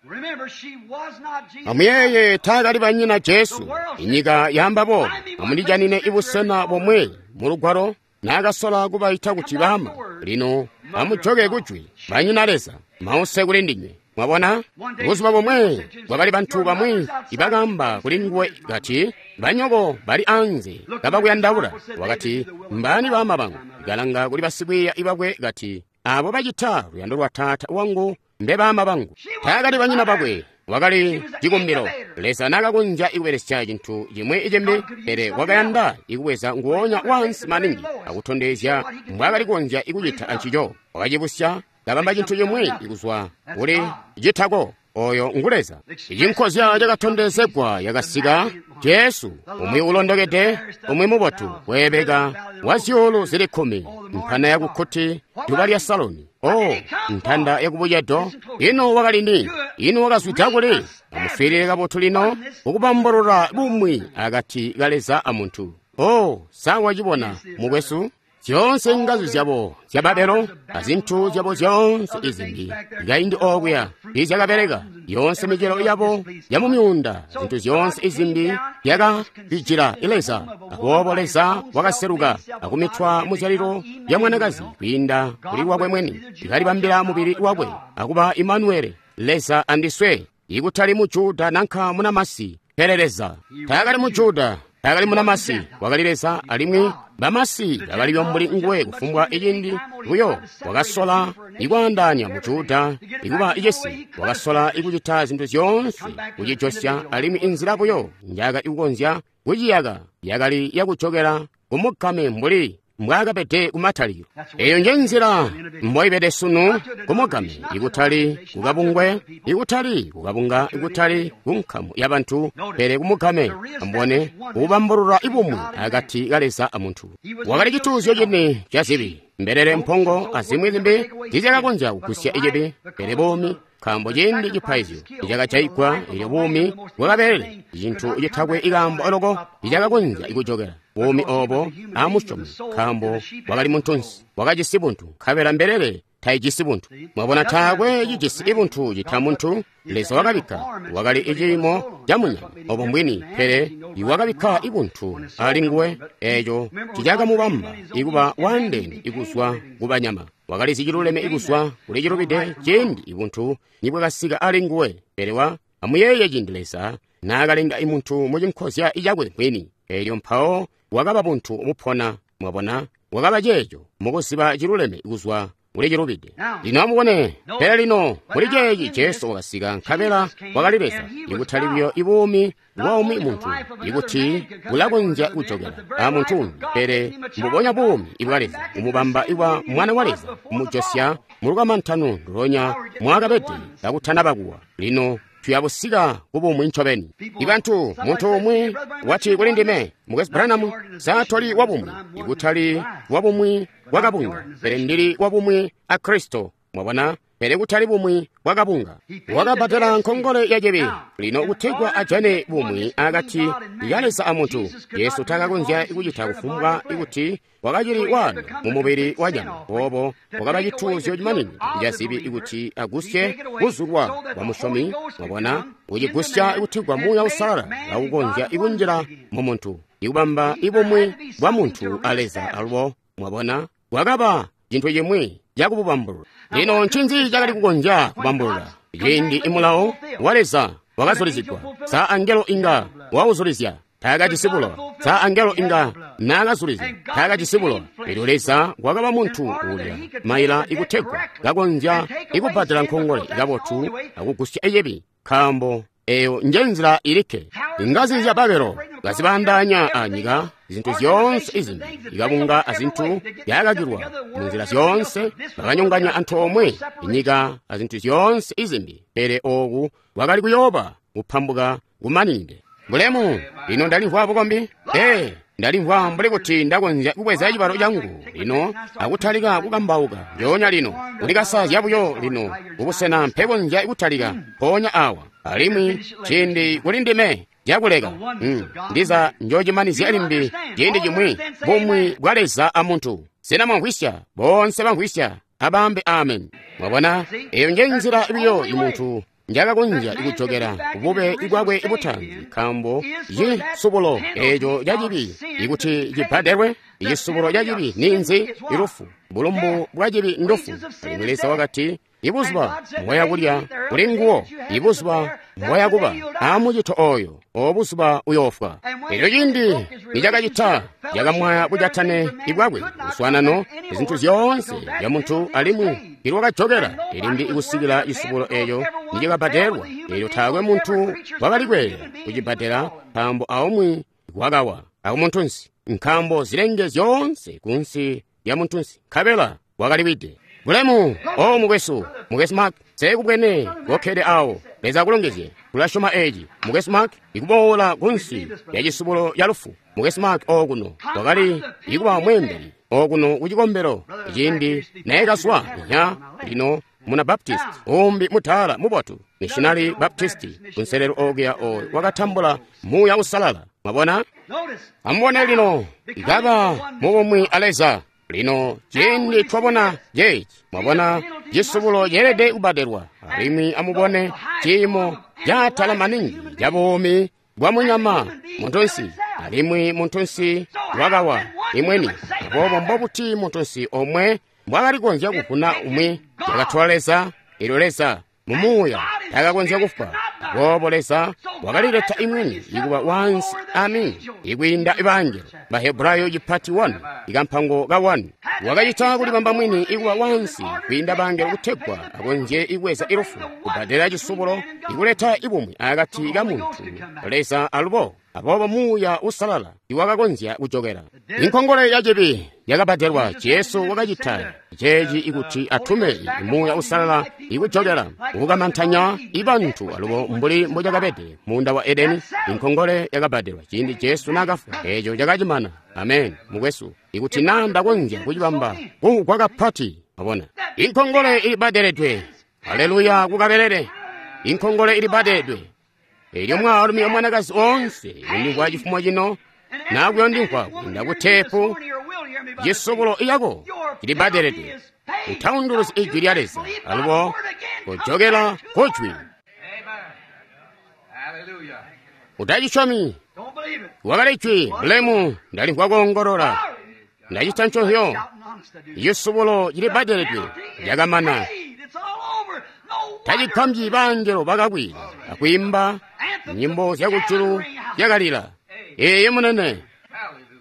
Amuyeeye, taakali banyina Jesu. Inyika yamba boobo. Amundijanine ibusena bomwe mu lugwalo naakasola kubaita kuti baama. Lino amujoke kujwi, banyina Leza, mause kuli ndinywe. Mwabona, buzuba bomwe kwakali bantu bamwi ibakaamba kuli nguwe kati, banyoko bali anze kabakuyandaula. Wakati, mbani baama bangu? Ikalanga kuli basikwiiya ibakwe kati, abo bacita luyando lwa Taata wangu mbe baama bangu. Taakali banyina bakwe, wakali cikumbilo. Leza naakakonzya ikubelesya cintu cimwi icimbi, pele wakayanda ikubweza nguwonya wansi maningi akutondezya mbwaakali kukonzya ikucita ancico. Wakacibusya kabamba cintu cimwi ikuzwa kuli citako. Oyo ngu Leza. Icinkozya cakatondezegwa yakasika Jesu, umwi ulondokede, umwi mubotu, weebeka wa zyuulu zili 10, mpana yakukkuti duba lya Saloni, o ntanda yakubucedo. Ino wakali ni? Ino wakazwida kuli? Amuswiilile kabotu lino ukubambulula bumwi akati ka Leza amuntu. O sa wacibona mukwesu? Zyoonse ngazi zyabo zya Babelo azintu zyabo zyoonse izimbi kaindi okuya izyakabeleka, yoonse micelo yabo ya mumyuunda, zintu zyoonse izimbi yakabijila Leza. Aboobo Leza wakaseluka akumitwa muzyalilo lya mwanakazi kwiinda kuli lwakwe mwini, ikalibambila mubili wakwe akuba Imanueli, Leza andiswe, ikutali mu Juda nanka munamasi, pele Leza. Taakali mu Juda, taakali munamasi, wakali Leza, alimwi bamasi bakali mbuli nguwe kufumbwa icindi buyo. Wakasola ikwaandaanya mu Juda ikuba icisi, wakasola ikucita zintu zyoonse kucijosya, alimwi inzila buyo njaakali kukonzya kuciyaka yakali yakujokela kumugame mbuli mbwaakabede kumatalikilo. Eyo nje nzila mboibede sunu kumugame, ikutali kukabungwe, ikutali kukabunga, ikutali kunkamu ya bantu, pele kumugame. Ambone kubambulula ibumwi akati ka Leza amuntu. Wakali cituuzyo cini ca zibi, mbelele, mpongo azimwi zimbi tizyakakonzya kugusya icibi, pele buumi, nkaambo ciindi cipaizyo icakajaigwa elyo buumi bwakabelele, icintu citakwe ikaambo loko icakakonzya ikujokela buumi obo amusyomi, nkaambo wakali muntunsi, wakajisi buntu, nkabela mbelele taijisi buntu. Mwabona, taakwe cijisi ibuntu cita muntu. Leza wakabikka, wakali iciimo ca munyama obo mbwini, pele iwakabikka ibuntu ali nguwe, eco cicakamubamba ikuba waandeene ikuzwa kubanyama. Wakalizi ciluleme ikuzwa kuli cilubide ciindi ibuntu nibwakasika ali nguwe. Pele wa amuyeeye ciindi Leza naakalenga imuntu mucinkozya icakwe mwini, elyo mpawo wakaba buntu bupona. Mwabona, wakaba ceeco mukuziba ciluleme kuzwa kuli cilubide. Lino amubone, pele lino muli ceeci Jesu wakasika, nkabela wakali Leza, ikutali buyo ibuumi bwa umwi muntu, ikuti bulakonzya kujokela a muntu umbi, pele mbubonya buumi ibwa Leza kumubamba ibwa Mwana wa Leza, kumujosya mulukamantano ndulonya mwakabede kakutanaba kuwa. Lino tuyabusika kubumwi ncobeni. Ibantu, muntu umwi wati kuli ndime, Mukwesu Branham, sa toli wabumwi, ikutali wabumwi bwakabunga, pele ndili wabumwi a Kristo. Mwabona, pele kutali bumwi bwakabunga. Wakabbadela nkongole ya cibi. Lino kutegwa ajane bumwi akati ka Leza a muntu, Jesu takakonzya kucita kufumbwa ikuti wakacili waano mu mubili wa nyama. Boobo wakaba cituuzyo cimaninide ca zibi ikuti agusye kuzulwa kwa musyomi. Mwabona, kucigusya kutegwa Muuya Uusalala kaukonzya ikunjila mu muntu, ikubamba ibumwi bwa muntu a Leza alubo. Mwabona, wakaba cintu cimwi cakububambulula. Lino ncinzi cakali kukonzya kubambulula? Ciindi imulawo wa Leza wakazulizigwa, sa angelo inga wauzulizya? Taakajisi bulowa. Sa angelo inga naakazulizya? Taakajisi bulowa. Elyo Leza wakaba muntu uulya maila ikutegwa kakonzya ikubbadela nkongole kabotu akugusya icibi, nkaambo eyo nje nzila ilikke. Ingazi zya Babelo kazibandaanya anyika, zintu zyoonse izimbi, ikabunga azintu byakakilwa munzila zyoonse, bakanyonganya antoomwe inyika azintu zyoonse izimbi, pele oku kwakali kuyooba kupambuka kumaninide. Bulemu! Lino ndalimvwa bukombi. Ndalimvwa mbuli kuti ndakonzya kubweza cibalo changu lino akutalika kukambauka njoonya lino, kulikasazya buyo lino kubusena mpekonzya kutalika mpoonya awa, alimwi ciindi kuli ndime cakuleka. Ndiza njocimanizya limbi ciindi cimwi bumwi bwa Leza a muntu. Sena mwamvwisya? Bonse bamvwisya abambe amen. Mwabona, eyo nje nzila buyo imuntu njakakonzya ikujokela kubube bwakwe butaanzi, nkaambo cisubulo eco ca cibi ikuti cibbadelwe. Icisubulo ca cibi ninzi? Ilufu. Bulumbu bwa cibi ndufu. Alimwi Leza wakati, ibuzuba mbwaya kulya kuli nguwo, ibuzuba mbwaya kuba amucito oyo, obuzuba uyoofwa. Elyo ciindi nicakacita, cakamwaya bujatane ibwakwe, luswanano, izintu zyoonse zya muntu, alimwi ilwakajokela ilimbi ikusikila cisubulo eco nicakabbadelwa. Elyo taakwe muntu wakali kweelela kucibbadela, nkaambo aumwi wakawa akumuntunsi, nkaambo zilenge zyoonse kunsi lya muntunsi, nkabela wakaliwide. Bulemu! O mukwesu, Mukwesu Mark, sekubwene kokkede awo. Leza akulongezye. Tulasyoma eci. Mukwesu Mark, ikuboola kunsi lya cisubulo ya lufu. Mukwesu Mark okuno wakali ikuba mweembeli okuno kucikombelo ciindi naye kazwa nya lino muna Baptist umbi mutala mubotu, Missionary Baptist kunselelo okuya oyo wakatambula Muuya Uusalala. Mwabona? Amubone lino, ikaba mubumwi a Leza. Lino ciindi twabona ceeci, mwabona cisubulo ceelede kubbadelwa, alimwi amubone ciimo caatala maningi ca buumi bwa munyama muntunsi, alimwi muntunsi wakawa imweni. Aboobo mbobuti muntunsi omwe mbwakali kukonzya kuvuna umwi? Cakatola Leza, elyo Leza mu Muuya takakonzya kufwa. Aboobo Leza wakalileta imweni ikuba wansi ami ikwiinda ibangelo. Bahebrayo cipati 1 ikampango ka 1 wakacita kulibamba mwini ikuba wansi kwiinda bangelo kutegwa akonzye ibweza ilufu, kubbadela cisubulo, ikuleta ibumwi akati ka muntu Leza alubo. Aboobo Muuya Uusalala iwakakonzya kujokela. Inkongole ya cibi yakabbadelwa. Jesu wakacita ceeci ikuti atume Muuya Uusalala ikujokela kukamantanya ibantu alubo mbuli mbocakabede muunda wa Edeni. Inkongole yakabbadelwa ciindi Jesu naakafwa, eeco cakacimana. Amen, mukwesu, ikuti naa ndakonzya kucibamba kumvwa kapati, wabona inkongole ilibbadeledwe. Haleluya kukabelele, inkongole ilibbadeledwe. Elyo mwaalumi omwanakazi oonse undimvwa cifumo cino nakuyondimvwa kwiinda ku teepu, cisubulo iyako cilibbadeledwe. Utaunduluzi ijwi lya Leza alubo kujokela kujwi. Utacisyomi wakali jwi bulemu. Ndalimvwa koongolola, ndacita nconzyo. Icisubulo cilibbadeledwe, lyakamana. Tacigambyi bangelo bakakwila akwiimba nyimbo zyakujulu zyakalila. Ee munene,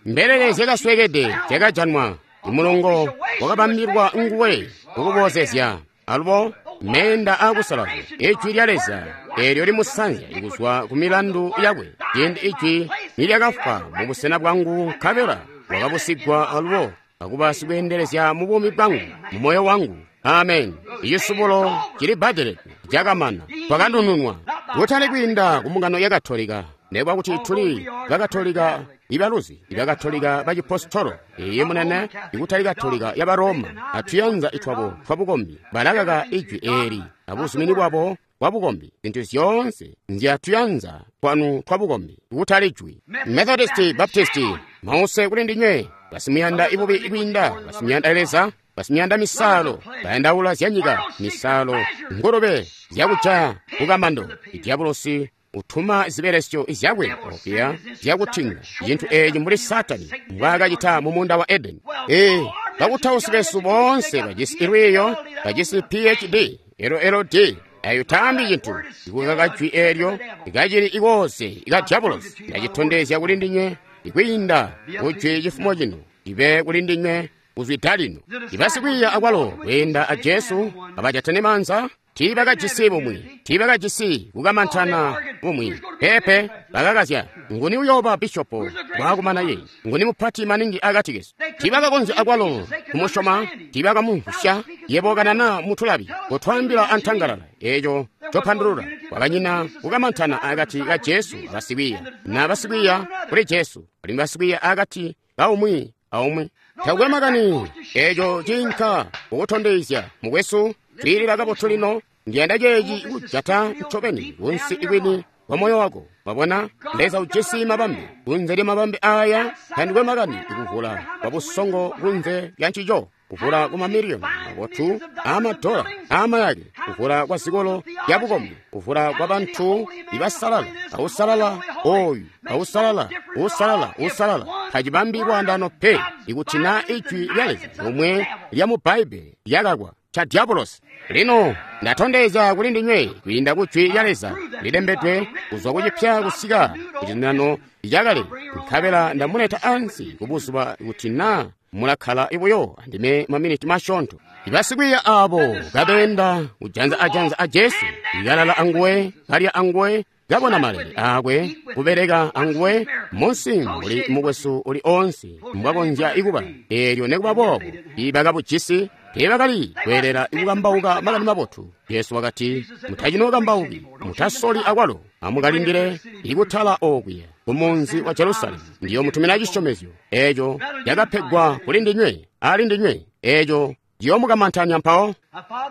mbelele zyakaswekede zyakajanwa. Imulongo wakabambilwa nguwe kukuboozezya alubo meenda aakusalazya. Ijwi lya Leza eelyo limusanzya kuzwa ku milandu yakwe. Ciindi ijwi nilyakafwa mubusena bwangu, nkabela wakabusigwa alubo akuba sikweendelezya mu buumi bwangu, mu moyo wangu. Amen. Icisubulo cilibbadeledwe, cakamana. Twakanununwa kutali kwiinda ku mbungano ya Katolika, nekuba kuti tuli Bakatolika ibaluzi, Ibakatolika bacipositolo. Iye munene, ikutali Katolika ya Baroma atuyanza itwabo twabukombi. Balakaka ijwi eeli abuzumini bwabo bwabukombi. Zintu zyoonse nzyatuyanza twanu twabukombi, kutali jwi. Methodisti, Baptisti, mause kuli ndinywe basimuyanda ibubi kwiinda basimuyanda Leza, basimuyanda misalo, bayandaula zyanyika, misalo, ngulube zyakujaya kukamando. Idyabulosi utuma zibelesyo zyakwe okuya zyakutinga cintu eeci mbuli Satani mbwaakacita mu muunda wa Edeni. Ee, bakutausi besu boonse bajisi lwiiyo, bajisi PhD, LLD, ayo taambi cintu. Ikukaka jwi eelyo ikacili ikoose ika dyabulosi. Ndacitondezya kuli ndinywe ikwiinda kujwi cifumo cino, ibe kuli ndinywe kuzwida lino. Ibasikwiiya akwalo kweenda a Jesu kabajatene maanza, tiibakajisi bumwi, tiibakajisi kukamantana bumwi. Peepe, bakakazya. Nguni uyooba bishopo bwakumana ye? Nguni mupati maningi akati kesu? Tiibakakonzya akwalo kumusyoma, tiibakamumvwisya. Yebo kanana mutulabi, kotwaambila antangalala eeco copandulula. Kwakanyina kukamantana akati ka Jesu abasikwiiya, na basikwiiya kuli Jesu, alimwi basikwiiya akati kaumwi aumwi. Takwe makani eeco ciinka kukutondezya, mukwesu. Twiilila kabotu lino. Ndiyanda ceeci kujata ncobeni kunsi ikwini kwa moyo wako. Wabona, Leza ujisi mabambe. Kunze lya mabambe aya tandikwe makani ikuvula kwa busongo kunze lya ncico, kuvula kwa mamiliyoni mabotu aamadola aamayake, kuvula kwa zikolo lya bukombi, kuvula kwa bantu ibasalala, ausalala oyu, ausalala, usalala, usalala. Tacibambi lwaandano pe ikuti na ijwi lya Leza lomwe lya mu Bbaibbele lyakakwa cha dyabulosi. Lino ndatondezya kuli ndinywe kwiinda ku jwi lya Leza lilembedwe kuzwa kucipya kusika kucizuminano cakale, nkabela ndamuleta ansi kubuzuba kuti naa mulakkala buyo andime maminiti masyoonto. Ibasikwiiya aabo kabeenda kujanza ajanza a Jesu, ikalala anguwe, kalya anguwe, kabona malele aakwe, kubeleka anguwe munsi mbuli mukwesu uli oonse mbwakonzya ikuba. Eelyo nekuba boobo ibakabujisi teebakali kweelela ikukambauka makani mabotu. Jesu wakati, mutacinookambauki, mutasoli akwalo, amukalindile ikutala okuya kumunzi wa Jerusalemu. Ndiyomutumina cisyomezyo eeco cakapegwa kuli ndinywe, ali ndinywe, eeco ciyoomukamantanya mpawo.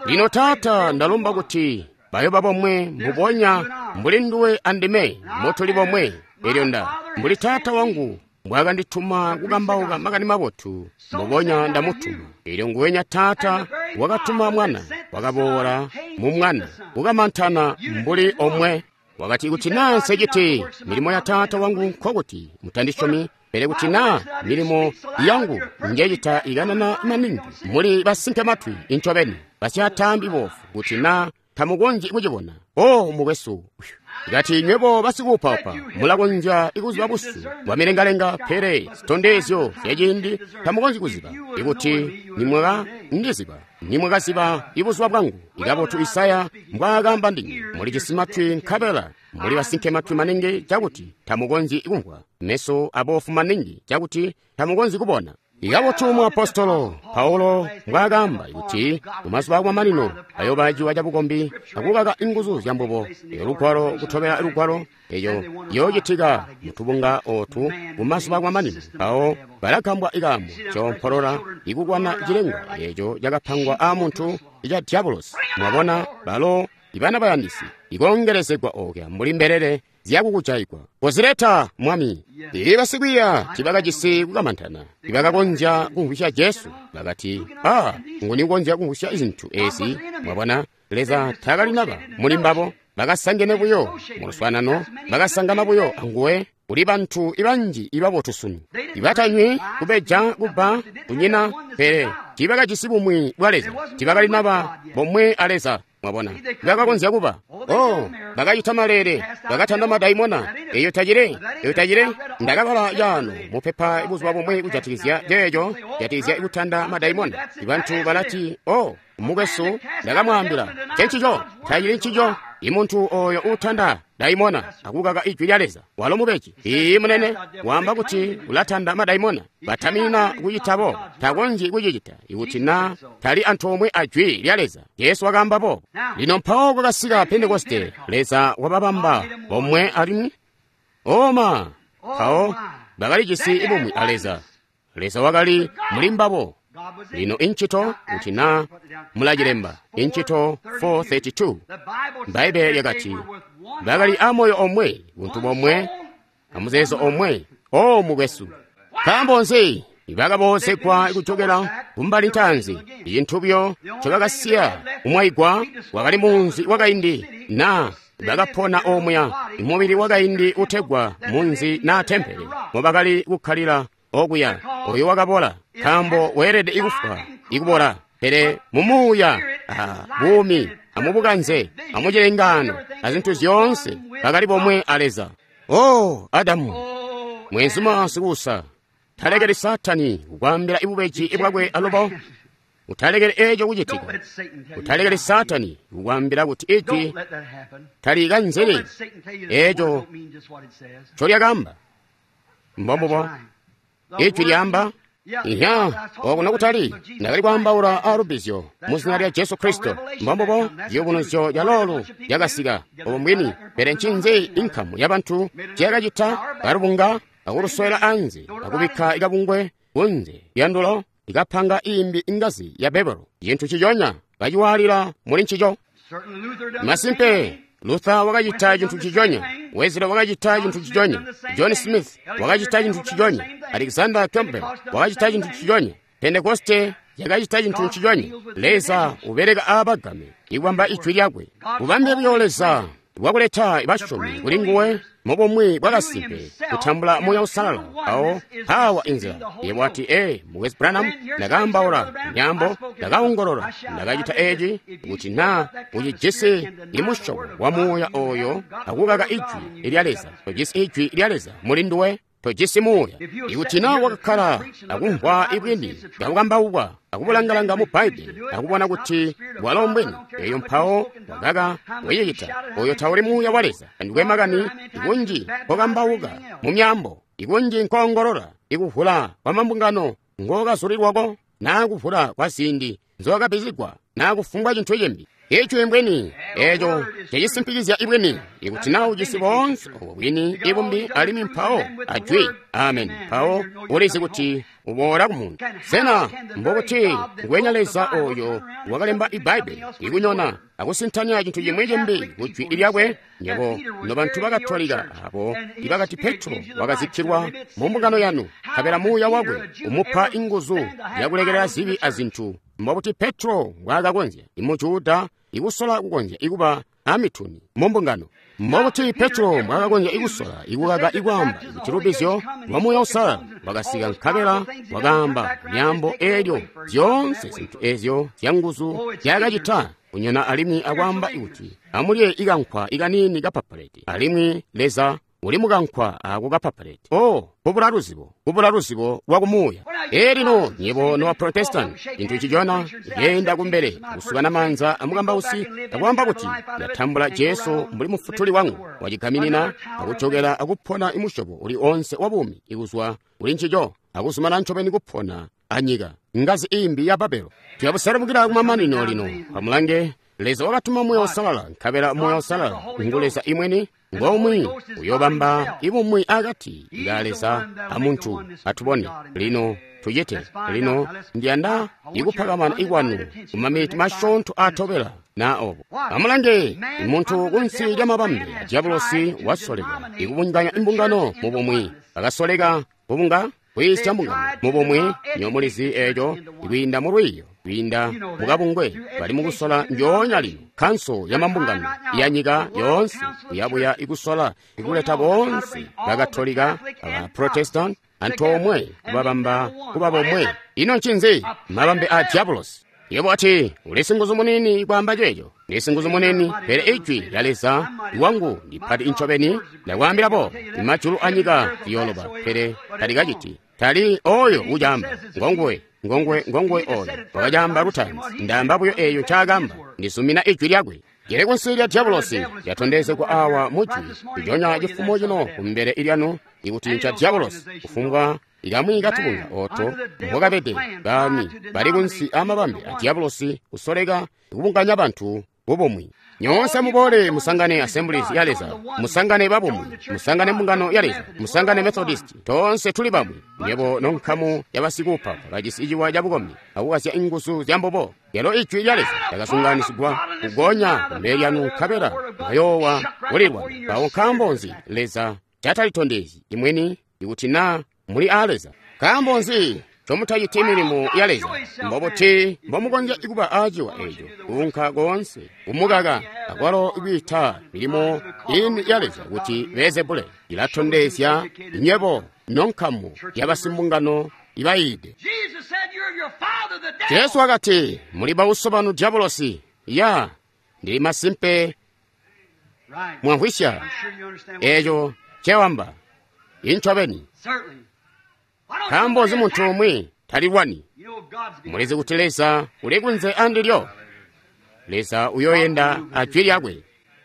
Lino Taata, ndalomba kuti bayoba bomwe mbubonya mbuli nduwe andime motuli bomwe. Elyo nda mbuli Taata wangu mbwaakandituma kukambauka makani mabotu, mbubonya ndamutuma. Elyo nguwenya Taata wakatuma Mwana, wakaboola mu Mwana kukamantana mbuli omwe. Wakati, kuti naa nseciti milimo ya Taata wangu, nkokuti mutandisyomi, pele kuti naa milimo yangu njecita ikanana maningi, muli basinke matwi incobeni, basyaataambi boofu, kuti naa tamukonzyi kucibona. O mukwesu, kati nywebo basikuupaupa mulakonzya ikuziba busu bwa milengalenga, pele zitondezyo zyaciindi tamukonzyi kuziba. Ikuti nimwakandiziba, nimwakaziba ibuzuba bwangu. Ikabotu Isaya mbwaakamba ndinywe, mulijisi matwi nkabela muli basinke matwi maningi cakuti tamukonzyi kumvwa, meso aboofu maningi cakuti tamukonzyi kubona. Ikabotu muapostolo Paulo mbwaakaamba kuti mumazuba akumamanino ayooba ciwa cabukombi akukaka inguzu zyambubo. Eyo lugwalo kutobela lugwalo eyo yoocitika mutubunga ootu mumazuba akumamanino. Mpawo balagambwa ikaambo coompolola ikulwana cilengwa eeco cakapangwa aamuntu ica diabolosi. Mwabona balo ibana bayandisi ikoongelezegwa ookya mbuli mbelele zyakukujaigwa. Kozileta Mwami. Ili basikwiiya tibakajisi kukamantana, tibakakonzya kumvwisya Jesu. Bakati, "Ah, nguni ukonzya kumvwisya zintu ezi?" Mwabona, Leza taakali naba muli mbabo. Bakasangene buyo mu luswaanano, bakasangana buyo anguwe. Kuli bantu ibanji ibabotu sunu, ibatanywi, kubeja, kubba, kunyina, pele tibakajisi bumwi bwa Leza, tibakali naba bomwe a Leza. Mwabona, bakakonzya kuba. Oh, bakacita maleele, bakatanda madaimona. Eyo tacile, eyo tacile. Ndakabala caano mupepa buzuba bumwe kujatikizya ceeco, kujatikizya kutanda madaimona. Ibantu balati, "Oh, mukwesu, ndakamwaambila ncencico, tacili ncico." Imuntu oyo uutanda daimona akukaka ijwi lya Leza walo mubeji. Iiyi munene, waamba kuti ulatanda madaimona. Batamina kucitabo, takonzyi kucicita ikuti na tali antoomwe a jwi lya Leza. Jesu wakaamba boobo. Lino mpawo kwakasika Pentekoste, Leza wababamba bomwe alimwi oma mpawo bakalijisi bumwi a Leza. Leza wakali muli mbabo. Lino incito kuti na mulacilemba, incito 4:32 Bbaibele lyakati bakali amoyo omwe, buntu bomwe, amuzeezo omwe. O mukwesu, nkaambo nzi bakaboozegwa kujokela kumbali ntaanzi? Icintu buyo ncobakasiya kumwaigwa wakali munzi wakaindi, na bakapona omuya mubili wakaindi utegwa munzi na tempele mobakali kukkalila okuya. Oyo wakabola, nkaambo weelede ikufwa ikubola, pele mumuuya buumi amubukanze amucilengaano azintu zyoonse bakali bomwe a Leza. Oh, Adamu mwenzuma sikuusa, talekeli Saatani kukwaambila ibubeji bwakwe alubo. Utalekeli eeco kucitika. Utalekeli Saatani kukwaambila kuti ijwi talikanzeli eeco ncolyakaamba. Mbombubo ijwi lyaamba. Iya, okuno kutali ndakali kwaambaula aalubbizyo mu zina lya Jesu Kristo. Mbombubo ciyubunuzyo ca loolu lyakasika obo mbwini. Pele ncinzi inkamu yabantu nciyakacita? Kalubunga akuluswela anze akubikka ikabungwe kunze lyandulo likapanga imbi ingazi ya Babelo, cintu ciconya baciwaalila muli ncico. Masimpe, Luther wakacita cintu ciconya, Wesley wakacita cintu ciconya, John Smith wakacita cintu ciconya, Alexander Campbell wakacita cintu ciconya, Pentekoste yakacita cintu ciconya. Leza ubeleka aabagame ikubamba ijwi lyakwe. Bubambe buyo Leza bwakuleta basyomi kuli nguwe mubumwi bwakasimpe kutambula Muuya Uusalala. Awo mpawa inzila. Yebo wati, "Ee, Mukwesu Branham, ndakaambaula myaambo, ndakaongolola, ndakacita eci." Kuti na ucijisi imusyobo wa muuya oyo akukaka ijwi lya Leza, tojisi ijwi lya Leza muli nduwe, tojisi muuya. Ikuti na wakakkala akumvwa ibwini bwakukambaukwa akubulangalanga mu Bbaibbele akubona kuti bwalo mbwini, eyo mpawo wakaka kucicita, oyo tauli muuya wa Leza. Andikwe makani ikunji nkokambauka mu myaambo, ikunji nkoongolola, ikuvula kwa mambungano ngokazulilwako, naa kuvula kwa ziindi nzowakabbizigwa, naa kufumbwa cintu cimbi. Ijwi mbwini, eeco cicisimpikizya ibwini. Ikuti na ujisi boonse obo bwini ibumbi alimwi mpawo ajwi amen, mpawo ulizi kuti uboola ku muntu. Sena mbokuti ngwenya Leza oyo wakalemba Ibbaibbele ikunyona akusintanya cintu cimwi cimbi ku jwi lyakwe? Nyebo nobantu bakatolika abo ibakati Petro wakazikkilwa mu mbungano yanu, nkabela muuya wakwe umupa inguzu yakulekelela zibi azintu, mbokuti Petro mbwaakakonzya imujuda ikusola kukonzya ikuba amituni mu mbungano? Mbokuti Petro mbwaakakonzya ikusola ikukaka ikwaamba kuti lubbizyo lwa Muuya Uusalala lwakasika, nkabela wakaamba myaambo eelyo zyoonse zintu ezyo zyanguzu zyakacita kunyona alimwi akwaamba kuti amulye ikankwa ikaniini kapapaleti alimwi Leza Uli mukankwa ako kapapaleti. Oh, kubula luzibo, kubula luzibo lwa kumuuya. Elino nyebo nowa Protestant, cinthu chichona yenda kumbele kusukana manza amukambausi akuyamba kuti ndatambula Jesu mbuli mufutuli wangu wachigaminina akuchokera akuphona imushobo uli onse wabumi ikuzwa uli nchicho akusumana ncobeni kuphona anyika ngazi imbi ya Babelo. Tiyabusalamukira kumamanino lino pamulange Leza wakatuma Moyo Usalala nkabela Moyo Usalala ngu Leza imweni ngomwe uyobamba ibumwi akati nga Leza amuntu. Atubone lino tuchite lino ndiyanda ikuphakamana ikwanu kumamiti mashontho atobela na obo. Amulange munthu kunsi lya mabambe a diabolosi wasoleka ikubunganya imbungano mubumwi akasoleka kubunga kuyisya mbungano mubumwi nyomulizi echo ikuyinda mu lwiyo kuyinda mukabungwe bali mukusola njoonya lino khanso ya mambungano ya nyika yonse kuyabuya ikusola ikuleta bonse bakatolika abaprotestant anthu omwe kubabamba kuba bomwe. Ino nchinzi mabambe a diabolosi. Yebo ati uli singuzu munini kwamba checho ndi singuzu munini, pele ijwi lya Leza wangu ndiphati inchobeni ndakwambirapo imajulu a nyika yoloba pele talikachiti tali oyo uchamba ngongwe ngongwe ngongwe oyo wakachamba luthanzi ndamba buyo eyo nchakamba ndisumina ijwi lyakwe. Jere kunsi lya diabolosi lyatondezekwa awa mujwi kuchonya chifumo chino kumbele ilyanu ikuti ncha diabolosi kufumbwa ikamwi katubunga oto mbokapete bami bali kunsi amabambe a diabolosi kusoleka kubunganya banthu bubumwi. Nyonse mubole musangane Assemblies ya Leza, musangane babumwi, musangane mbungano ya Leza, musangane Methodist, tonse tuli bamwi. Nyebo nonkhamu ya basikupa bajisi ichiwa cha bukombi akukasya inguzu zya mbobo. Lero ijwi lya Leza lakasunganisigwa kugonya kumbele lyanu nkabela mwayowa kulilwa. Pawo nkambo nzi Leza chatalitondezyi imweni ikuti na muli a Leza? Nkambo nzi chomutachiti milimo ya Leza? Mbobuti mbomukonzya ikuba achiwa echo kunka konse kumukaka akwalo ikuita milimo ini ya Leza kuti Beelzebule ilatondezya nyebo nonkhamu ya basimbungano ibayide. Jesu wakati muli bauso banu diabolosi. Ya ndili masimpe mwamvwisya echo chewamba inchobeni. Nkambo nzi munthu umwe talilwani? Mulizi kuti Leza uli kunze andilyo. Leza uyoyenda ajwi lyakwe.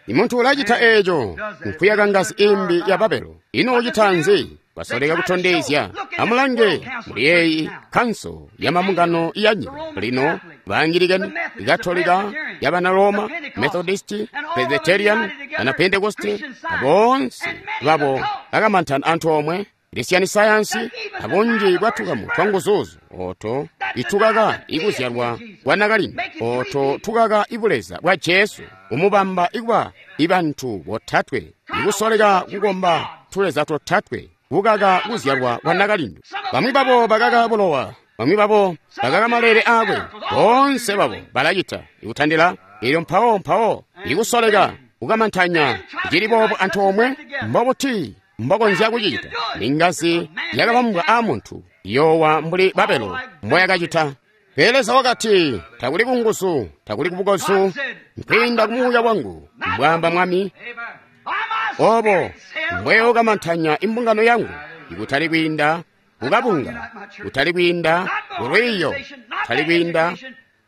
Imunthu ulachita echo nkuyaka ngazi imbi ya Babelo. Ino uchita nzi? Basoleka kutondezya. Amulange muli eyi khanso ya mambungano ya nyika lino baangilikani, Ikatolika ya bana Roma, Methodist, Presbyterian, ana Pentecost, abonse babo akamanthana anthu omwe lisiyani sayansi abunji bwathukamu twa nguzuzu oto itukaka ikuzyalwa kwa nakalino oto tukaka ibuleza bwa Jesu umubamba ikuba ibanthu botatwe ikusoleka kukomba tuleza totatwe kukaka kuzyalwa kwa nakalino. Bamwi babo bakaka bulowa, bamwi babo bakaka malere akwe, bonse babo balachita ikuthandira ilyo mpawo mpawo ikusoleka kukamanthanya chili bobo anthu omwe mbobuti mbokonzya kuchita ningazi yakabambwa a munthu yowa mbuli Babelo mboyakachita. Pele Leza wakati takuli kunguzu takuli kubukozu nkwinda kumuuya wangu mbwamba mwami obo mbweyokamanthanya imbungano yangu ikutali kwinda kukabunga kutali kwinda kulwiyo kutali kwinda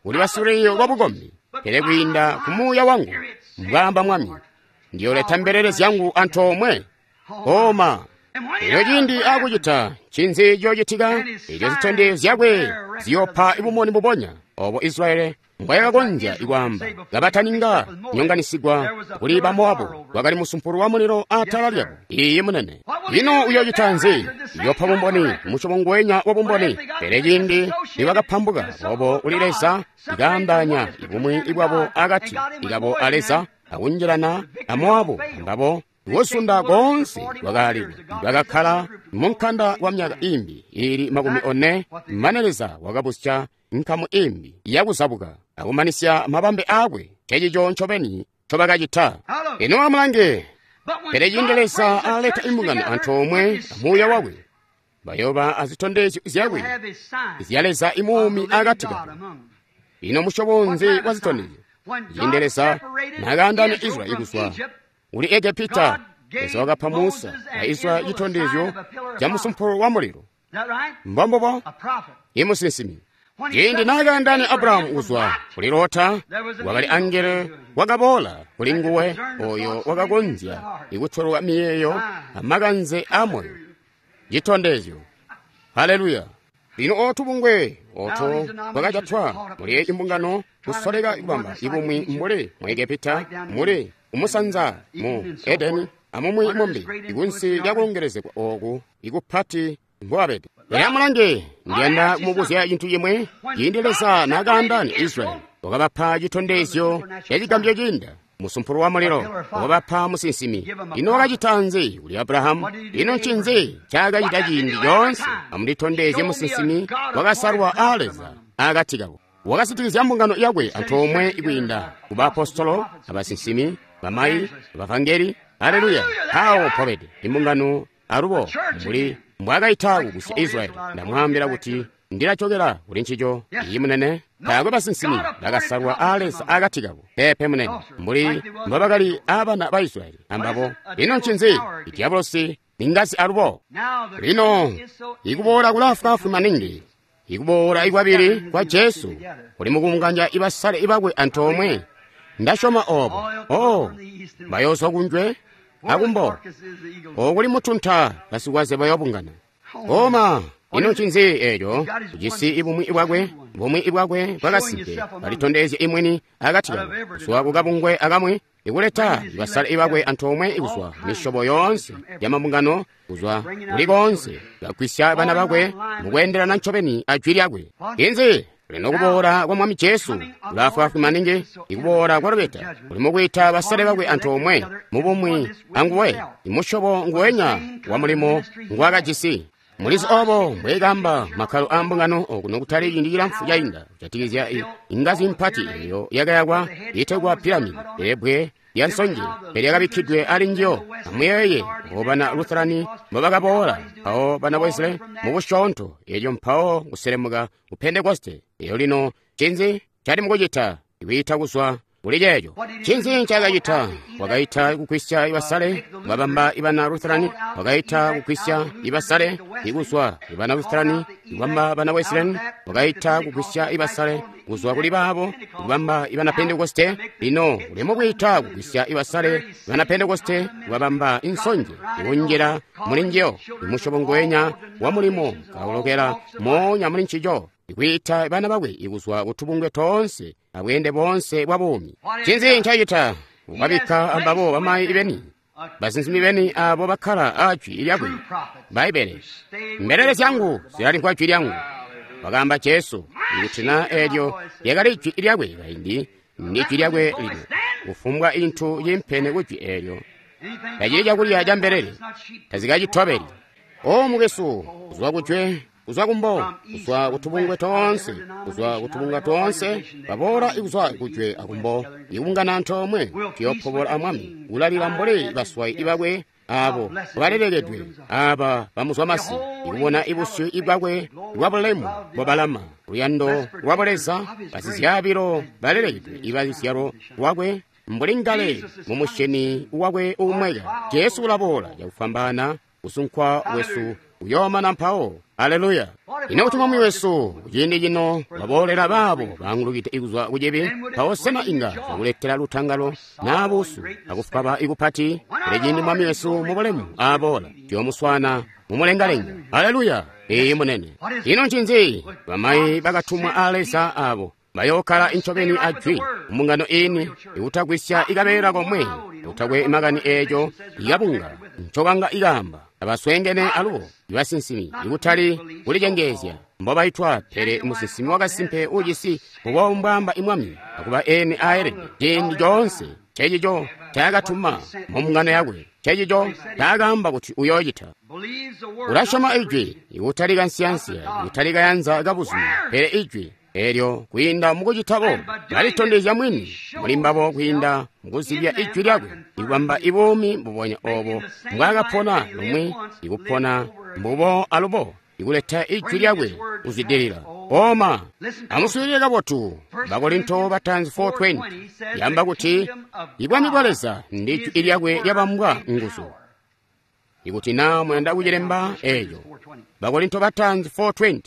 kuli basilwiyo lwa bukombi pele kwinda kumuuya wangu mbwamba mwami ndiyoleta mbelele zyangu antoomwe. Koma elyo ciindi akucita ncinzi ciyocitika eco zitondezyo zyakwe ziyopha ibumoni bubonya obo Israeli mbwayakakonzya ikwaamba kabataninga nyonganisigwa kuli Bamowabu wakali musumpulu wa mulilo atala lyabo. Iye munene ino uyocita nzi? Uyopha bumboni musyobo ngwenya wa bumboni. Pele ciindi nibakapambuka obo uli Leza ikaandanya ibumwi ibwabo akati ikabo a Leza akunjilana a Mowabu mbabo wosunda konse wakaalilwa. Bakakhala munkanda wa myaka imbi ili 40 mane Leza wakabusya nkamu imbi yakuzabuka akumanisya mabambe akwe. Chechicho nchobeni chobakachita. Ino amulange pele ciindi Leza aleta imbungano anthu omwe amuuya wakwe bayoba azitondezyo zyakwe zya Leza imuumi akati kabo. Ino musyobo nzi wa zitondezyo? Ciindi Leza nakaandanya Israeli kuzwa uli Egepita, Leza wakapa Musa a Israyeli citondezyo ca musumpulo wa mulilo. Mbombubo, imusinsimi. Ciindi naakaandaanya Abrahamu kuzwa kuli Lota, wakali angelo wakaboola kuli nguwe oyo wakakonzya ikutolwa miyeeyo amakanze a moyo. Citondezyo. Haleluya. Lino otubungwe oto twakajatwa muli imbungano kusoleka kubamba ibumwi mbuli mu Egepita, muli umusanza mu Edeni, amumwi mumbi ikunsi lyakulongelezegwa oku ikupati mbwabede. Pele amulange, ndiyanda kumubuzya cintu cimwe. Ciindi Leza naakaandaanya Israyeli, wakabapa citondezyo ca cigambyo ciinda, musumpulo wa mulilo, wakabapa musinsimi. Ino wakacita nzi kuli Abrahamu? Ino ncinzi ncaakacita ciindi coonse? Amunditondezye musinsimi wakasalwa a Leza akati kabo. Wakasitikizya mbungano yakwe antoomwe kwiinda ku baapostolo, abasinsimi, bamayi, abavangeli. Haleluya! Awo mpobede imbungano alubo mbuli mbwaakaita kugusya Israyeli. Ndamwaambila kuti ndilachokera kuli ncico. Iyi munene, taakwe basinsimi bakasalwa a Leza akati kabo. Peepe munene, mbuli mbobakali abana ba Israyeli ambabo. Ino ncinzi? Idiabolosi ningazi alubo. Lino ikuboola kulaafwaafwi maningi, ikuboola ikwabili kwa Jesu kuli mukunganya ibasale ibakwe antoomwe. Ndasyoma obo. Oh, bayoozwa kunjwe akumbo okuli mutunta basikwaze bayobungana. Oma, ino ncinzi eeco? Ujisi ibumwi bwakwe, bumwi bwakwe bwakasimpe, balitondezye imweni akati kabo, kuzwa kukabungwe akamwi, ikuleta basale ibakwe antoomwe ikuzwa misyobo yoonse ya mabungano, kuzwa kuli koonse, bagwisya bana bakwe mukweendelana ncobeni a jwi lyakwe. Inzi? Lino kuboola kwa Mwami Jesu kulaafwaafwi maningi, ikuboola kwa lubeta kuli mukwiita basale bakwe antoomwe mubumwi anguwe, imusyobo nguwenya wa mulimo ngwaakajisi. Mulizi obo mbweekamba makkalo a mbungano okuno kutali ciindi cilamfu cainda kujatikizya ingazi mpati eyo yakayakwa iitegwa piramidi, ebbwe lya nsonje pele ali njiyo. Amuyeeye obo bana Lutherani mbobakaboola, mpawo bana Wesley mubusyoonto, elyo mpawo kuselemuka ku Pentekoste. Eyo lino ncinzi cali mukucita? Ikwiita kuzwa kuli ceeco. Ncinzi ncaakacita? Wakaita kugwisya ibasale, kubabamba ibana Lutherani. Wakaita kugwisya ibasale ikuzwa ibana Lutherani, kubamba bana Wesleyan. Wakaita kugwisya ibasale kuzwa kuli baabo, kubamba ibana Pentekoste. Lino uli mukwiita kugwisya ibasale bana Pentekoste, kubabamba insonje ikunjila muli njiyo, imusyobo ngwenya wa mulimo kaulokela moonya muli ncico, ikwiita bana bakwe ikuzwa kutubungwe toonse abweende boonse bwa buumi. Ncinzi ncacita? Wabikka ambabo bamayi beni, basinsimi beni abo bakkala a jwi lyakwe, Bbaibbele. Mbelele zyangu zilalimvwa jwi lyangu, wakaamba Jesu. Ikuti na eelyo lyakali jwi lyakwe kaindi, ndi jwi lyakwe lino. Kufumbwa intu cimpene ku jwi eelyo tacili cakulya ca mbelele, tazikacitobeli. O mukwesu, kuzwa kujwe, kuzwa kumbo, kuzwa kutubungwe toonse, kuzwa kutubunga toonse, baboola ikuzwa kujwe akumbo, ikungana antoomwe, tuyopobola a Mwami, kulalila mbuli baswayi ibakwe abo balelekedwe, aba bamuzwamasi, ikubona ibusyu ibwakwe bwa bulemu bwabalama, luyando lwa Buleza, basizyaabilo balelekedwe ibazyalo lwakwe, mbuli ngale mumusheni wakwe uumweka. Jesu ulaboola cakufwambaana, kusunkwa kwesu kuyoomana mpawo. Aleluya! Ino kuti Mwami wesu kuciindi cino waboolela baabo baangulukide kuzwa kucibi, mpawo sena inga cakuletela lutangalo naa buusu akufwaba ikupati? Pele ciindi Mwami wesu mubulemu aaboola, tuyoomuswaana mumulengalenga. Aleluya! Iyi munene. Ino ncinzi? Bamayi bakatumwa a Leza abo bayookkala incobeni a jwi mumbungano iini, ikutagwisya ikabeela komwe, kutakwe makani eeco ikabunga ncokanga ikaamba. Abasweengene alubo ibasinsimi, ikutali kulicengeezya mbobaitwa, pele musinsimi wakasimpe ujisi mbubo mbwaamba imwami, akuba eni aelede ciindi coonse. Cecico ncaakatuma mumbungano yakwe, cecico ncaakaamba kuti uyoocita. Ulasyoma ijwi, ikutali kansiyansiya, ikutali kayanza kabuzumi, pele ijwi eelyo kwiinda mukucita boobo balitondezya mwini muli mbabo kwiinda mukuzibya ijwi lyakwe, ikubamba ibuumi mbubonya obo mbwaakapona lumwi, ikupona mbubo alubo, ikuleta ijwi lyakwe kuzwidilila. Oma, amuswiilile kabotu. Bakorinto bataanzi 4:20 yamba kuti ibwami bwa Leza ndi jwi lyakwe lyabambwa nguzu. Ikuti na muyanda kucilemba eeco. Bakorinto bataanzi 4:20.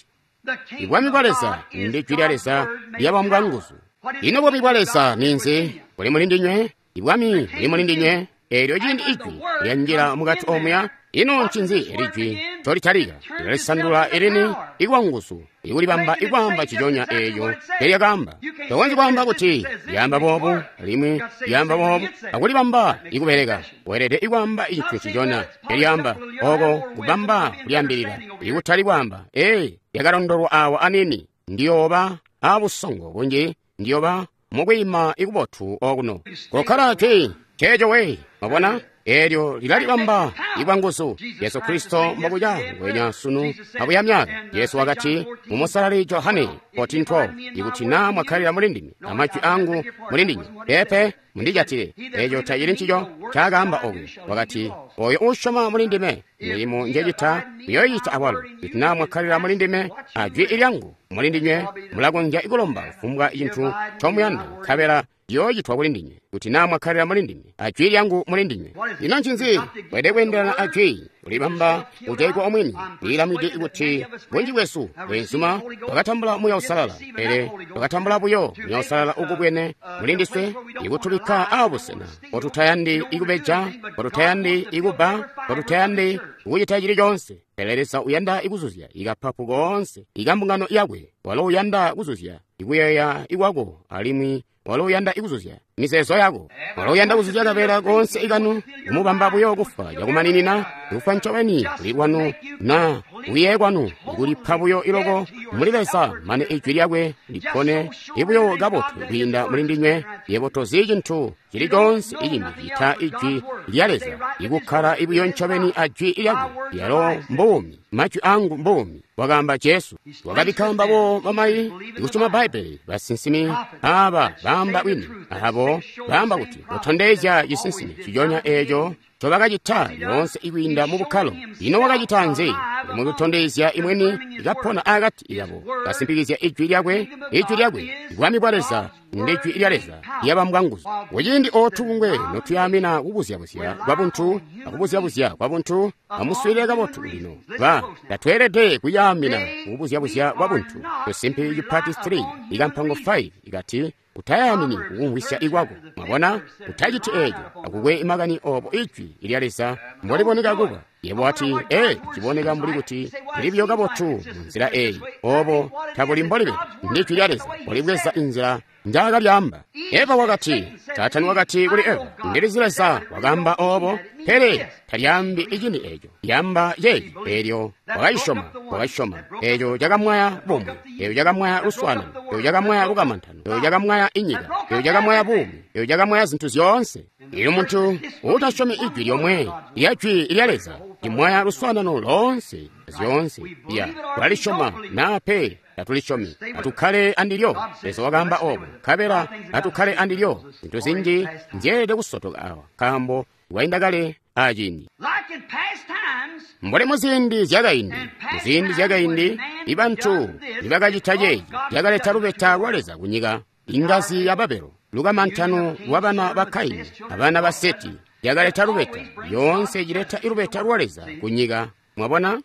Ibwami bwa Leza ndi jwi lya Leza lyabambwa nguzu. Ino bwami bwa Leza ninzi? Buli muli ndinywe. Ibwami buli muli ndinywe. Eelyo ciindi ijwi lyanjila mukati omuya, ino ncinzi eli jwi ncolitalika? Lilalisandula elini ikwa nguzu, ikulibamba ikwaamba ciconya eeco nelyakaamba. Tokonzyi kwaamba kuti lyaamba boobu alimwi lyaamba boobu akulibamba ikubeleka. Weelede ikwaamba icintu ciconya nelyaamba, oko kubamba kulyaambilila, ikutali kwaamba, ee, lyakalondolwa awa anini, ndiyooba abusongo bunji, ndiyooba mukwiima ikubotu okuno. Kokkala jwi ceeco we, mwabona? Eelyo lilalibamba ikwa nguzu. Yesu Kristo mbokuca ngwenya sunu abuya myaka. Yesu wakati mu Musalali Johane 14:12, ikuti na mwakhalira muli ndime amajwi angu muli ndinywe, peepe mundijatile. Eeco tacili ncico ncaakaamba okuya. Wakati, oyo uusyoma muli ndime, milimo njecita uyoyicita awalo. Ikuti na mwakhalira muli ndime ajwi lyangu muli ndinywe, mulakonzya kulomba kufumbwa cintu ncomuyanda, nkabela ciyoocitwa kuli ndinywe. Kuti na mwakhalira muli ndime ajwi lyangu muli ndinywe. Ino ncinzi? Weelede kweendelana ajwi, kulibamba kujaigwa omwini. Lilamwide kuti bunji bwesu bweenzuma twakatambula Muuya Uusalala, pele twakatambula buyo Muuya Uusalala ukubwene muli ndiswe, ikutubikka abusena potutayandi ikubeja, potutayandi ikubba, potutayandi kucita cili coonse. Pele Leza uyanda ikuzuzya ikapapu koonse ikambungano yakwe. Walo uyanda kuzuzya ikuyeeya ikwako, alimwi walo uyanda ikuzuzya mizeezo yako. Walo uyanda kuzuzya kabeela koonse ikanu, kumubamba buyo kufa cakumaninina, kufa ncobeni kuli kwanu na kuyeeya kwanu, kulipa buyo iloko muli Leza mane ijwi lyakwe lipone ibuyo kabotu kwiinda muli ndinywe. Yebo tozi cintu cili coonse icimbi cita ijwi lya Leza, ikukkala ibuyo ncobeni ajwi lyakwe. Yalo mbuumi, majwi angu mbuumi, wakaamba Jesu. Wakabikka mbabo bamayi ikusyoma Bbaibbele, basinsimi aba baamba bwini, abo baamba kuti kutondezya cisinsimi ciconya eeco ncobakacita lyoonse ikwiinda mu bukkalo. Ino wakacita nzi? Mukutondezya imweni ikapona akati kabo, kasimpikizya ijwi lyakwe, ijwi lyakwe. Bwami bwa Leza ndi jwi lya Leza lyabambwa nguzu. Kuciindi otubungwe notuyamina kubuzyabuzya kwabuntu akubuzyabuzya kwabuntu, amuswiilile kabotu lino. Ba tatweelede kuyaamina kubuzyabuzya kwabuntu. Tusimpi cipati 3 ikampango 5 ikati, utayamini kukumvwisya ikwako. Mwabona, utaciti eeco. Akukwe makani obo ijwi lya Leza mboliboneka kuba. Yebo wati, ee, ciboneka mbuli kuti lili kabotu munzila eeyi. Obo tabuli mbolibede. Ndi jwi lya Leza bolibweza inzila njaakalyamba. Eva wakati, Saatani wakati kuli Eva, ndilizi Leza wakaamba obo, pele talyaambi icini eeco. Lyamba ceeci. Eelyo wakayisyoma, wakayisyoma. Eeco cakamwaya bumwi, eeco cakamwaya luswaanano, eeco cakamwaya lukamantano, eeco cakamwaya inyika, eeco cakamwaya buumi, eeco cakamwaya zintu zyoonse. Iyo muntu uutasyomi ijwi lyomwe lya jwi lya Leza limwaya luswaanano loonse zyoonse. Ya tulalisyoma naa pe tatulisyomi, atukkale andilyo. Leza wakaamba obo, nkabela atukkale andilyo. Zintu zinji nzyeelede kusotoka awa, nkaambo lwainda kale aciindi. Mbuli muziindi zyakaindi, muziindi zyakaindi ibantu nibakacita ceeci, lyakaleta lubeta lwa Leza kunyika. Ingazi ya Babelo, lukamantano lwabana ba Kaini abana ba Seti, lyakaleta lubeta. Yoonse cileta ilubeta lwa Leza kunyika. Mwabona?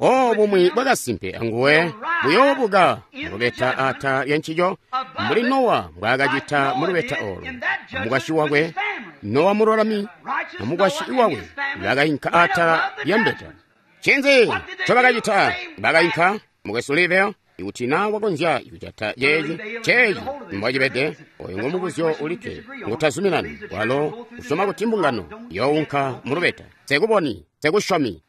O bumwi bwakasimpe anguwe buyoobuka mulubeta ata lya ncico, mbuli Nowa mbwaakacita mulubeta olo. Amukwasyi wakwe, Nowa mululami, amukwasyi wakwe bakainka atala lya mbeta. Ncinzi ncobakacita? Bakainka, mukwesu Livel, ikuti na wakonzya kujata ceeci, ceeci mbwacibede, oyo ngomubuzyo ulikke ngutazuminani. Walo usyoma kuti mbungano younka mulubeta. Nsekuboni, nsekusyomi.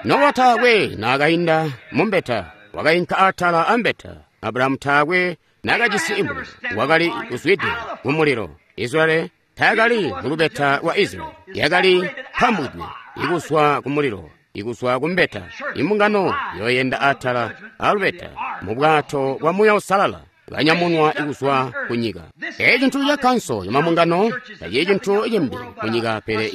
Nowa taakwe naakainda mumbeta, wakainka atala ambeta. Abrahamu taakwe naakajisi imulilo, wakali kuzwide kumulilo. Israeli taakali mulubeta lwa Israeli, yakali pambwidwe ikuzwa kumulilo, ikuzwa kumbeta. Imbungano yoyenda atala alubeta mu bwato bwa Muuya Uusalala, banyamunwa ikuzwa kunyika. Eeci cintu ca kanso yamambungano tacili cintu cimbi kunyika, pele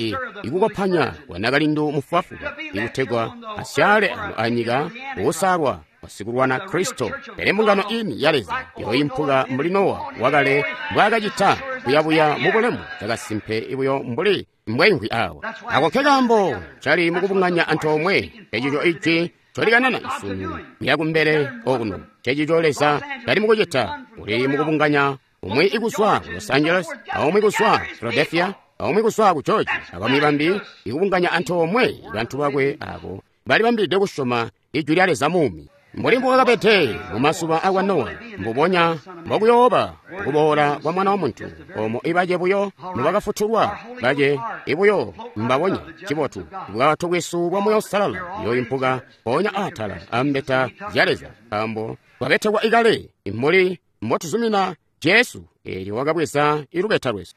ikukopanya kwa nakalindu mufubafuba ikutegwa asyale ano anyika uusalwa wasikulwana Kristo. Pele mbungano ini ya Leza yoimpuka mbuli Nowa wakale mbwaakacita kuyabuya mubulemu cakasimpe ibuyo mbuli Mbweimvwi awa. Ako nkekaambo cali mukubunganya antoomwe. Ecico ijwi colikanana sunu kuya kumbele okuno. Cecico Leza cali mukucita. Uli mukubunganya umwi ikuzwa ku Los Angeles, aumwi kuzwa Philadelphia, aumwi kuzwa ku Georgia, abamwi bambi ikubunganya antoomwe bantu bakwe abo balibambilide kusyoma ijwi lya Leza muumi. Mbuli mbwakabede mumazuba akwa Nowa, mbubonya mbokuyooba kuboola kwa Mwana wa Muntu, omo ibace buyo nibakafutulwa, bace ibuyo mbabonya. Cibotu, bwato bwesu bwa Moyo Uusalala buyoimpuka mpoonya atala ambeta zya Leza, nkaambo twabetekwa ikale mbuli mbotuzumina Jesu, eelyo wakabweza ilubeta lwesu.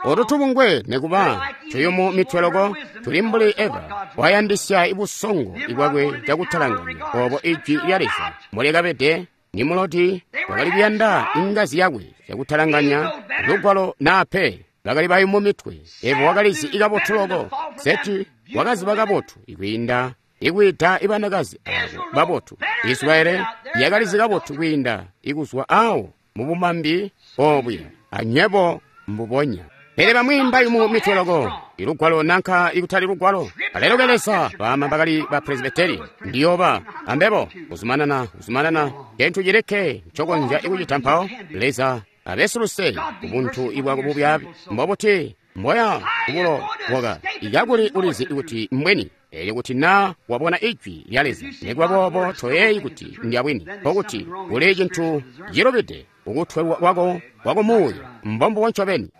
Otu tubungwe nekuba tuyumu mitwe loko tuli mbuli Eva wayandisya ibusongo ibwakwe cakutalanganya obo ijwi lya Leza mbolyakabede. Nimulodi wakali kuyanda ingazi yakwe cakutalanganya lugwalo naa pe. Bakali bayumu mitwe. Eva wakalizi ikabotu loko. Seti wakaziba kabotu ikwiinda ikwiita ibanakazi abo babotu. Israeli yakalizi kabotu kwiinda ikuzwa awo mubumambi obuya anywebo mbubonya. Pele bamwi mbayumu mitwe loko, ilugwalo nanka ikutali lugwalo. Aleluke Leza, bama bakali ba Presbyteri, ndiyoba ambebo kuzumanana kuzumanana kentu cilikke ncokonzya ikucita mpawo. Leza abesuluse ubuntu ibwako bubyabi mbobuti mboya kubulo bwaka ikakuli ulizi kuti mbweni. Elyo kuti na wabona ijwi lya Leza, nekuba boobo toyeeyi kuti ndyabwini, nkokuti kuli cintu cilubide ukutwelwa kwako kwakumuuya mbombubo ncobeni.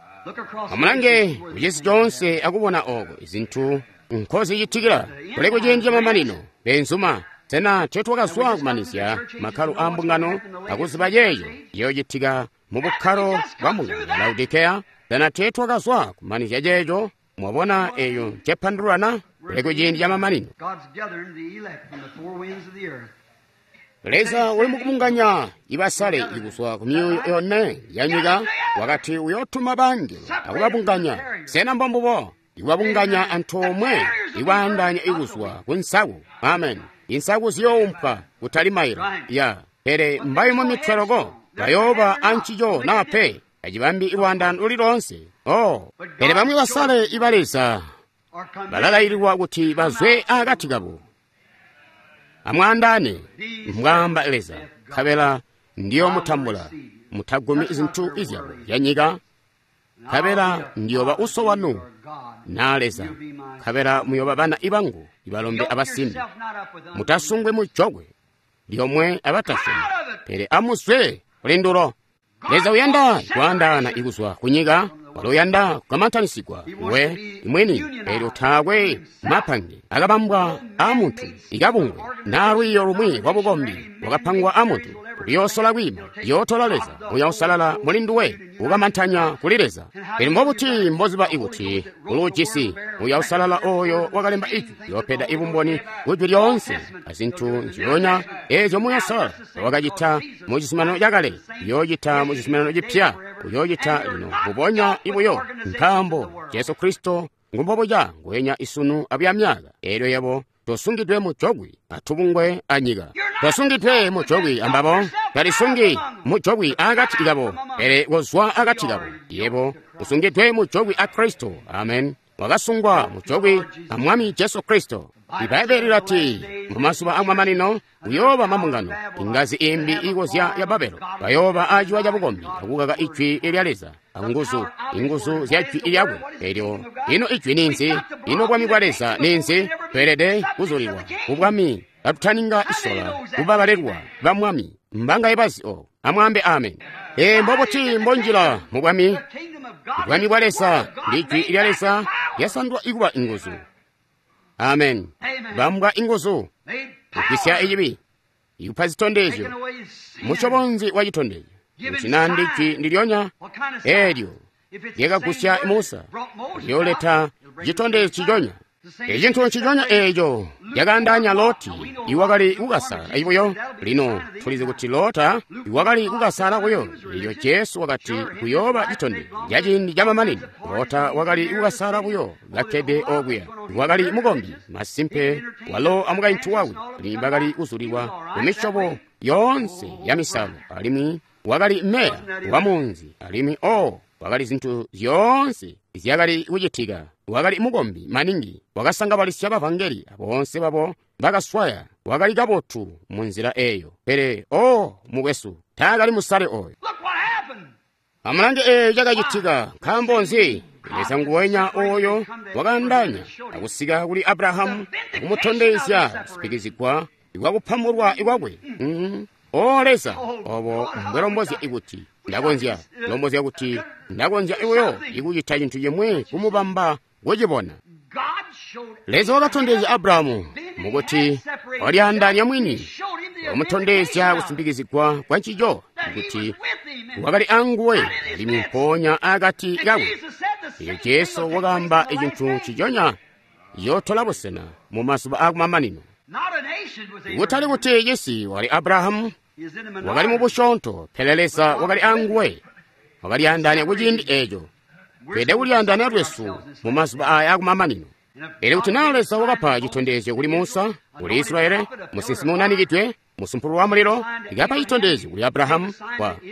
Amulange kucisi coonse akubona oko izintu nkozicitikila. Kuli kuciindi camamanino, benzuma. Sena tetwakazwa kumanizya makkalo a mbungano akuziba ceeco ciyoocitika mu bukkalo bwa mbungano ya Laodikeya? Sena tetwakazwa kumanizya ceeco? Mwabona eyo ncepandululana? Kuli kuciindi camamanino. Leza uli mukubunganya ibasale ikuzwa ku myuuyo yone ya nyika, wakati uyotuma bangelo akubabunganya. Sena mbombubo? Ikubabunganya antoomwe, ikwaandaanya ikuzwa ku nsaku. Amen. Insaku ziyoumpwa kutali mailo ya, pele mbayumu mitwe loko bayooba ancico naa pe acibambi ilwaandaano luli loonse. Oh, pele bamwi basale iba Leza balalaililwa kuti bazwe akati kabo. Amwaandaane, mbwaamba Leza, nkabela ndiyomutambula. Mutagumi zintu izyabo zya nyika, nkabela ndiyoba uso wanu na Leza, nkabela muyoba bana ibangu ibalombe abasimbi. Mutasungwe mujokwe lyomwe abatasyomi, pele amuzwe kulindulo. Leza uyanda kwaandaana ikuzwa kunyika, walo uyanda kukamantanisigwa we imwini. Elyo taakwe mapange akabambwa a muntu ikabungwe naa lwiiyo lumwi lwa bukombi lwakapangwa a muntu luyoosola kwiima liyootola Leza Muya Uusalala muli nduwe ukamantanya kuli Leza. Pele mbobuti mboziba ikuti uluujisi Muya Uusalala oyo wakalemba ijwi liyoopeda ibumboni kujwi lyoonse azintu nzyoonya eezyo Muya Uusalala wakacita mu cizuminano cakale uyoocita mu cizuminano cipya, uyoocita lino mbubonya ibuyo, nkaambo Jesu Kristo ngumbobuca nguwenya isunu abuya myaka. Eelyo yebo tosungidwe mujokwi atubungwe anyika, tosungidwe mujokwi ambabo, talisungi mujokwi akati kabo, pele kozwa akati kabo. Yebo usungidwe mujokwi a Kristo. Amen. Wakasungwa mujokwi a Mwami Jesu Kristo. Ibaibbele lilati mumazuba amamanino kuyooba mambungano, ingazi imbi ikozya ya Babelo, bayooba aciwa cabukombi akukaka ijwi lya Leza anguzu, inguzu zya jwi lyakwe. Elyo ino ijwi ninzi? Ino bwami bwa Leza ninzi? Tweelede kuzulilwa kubwami katutaninga isola kubabalelwa ba Mwami. Mbangaye bazi obo? Amwaambe amen. Ee, mbobuti mbonjila mu bwami? Bwami bwa Leza ndi jwi lya Leza lyasandwa ikuba inguzu. Amen. Bambwa inguzu kugwisya icibi, ikupa zitondezyo, musyobo wa citondezyo kuti ndi jwi ndilyonya eelyo lyakagusya Musa, lyooleta citondezyo ciconya. Ecintu nciconya eeco lyakaandaanya Loti iwakali kukasala ibuyo. Lino tulizi kuti Lota iwakali kukasala buyo. Elyo Jesu wakati kuyooba citondezyo ca ciindi camamanino. Lota wakali kukasala buyo kakkede okuya. Wakali mukombi masimpe, walo amukaintu wakwe alimwi bakali kuzulilwa kumisyobo yoonse ya misalo, alimwi wakali meya wa munzi, alimwi Wakali zintu zyoonse zyakali kucitika. Wakali mukombi maningi, wakasangabalisya bavangeli boonse babo bakaswaya. Wakali kabotu mu nzila eyo. Pele o mukwesu, taakali musale oyo. Amulange eyo cakacitika. Nkaambo nzi? Leza nguwenya oyo wakaandaanya akusika kuli Abrahamu akumutondezya kusipikizigwa kwakupambulwa kwakwe. O Leza, obo mbwelombozya ikuti ndakonzya, lombozya kuti ndakonzya iweyo ikucita cintu chimwe kumubamba kucibona. Leza wakatondezya Abrahamu mukuti walyaandaanya mwini, wamutondezya kusimpikizigwa kwa ncico kuti wakali anguwe alimwi mpoonya akati kakwe. Elyo Jesu wakaamba icintu nciconya yotola busena mu mazuba akumamanino. Kutali kuti cisi wakali Abrahamu, wakali mu busyoonto, pele Leza wakali anguwe. Wakalyaandaanya kuciindi eco. Tweelede kulyaandaanya lwesu mu mazuba aya akumamanino. Pele kuti naa Leza wakapa citondezyo kuli Musa, kuli Israeli, musinsimi unanikidwe, musumpulu wa mulilo, wakapa citondezyo kuli Abrahamu,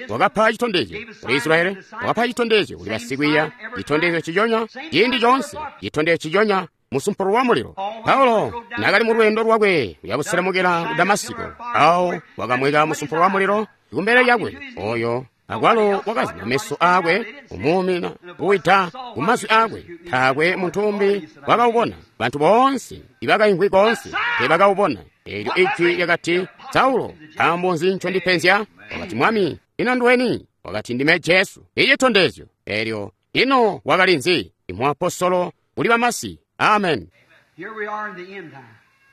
wakapa citondezyo kuli Israeli, wakapa citondezyo kuli basikwiiya, citondezyo ciconya, ciindi coonse, citondezyo ciconya, musumpulu wa mulilo. Paulo nakali mu lwendo lwakwe kuyabuselemukela ku Damasiko, awo wakamweka musumpulu wa mulilo kumbele lyakwe, oyo akwalo wakazima meso akwe, kumuumina kuwida kumazwi akwe. Taakwe munthu umbi wakawubona. Bantu boonse ibakaimvwi konse teebakawubona. Eelyo ijwi lyakati, Saulo, nkaambo nzi ncondipenzya? Wakati, Mwami, ino nduweni? Wakati, ndime Jesu. Icitondezyo. Eelyo ino wakali nzi? Imwaapostolo kuli bamasi. Amen.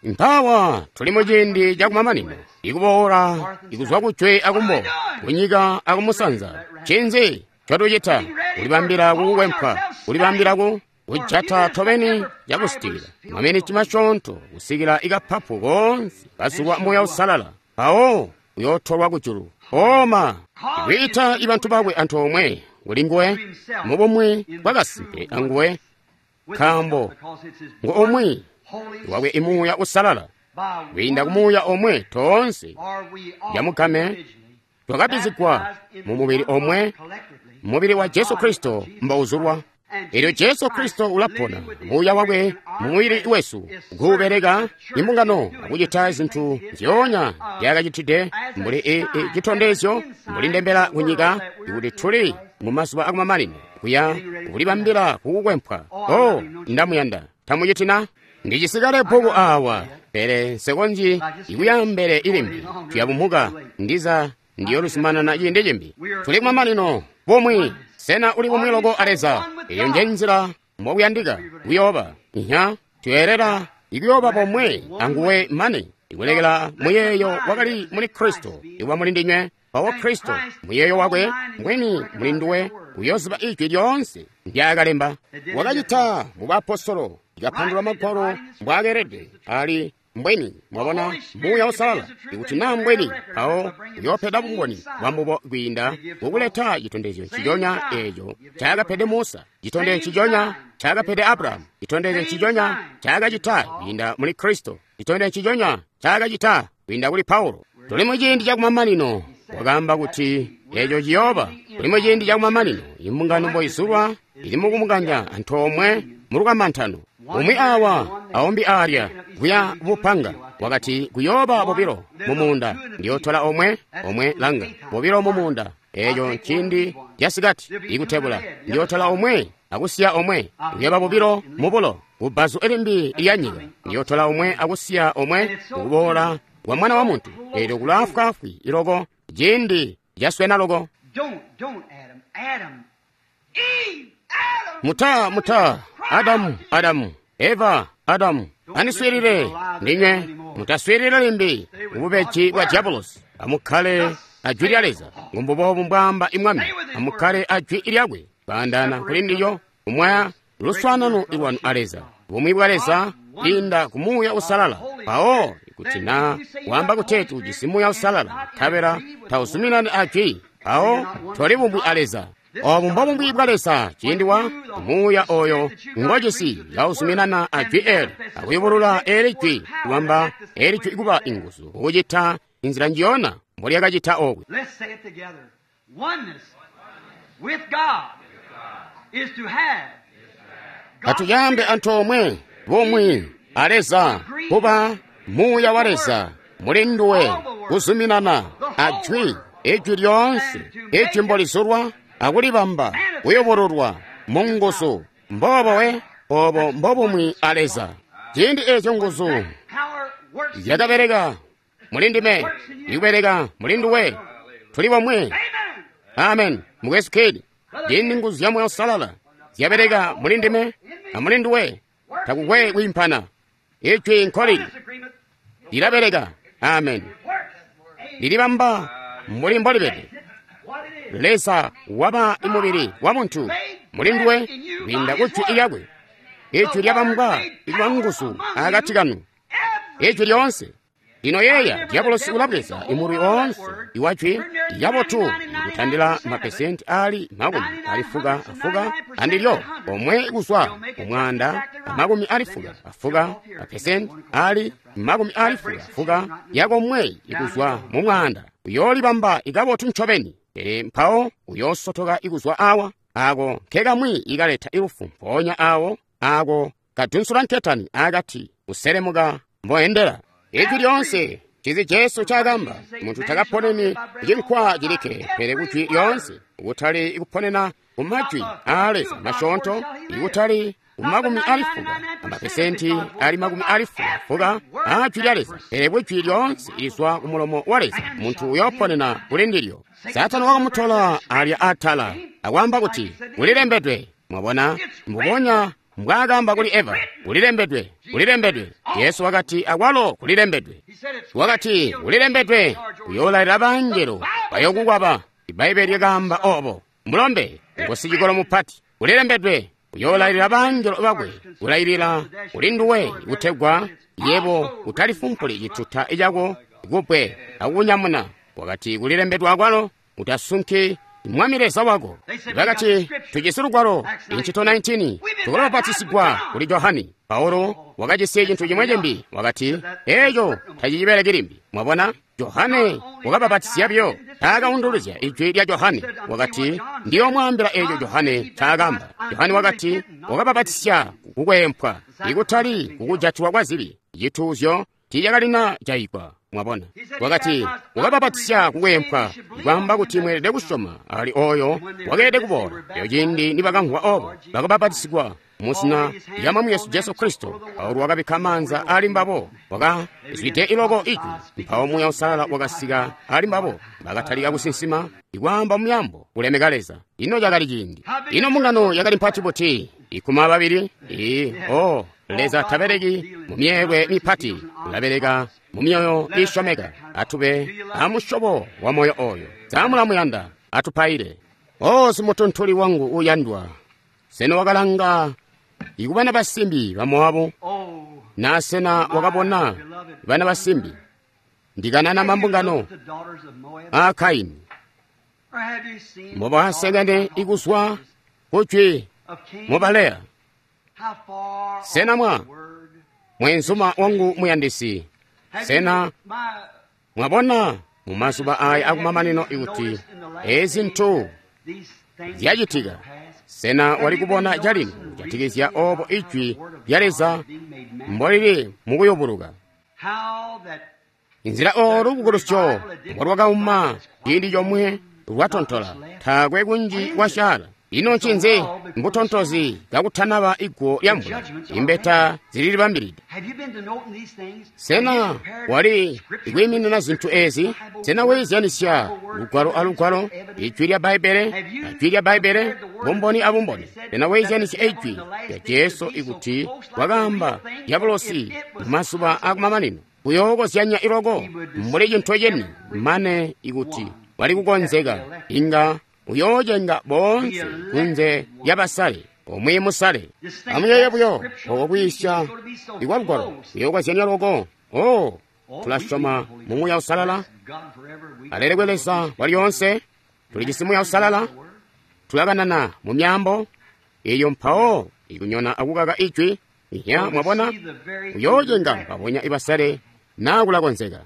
Mpawa tuli mu ciindi cakumamanino, ikuboola ikuzwa kujwe akumbo, kunyika akumusanza. Ncinzi ncotucita? Kulibambila kukukwempwa, kulibambila kujata tobeni cakusitikila maminiti masyoonto kusikila ikapapu koonse kazulwa Muuya Uusalala, mpawo uyootolwa kujulu. Oma ikwiita ibantu bakwe antoomwe kuli nguwe mubumwi bwakasimpe anguwe, nkaambo ngu umwi wakwe imuuya usalala. Kwiinda kumuuya omwe toonse yamugame twakabizigwa mu mubili omwe, mubili wa Jesu Kristo mbouzulwa. Elyo Jesu Kristo ulapona muuya wakwe mu mubili wesu, kuubeleka imbungano akucita zintu nzyoonya zyakacitide mbuli citondezyo, mbuli ndembela kunyika ikuti tuli mu mazuba akumamanino kuya kulibambila kukukwempwa. Oh, ndamuyanda. Tamucitina? Ndichisikale bhuku awa, pele nsekonzyi ikuyambele ilimbi. Tuyabumuka ndiza ndiyoluzumanana ciindi cimbi. Tuli kumamanino bumwi. Sena uli bumwi loko a Leza? Eyo nje nzila mbokuyandika kuyooba. Inya tuyeelela ikuyooba bomwe anguwe mane ikulekela muyeeyo wakali muli Kristo ikuba muli ndinywe. Mpawo Kristo muyeeyo wakwe mwini muli nduwe uyoziba ijwi lyoonse ndyakalemba. Wakacita mu baapostolo, ikapandulula magwalo mbwaakeelede ali mbweni. Mwabona Muuya Uusalala ikuti naa mbweni, mpawo uyoopeda bumboni bwambubo kwiinda kukuleta citondezyo nciconya eeco ncaakapede Musa, citondezyo nciconya ncaakapede Abrahamu, citondezyo nciconya ncaakacita kwiinda muli Kristo, citondezyo nciconya ncaakacita kwiinda kuli Paulo. Tuli mu ciindi cakumamanino. Wakaamba kuti eeco ciyooba. Tuli mu ciindi cakumamanino, imbungano mboizulwa ili mukumukanja antoomwe mulukamantano. Umwi awa aumbi aalya kuya bupanga. Wakati kuyooba bobilo mu muunda, ndiyootola omwe omwe langa bobilo mu muunda. Eeco nciindi casikati ikutebula, ndiyootola omwe akusiya omwe. Kuyooba bobilo mubulo kubbazu limbi lya nyika, ndiyootola omwe akusiya omwe kukuboola kwa Mwana wa Muntu. Eelyo kulaafwaafwi iloko, ciindi caswena loko. Muta Adamu, Adamu, Eva, Adamu, andiswiilile ndinywe, mutaswiilile limbi ububeji bwa diabolosi. Amukkale ajwi lya Leza, ngumbubobu mbwaamba imwami. Amukkale ajwi lyakwe, kwaandaana kuli ndilyo, kumwaya luswaanano lwanu a Leza, bumwi bwa Leza kwiinda ku Muuya Uusalala. Mpawo ikuti naa waamba kuteeti ujisi Muuya Uusalala, nkabela tauzuminani ajwi, mpawo toli bumwi a Leza. Obu mbobumwi bwa Leza ciindi wa Muuya oyo ngojisi kauzuminana ajwi eli, akuyubulula eli jwi, kubamba eli jwi kuba inguzu, kucita inzila njiyona mbolyakacita okwe. Let's say it together. Oneness with God. Atuyambe antoomwe bumwi a Leza, kuba Muuya wa Leza muli nduwe, kuzuminana a Jwi, Ijwi lyoonse, Ijwi mbolizulwa akulibamba kuyobololwa mu nguzu. Mboobo we, obo mbobumwi a Leza. Ciindi eeco nguzu zyakabeleka muli ndime, ikubeleka muli nduwe, tuli bomwe. Amen. Mukwesu Kidd, ciindi nguzu zya Muuya Uusalala zyabeleka muli ndime amuli nduwe, takukwe kwiimpana. Ijwi nkolili lilabeleka. Amen. Lilibamba mbuli mbolibede. Leza waba mubili wa muntu muli nduwe kwiinda ku Jwi lyakwe. Ijwi lyabambwa ikuba nguzu akati kanu. Ijwi lyoonse. Lino yeeya, diabolosi ulabweza imulwi oonse iwa Jwi lyabotu kutandila mapesenti ali 60 andilyo omwe kuzwa umwanda 60 mapesenti ali 60 yakomwe ikuzwa mu mwanda. Uyoolibamba ikabotu ncobeni, pele mpawo uyoosotoka ikuzwa awa ako nkekamwi ikaleta ilufu, mpoonya awo ako kadunsula nketani akati kuselemuka mboendela. Ijwi lyoonse cizi Jesu cakamba, muntu takaponeni cinkwa cilikke, pele kujwi lyoonse, kutali kuponena ku majwi aa Leza masyoonto, ikutali ku 60 amapesenti ali 60 aa Jwi lya Leza, pele kujwi lyoonse lizwa ku mulomo wa Leza, muntu uyooponena kuli ndilyo. Saatani wakamutola alya atala akwaamba kuti kulilembedwe. Mwabona, mbubonya mbwaakamba kuli Eva, kulilembedwe, kulilembedwe. Yesu wakati akwalo kulilembedwe. Wakati kulilembedwe, uyoolailila bangelo bayokukwaba. Ibbaibbele lyakaamba obo. Mulombe ngosicikolo mupati, kulilembedwe, uyoolailila bangelo bakwe, kulailila kuli nduwe kutegwa yebo utalifumpuli cituta cako kupwe akukunyamuna. Wakati kulilembedwe akwalo, utasunki Mwami Leza wako. Bakati tujisi lugwalo, Incito 19, tukulabapatisigwa kuli Johani. Paulo wakajisi cintu cimwe cimbi, wakati eeco tacicibeleki limbi. Mwabona, Johane wakabapatisya buyo, taakaunduluzya ijwi lya Johane. Wakati ndiyoomwaambila eeco Johane ncaakamba. Johane wakati wakabapatisya kukwempwa, ikutali kukujatilwa kwa zibi. Cituuzyo tiicakalina jayigwa. Mwabona, wakati wakabapatisya kukwempwa, kwaamba kuti mweelede kusyoma ali oyo wakeelede kuboola. Eyo ciindi nibakamvwa obo, bakabapatisigwa muzina lya Mwami Yesu Jesu Kristo. Paulo wakabikka maanza ali mbabo, wakazwide iloko ijwi. Mpawo Muuya Uusalala wakasika ali mbabo, bakatalika kusinsima ikwaamba muyambo kulemeka Leza. Ino cakali ciindi. Ino mbungano yakali mpati buti? 12. Oh, Leza tabeleki mu myeelwe mipati, ulabeleka mu myoyo iisyomeka. Atube amusyobo wa moyo oyo. Samulamuyanda, atupaile. O simutuntuli wangu uyandwa, sena wakalanga ikubana basimbi ba Mowabu? Na sena wakabona bana basimbi ndikanana mambungano a Kaini mbobasekene ikuzwa kujwi mubaleya? Sena mwa mwenzuma wangu muyandisi, sena mwabona mumazuba aya akumamanino ikuti ezi ntu zyacitika? Sena wali kubona calino kujatikizya obo ijwi lya Leza mbolili mukuyubuluka? Inzila olu lubukulusyo mbolwakauma ciindi comwe lwatontola, taakwe kunji kwasyaala. Ino ncinzi? Mbutontozi kakutanaba iguwo lya mvula, imbeta zililibambilide. Sena wali kwiiminina zintu ezi? Sena weezyanisya lugwalo alugwalo, ijwi lya Bbaibbele ajwi lya Bbaibbele, bumboni abumboni? Sena weezyanisya ijwi lya Jesu ikuti wakaamba diabolosi mumazuba akumamanino kuyookozyanya iloko mbuli cintu ceni, mane ikuti wali kukonzeka inga uyoocenga boonse kunze lyabasale omwe musale. Amuyeeye buyo oko kwiisya ikwa lugwalo kuyookozyanya loko. Oh, tulasyoma mu Muuya Uusalala. Alelekwe Leza walyoonse. Tulijisi Muuya Uusalala, tulakanana mu myaambo eyo mpawo ikunyona akukaka ijwi. Ya, mwabona, uyoocenga mpabonya ibasale naa kulakonzeka.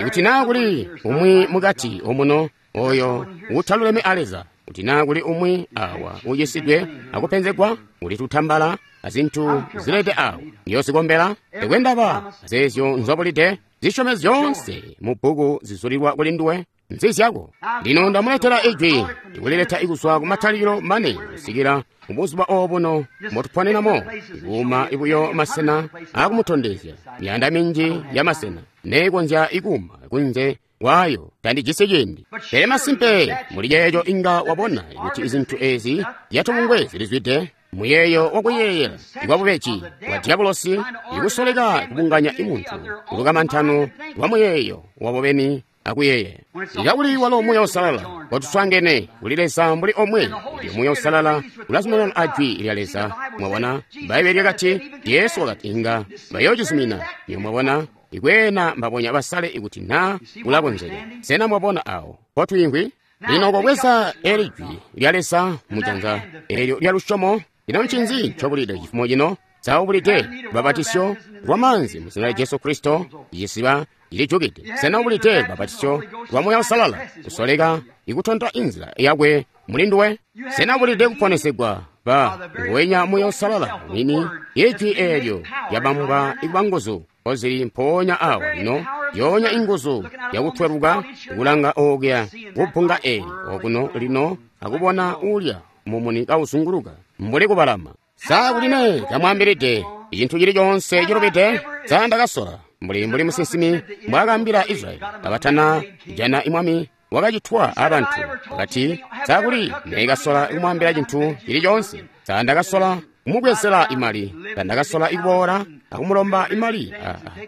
Ikuti naa kuli umwi mukati omuno oyo utaluleme a Leza, Kuti naa kuli umwi awa ucisidwe akupenzegwa, uli tutambala azintu zilede awo, ndiyozikombela. Tekwe ndaba azeezyo nzobulide, zisyome zyoonse mu bbuku zizulilwa kuli nduwe, nzizyako. Lino ndamuletela ijwi, ndikulileta ikuzwa kumatalikilo mane kusikila mubuzuba obuno mbotuponenamo, ikuuma ibuyo masena akumutondezya miyanda minji ya masena neekonzya ikuuma kunze wayo tandijisi ciindi. Pele masimpe muli ceeco inga wabona kuti izintu ezi zyatubungwe zilizwide muyeeyo wakuyeeyela ikwabubeji bwa diabolosi, ikusoleka kubunganya imuntu kulukamantano lwa muyeeyo wabo beni akuyeeyela. Ikakuli walo Muuya Uusalala watuswaangene kuli Leza mbuli omwe, elyo Muuya Uusalala ulazumanana a Jwi lya Leza. Mwabona, Bbaibbele lyakati, Jesu wakati inga bayoocizumina. Nyo mwabona, ikweena mbabonya basale ikuti naa kulakonzeka. Sena mwabona awo potwiimvwi? Lino kobweza eli Jwi lya Leza mujanza eelyo lya lusyomo. Lino ncinzi ncobulide cifumo cino? Saubulide lubapatisyo lwa maanzi mu zina lya Jesu Kristo, icisiba cilijukide. Sena ubulide lubapatisyo lwa Muuya Uusalala, kusoleka ikutonta inzila yakwe muli nduwe? Sena ubulide kuponesegwa ba nguwenya Muuya Uusalala mwini, ijwi eelyo lyabambwa ikuba nguzu kozili mpoonya awa lino, yoonya inguzu yakutweluka kulanga okuya kubbunga eli okuno lino akubona ulya mumuni kauzunguluka mbuli kubalama. Sa kuli ne kamwaambilide icintu cili coonse cilubide? Sa ndakasola mbuli musinsimi mbwaakaambila Israyeli kabatana jana imwami wakacitwa abantu, wakati, sa kuli neekasola kumwaambila cintu cili coonse? Sa ndakasola kumubwezela imali? Sa ndakasola ikuboola akumulomba imali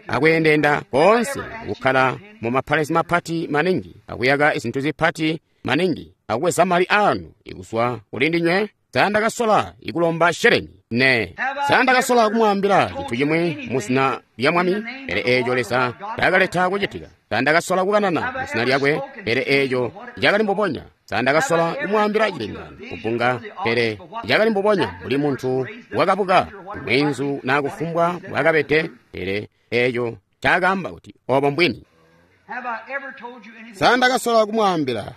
akweendeenda koonse kukkala mu mapalesi mapati maningi akuyaka izintu zipati maningi akubweza mali anu ikuzwa kuli ndinywe? Sa ndakasola ikulomba sheleni? Ne. Sa ndakasola kumwaambila cintu chimwi mu zina lya Mwami, pele eeco Leza taakaleta kucitika? Sa ndakasola kukanana mu zina lyakwe, pele eeco cakali mbubonya? Sa ndakasola kumwaambila cilengano kubbunga, pele cakali mbubonya mbuli muntu wakabuka mweenzu naa kufumbwa mbwaakabede, pele eeco cakaamba kuti obo mbwini? Sa ndakasola kumwaambila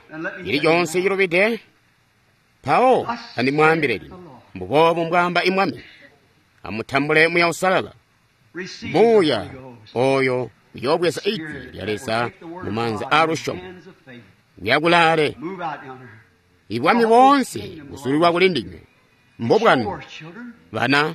cili coonse cilubide? Mpawo andimwaambile lino, mbuboobu mbwaamba imwami, amutambule Muuya Uusalala. Muuya oyo uyoobweza ijwi lya Leza mu maanza aalusyomo, uyakulaale. Ibwami boonse buzulilwa kuli ndinywe, mbobwanu bana.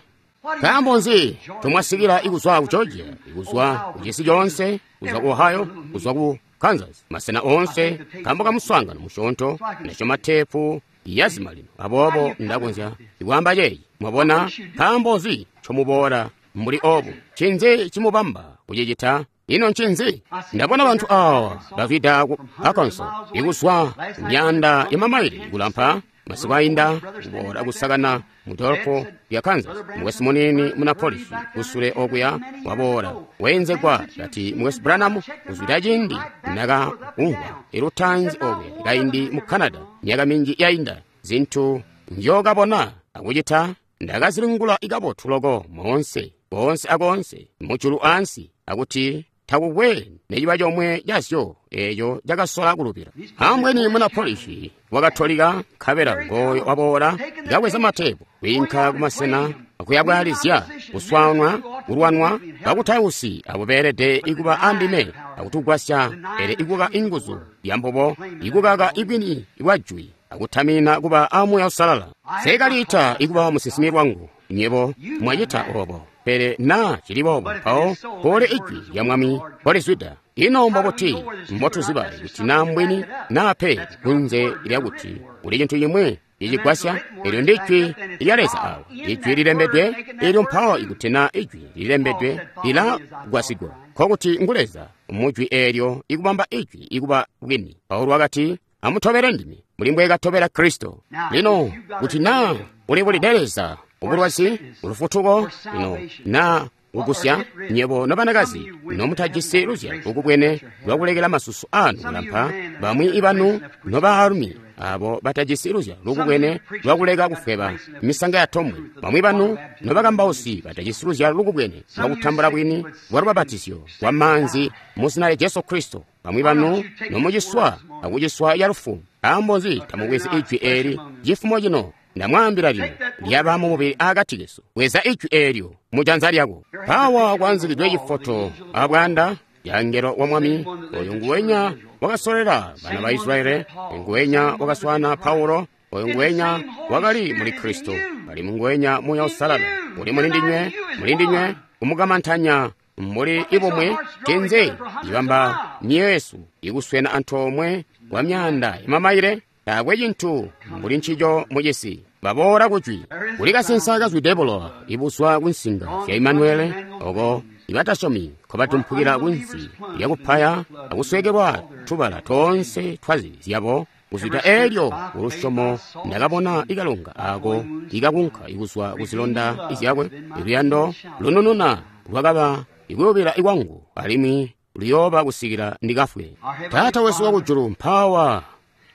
Nkaambo nzi ncomwasikila ikuzwa ku Georgia, ikuzwa ku cisi coonse, kuzwa ku Ohio, kuzwa ku Kansas, masena oonse, nkaambo ka muswaangano musyoonto, ndasyoma teepu yazima lino, aboobo ndakonzya ikwaamba ceeci. Mwabona, nkaambo nzi ncomuboola mbuli obu? Ncinzi cimubamba kucicita? Ino ncinzi? Ndabona bantu awa bazwida ku Arkansas, ikuzwa myaanda ya mamaile kulampa, masiku ainda kuboola kusakana mu dolopo lya Kansas. Mukwesu muniini muna Polish kusule okuya waboola weenzegwa kati, Mukwesu Branham, kuzwida ciindi nakaumvwa ilutaanzi okuya kaindi mu Canada myaka minji yainda, zintu nzyookabona akucita ndakazilingula ikabotu loko moonse koonse akoonse mujulu ansi, akuti takukwe neciba comwe cazyo eeco cakasola kulubila. Ambweni muna Polish wakatolika, nkabela ngooyo waboola kabweza matepu kwiinka kumasena akuyabwalizya kuswanwa kulwanwa bakutausi abo beelede ikuba andime akutugwasya, pele ikuka inguzu yambubo, ikukaka ibwini bwa jwi akutamina kuba a Muuya Uusalala. Nseekaliita ikuba musinsimi lwangu, nyebo mwacita obo, pele naa cili boobo mpawo pole ijwi lya Mwami polizwida. Ino mbobuti mbotuziba kuti naa mbwini naa pe, kunze lyakuti kuli cintu cimwi cicigwasya? Elyo ndi jwi lya Leza awo, ijwi lilembedwe. Elyo mpawo ikuti naa ijwi lilembedwe lilagwasigwa, nkokuti ngu Leza mujwi eelyo ikubamba ijwi ikuba bwini. Paulo wakati, amutobele ndime mbuli mbwekatobela Kristo. Lino kuti naa ulibulide Leza ubulwazi, ulufutuko, lino naa kugusya nyebo nobanakazi nomutajisi luzyalo lukubwene lwakulekela masusu anu kulampa, bamwi ibanu nobaalumi abo batajisi luzyalo lukubwene lwakuleka kufweba misanga ya tombwe, bamwi banu nobakambausi batajisi luzyalo lukubwene lwakutambula bwini bwa lubabatizyo lwa maanzi mu zina lya Jesu Kristo, bamwi banu nomuciswa akuciswa ya lufu Nkaambo nzi tamubwezi ijwi eeli cifumo cino? Ndamwaambila lino, lyaba mu mubili aakati kesu. Bweza ijwi eelyo mu janza lyako. Mpaawa kwaanzikidwe cifoto abwaanda yangelo wa Mwami, oyo nguwenya wakasolela bana ba Israele, oyo nguwenya wakaswana Paulo, oyo nguwenya wakali muli Kristo, ali nguwenya Muuya Uusalala uli mulindinywe, mulindinywe kumukamantanya mbuli ibumwe. Cinzi cibamba myoyo yesu ikuswena antoomwe kwa myaanda yamamaile? Taakwe cintu mbuli ncico mucisi. Baboola kujwi kuli kasensa kazwide bulowa ibuzwa kunsinga zya Imanuele, oko ibatasyomi nkobatumphukila kunsi lyakupaya akuswekelwa tubala toonse twazibi zyabo. Kuzwida eelyo kulusyomo ndakabona ikalonga ako ikakunka ikuzwa kuzilonda zyakwe. Iluyando lunununa lwakaba ikuyubila ikwangu, alimwi luyooba kusikila ndikafwe. Taata wesu wakujulu, mpawa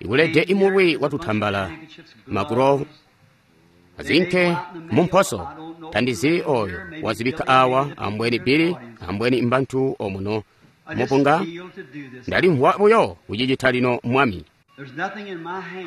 ikulede imulwi watutambala magulovu azinke mumposo. Tandizi oyo wazibikka awa, ambweni Bili, ambweni mbantu omuno mupunga. Ndalimvwa buyo kucicita lino, Mwami.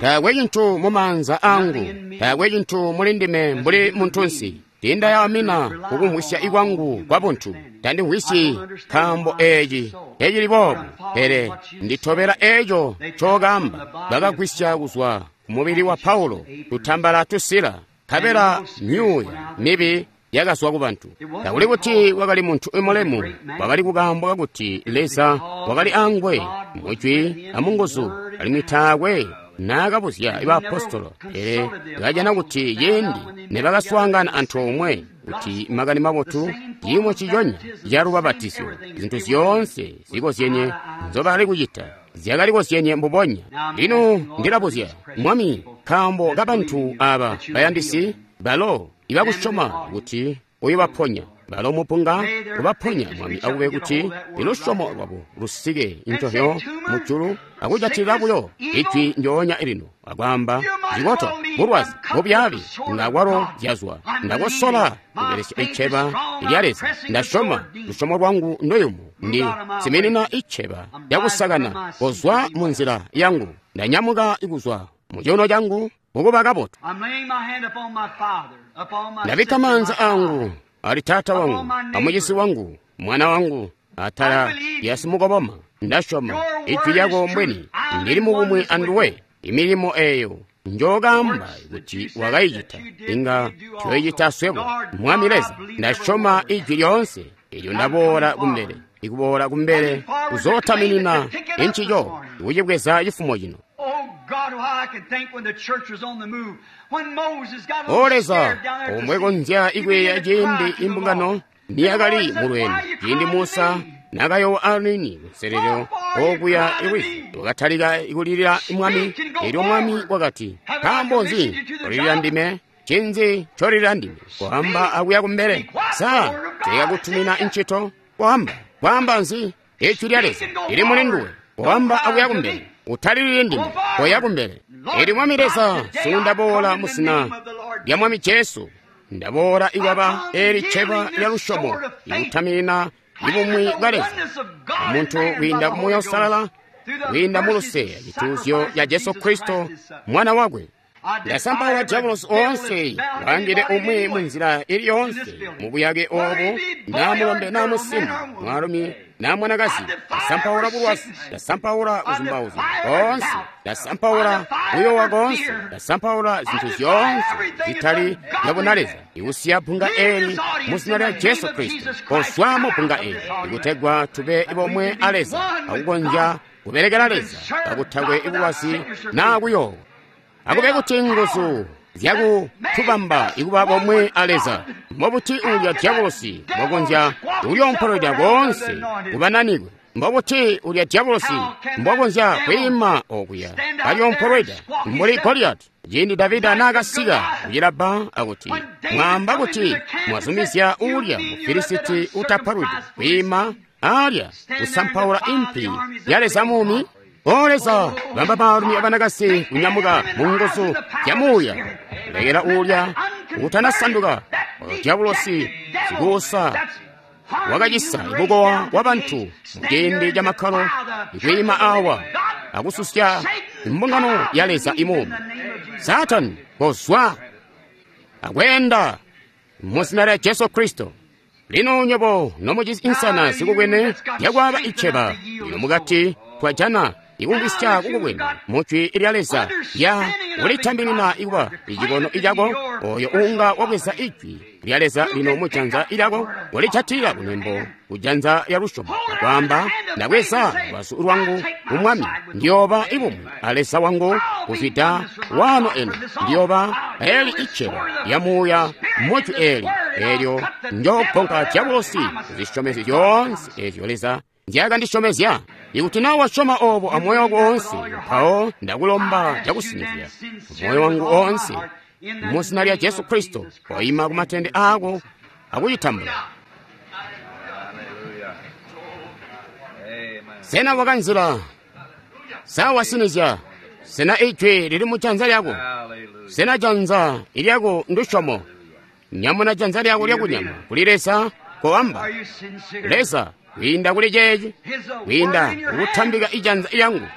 Taakwe cintu mumaanza angu, taakwe cintu muli ndime mbuli muntunsi. Tindayamina kukumvwisya ikwangu kwa buntu. Tandimvwisyi nkaambo eeci tecili boobu, pele nditobela eeco ncookamba. Bakagwisya kuzwa kumubili wa Paulo tutambala tusila, nkabela myuuya mibi yakazwa kubantu. Takuli kuti wakali muntu mulemu, wakali kukaambo kakuti Leza wakali angwe mujwi amunguzu, alimwi taakwe naakabuzya baapostolo, pele kajana kuti ciindi nebakaswaangana antoomwe kuti makani mabotu ciimo nciconya calubapatizyo, zintu zyoonse zikozyenye nzobakali kucita zyakalikozyenye mbubonya. Lino ndilabuzya, Mwami, nkaambo kabantu aba bayandisi balo ibakusyoma kuti uyobaponya, balo mupunga kubaponya, Mwami, akube kuti ilusyomo lwabo lusike intohyo mujulu akujatilila buyo ijwi njoonya lino akwaamba, zikoto, bulwazi bubyaabi ngakwalo zyazwa. Ndakosola kubelesya iceba lya Leza. Ndasyoma lusyomo lwangu nduyumu. Ndi siminina iceba lyakusakana kozwa mu nzila yangu. Ndanyamuka kuzwa mu cuuno cangu mukuba kabotu. Ndabikka maanza angu ali taata wangu, amucisi wangu, mwana wangu, atala lya simukoboma. Ndasyoma ijwi lyako mbweni ndili mubumwi anduwe. Imilimo eyo njookamba kuti wakayicita, inga tuyoyicita swebo. Mwami Leza, ndasyoma ijwi lyoonse elyo ndaboola kumbele, ikuboola kumbele kuzootaminina encico, ikucibweza cifumo cino. O Leza, omwe konzya ikweya ciindi imbungano niyakali mulweendo, ciindi Musa nakayowa Aroni kunselelo okuya iwizi, wakatalika kulilila Mwami. Elyo Mwami wakati, nkaambo nzi olilila ndime? Cinzi ncolilila ndime? Kwaamba akuya kumbele. Sa tekakutumina ncito? Kwaamba, kwaamba nzi? Ijwi lya Leza lili muli nduwe. Kwaamba akuya kumbele. Utalilili ndime, koya kumbele. Elyo Mwami Leza, sunu ndaboola musina lya Mwami Jesu. Ndaboola ikwaba eli ceba lya lusyomo, ikutaminina ibumwi bwa Leza omuntu kwiinda ku Muuya Uusalala, kwiinda mu luse cituuzyo ca Jesu Kristo mwana wakwe. Ndasampaula diabolosi oonse waangile umwi mu nzila ili yoonse mu buyake obu, naa mulombe naa musimbi, mwaalumi naa mwanakazi. Ndasampaula bulwazi, ndasampaula kuzumbauzya koonse, ndasampaula kuyowa koonse, ndasampaula zintu zyoonse zitali zyabunaleza, ikusiya bbunga eli mu zina lya Jesu Kristo. Kozwa mu bbunga eli ikutegwa tube bomwe a Leza akukonzya kubelekela Leza kakutakwe bulwazi naa kuyowa. Akube kuti nguzu zyakutubamba ikuba bomwe a Leza. Mbobuti ulya diabolosi mbwakonzya kulyompolweda koonse kubananikwe? Mbobuti ulya diabolosi mbwakonzya kwiima okuya kalyompolweda mbuli Goliyati? Ciindi Davida naakasika kucilabba akuti, mwaamba kuti mwazumizya ulya Mufilisiti utapalwidwe kwiima alya kusampaula impi ya Leza muumi? O Leza, bamba baalumi abanakasi kunyamuka mu nguzu zya Muuya, kulekela ulya utanasanduka oyo diabolosi sikuusa wakacisa ibukowa wa bantu mu ciindi ca makkalo, ikwiima awa akususya Mbungano ya Leza imuumi. Saatani, kozwa akweenda mu zina lya Jesu Kristo. Lino nywebo nomujisi insana zikubwene zyakwaaba iceba, lino mukati twajana ikumvwisya kukubwene mu Jwi lya Leza lya kulitambinina ikuba icikono icako, oyo uunga wabweza Ijwi lya Leza lino mu janza lyako, walijatilila kunembo ku janza lya lusyomo, akwaamba, ndabweza lubazu lwangu ku Mwami, ndiyooba ibumwi a Leza wangu kuzwida waano eno, ndiyooba eli iceba lya muuya mu Jwi eli, eelyo njoogonka dyabulosi kuzisyomezyo zyoonse eezyo Leza nzyakandisyomezya. Ikuti naa wasyoma oobo amoyo wako oonse, mpawo ndakulomba cakusinizya moyo wangu oonse mu zina lya Jesu Kristo, koima ku matende aako akucitambula. Sena wakanzila? Sa wasinizya? Sena ijwi lili mu janza lyako? Sena janza lyako ndusyomo? Nyamuna janza lyako lyakunyama kuli Leza, koamba, Leza, kwiinda kuli ceeci, kwiinda kukutambika ijanza lyangu,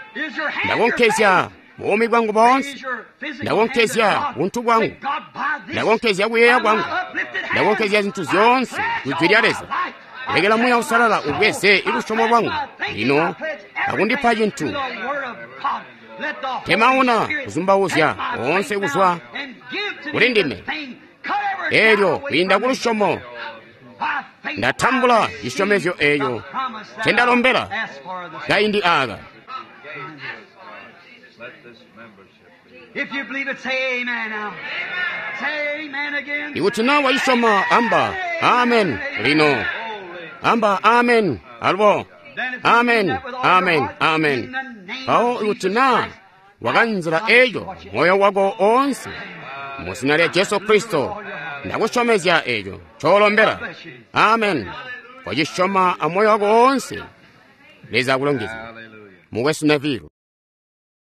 ndakonkezya buumi bwangu boonse, ndakonkezya buntu bwangu, ndakonkezya kuyeeya kwangu, ndakonkezya zintu zyoonse ku Jwi lya Leza. Lekela Muuya Uusalala ubweze lusyomo lwangu lino akundipa cintu. Temauna kuzumbauzya oonse kuzwa kuli ndime. Eelyo kwiinda ku lusyomo ndatambula cisyomezyo eeyo ncendalombela kaindi aaka. Ikuti naa wacisyoma, amba amen lino. Amba amen alubo. Amen, amen, amen. Mpawo ikuti naa wakanzila eeyo moyo wako oonse mu zina lya Jesu Kristo, ndakusyomezya eeco ncoolombela. Amen. Wacisyoma amoyo wako oonse. Leza akulongezye. Mukwesu Neville.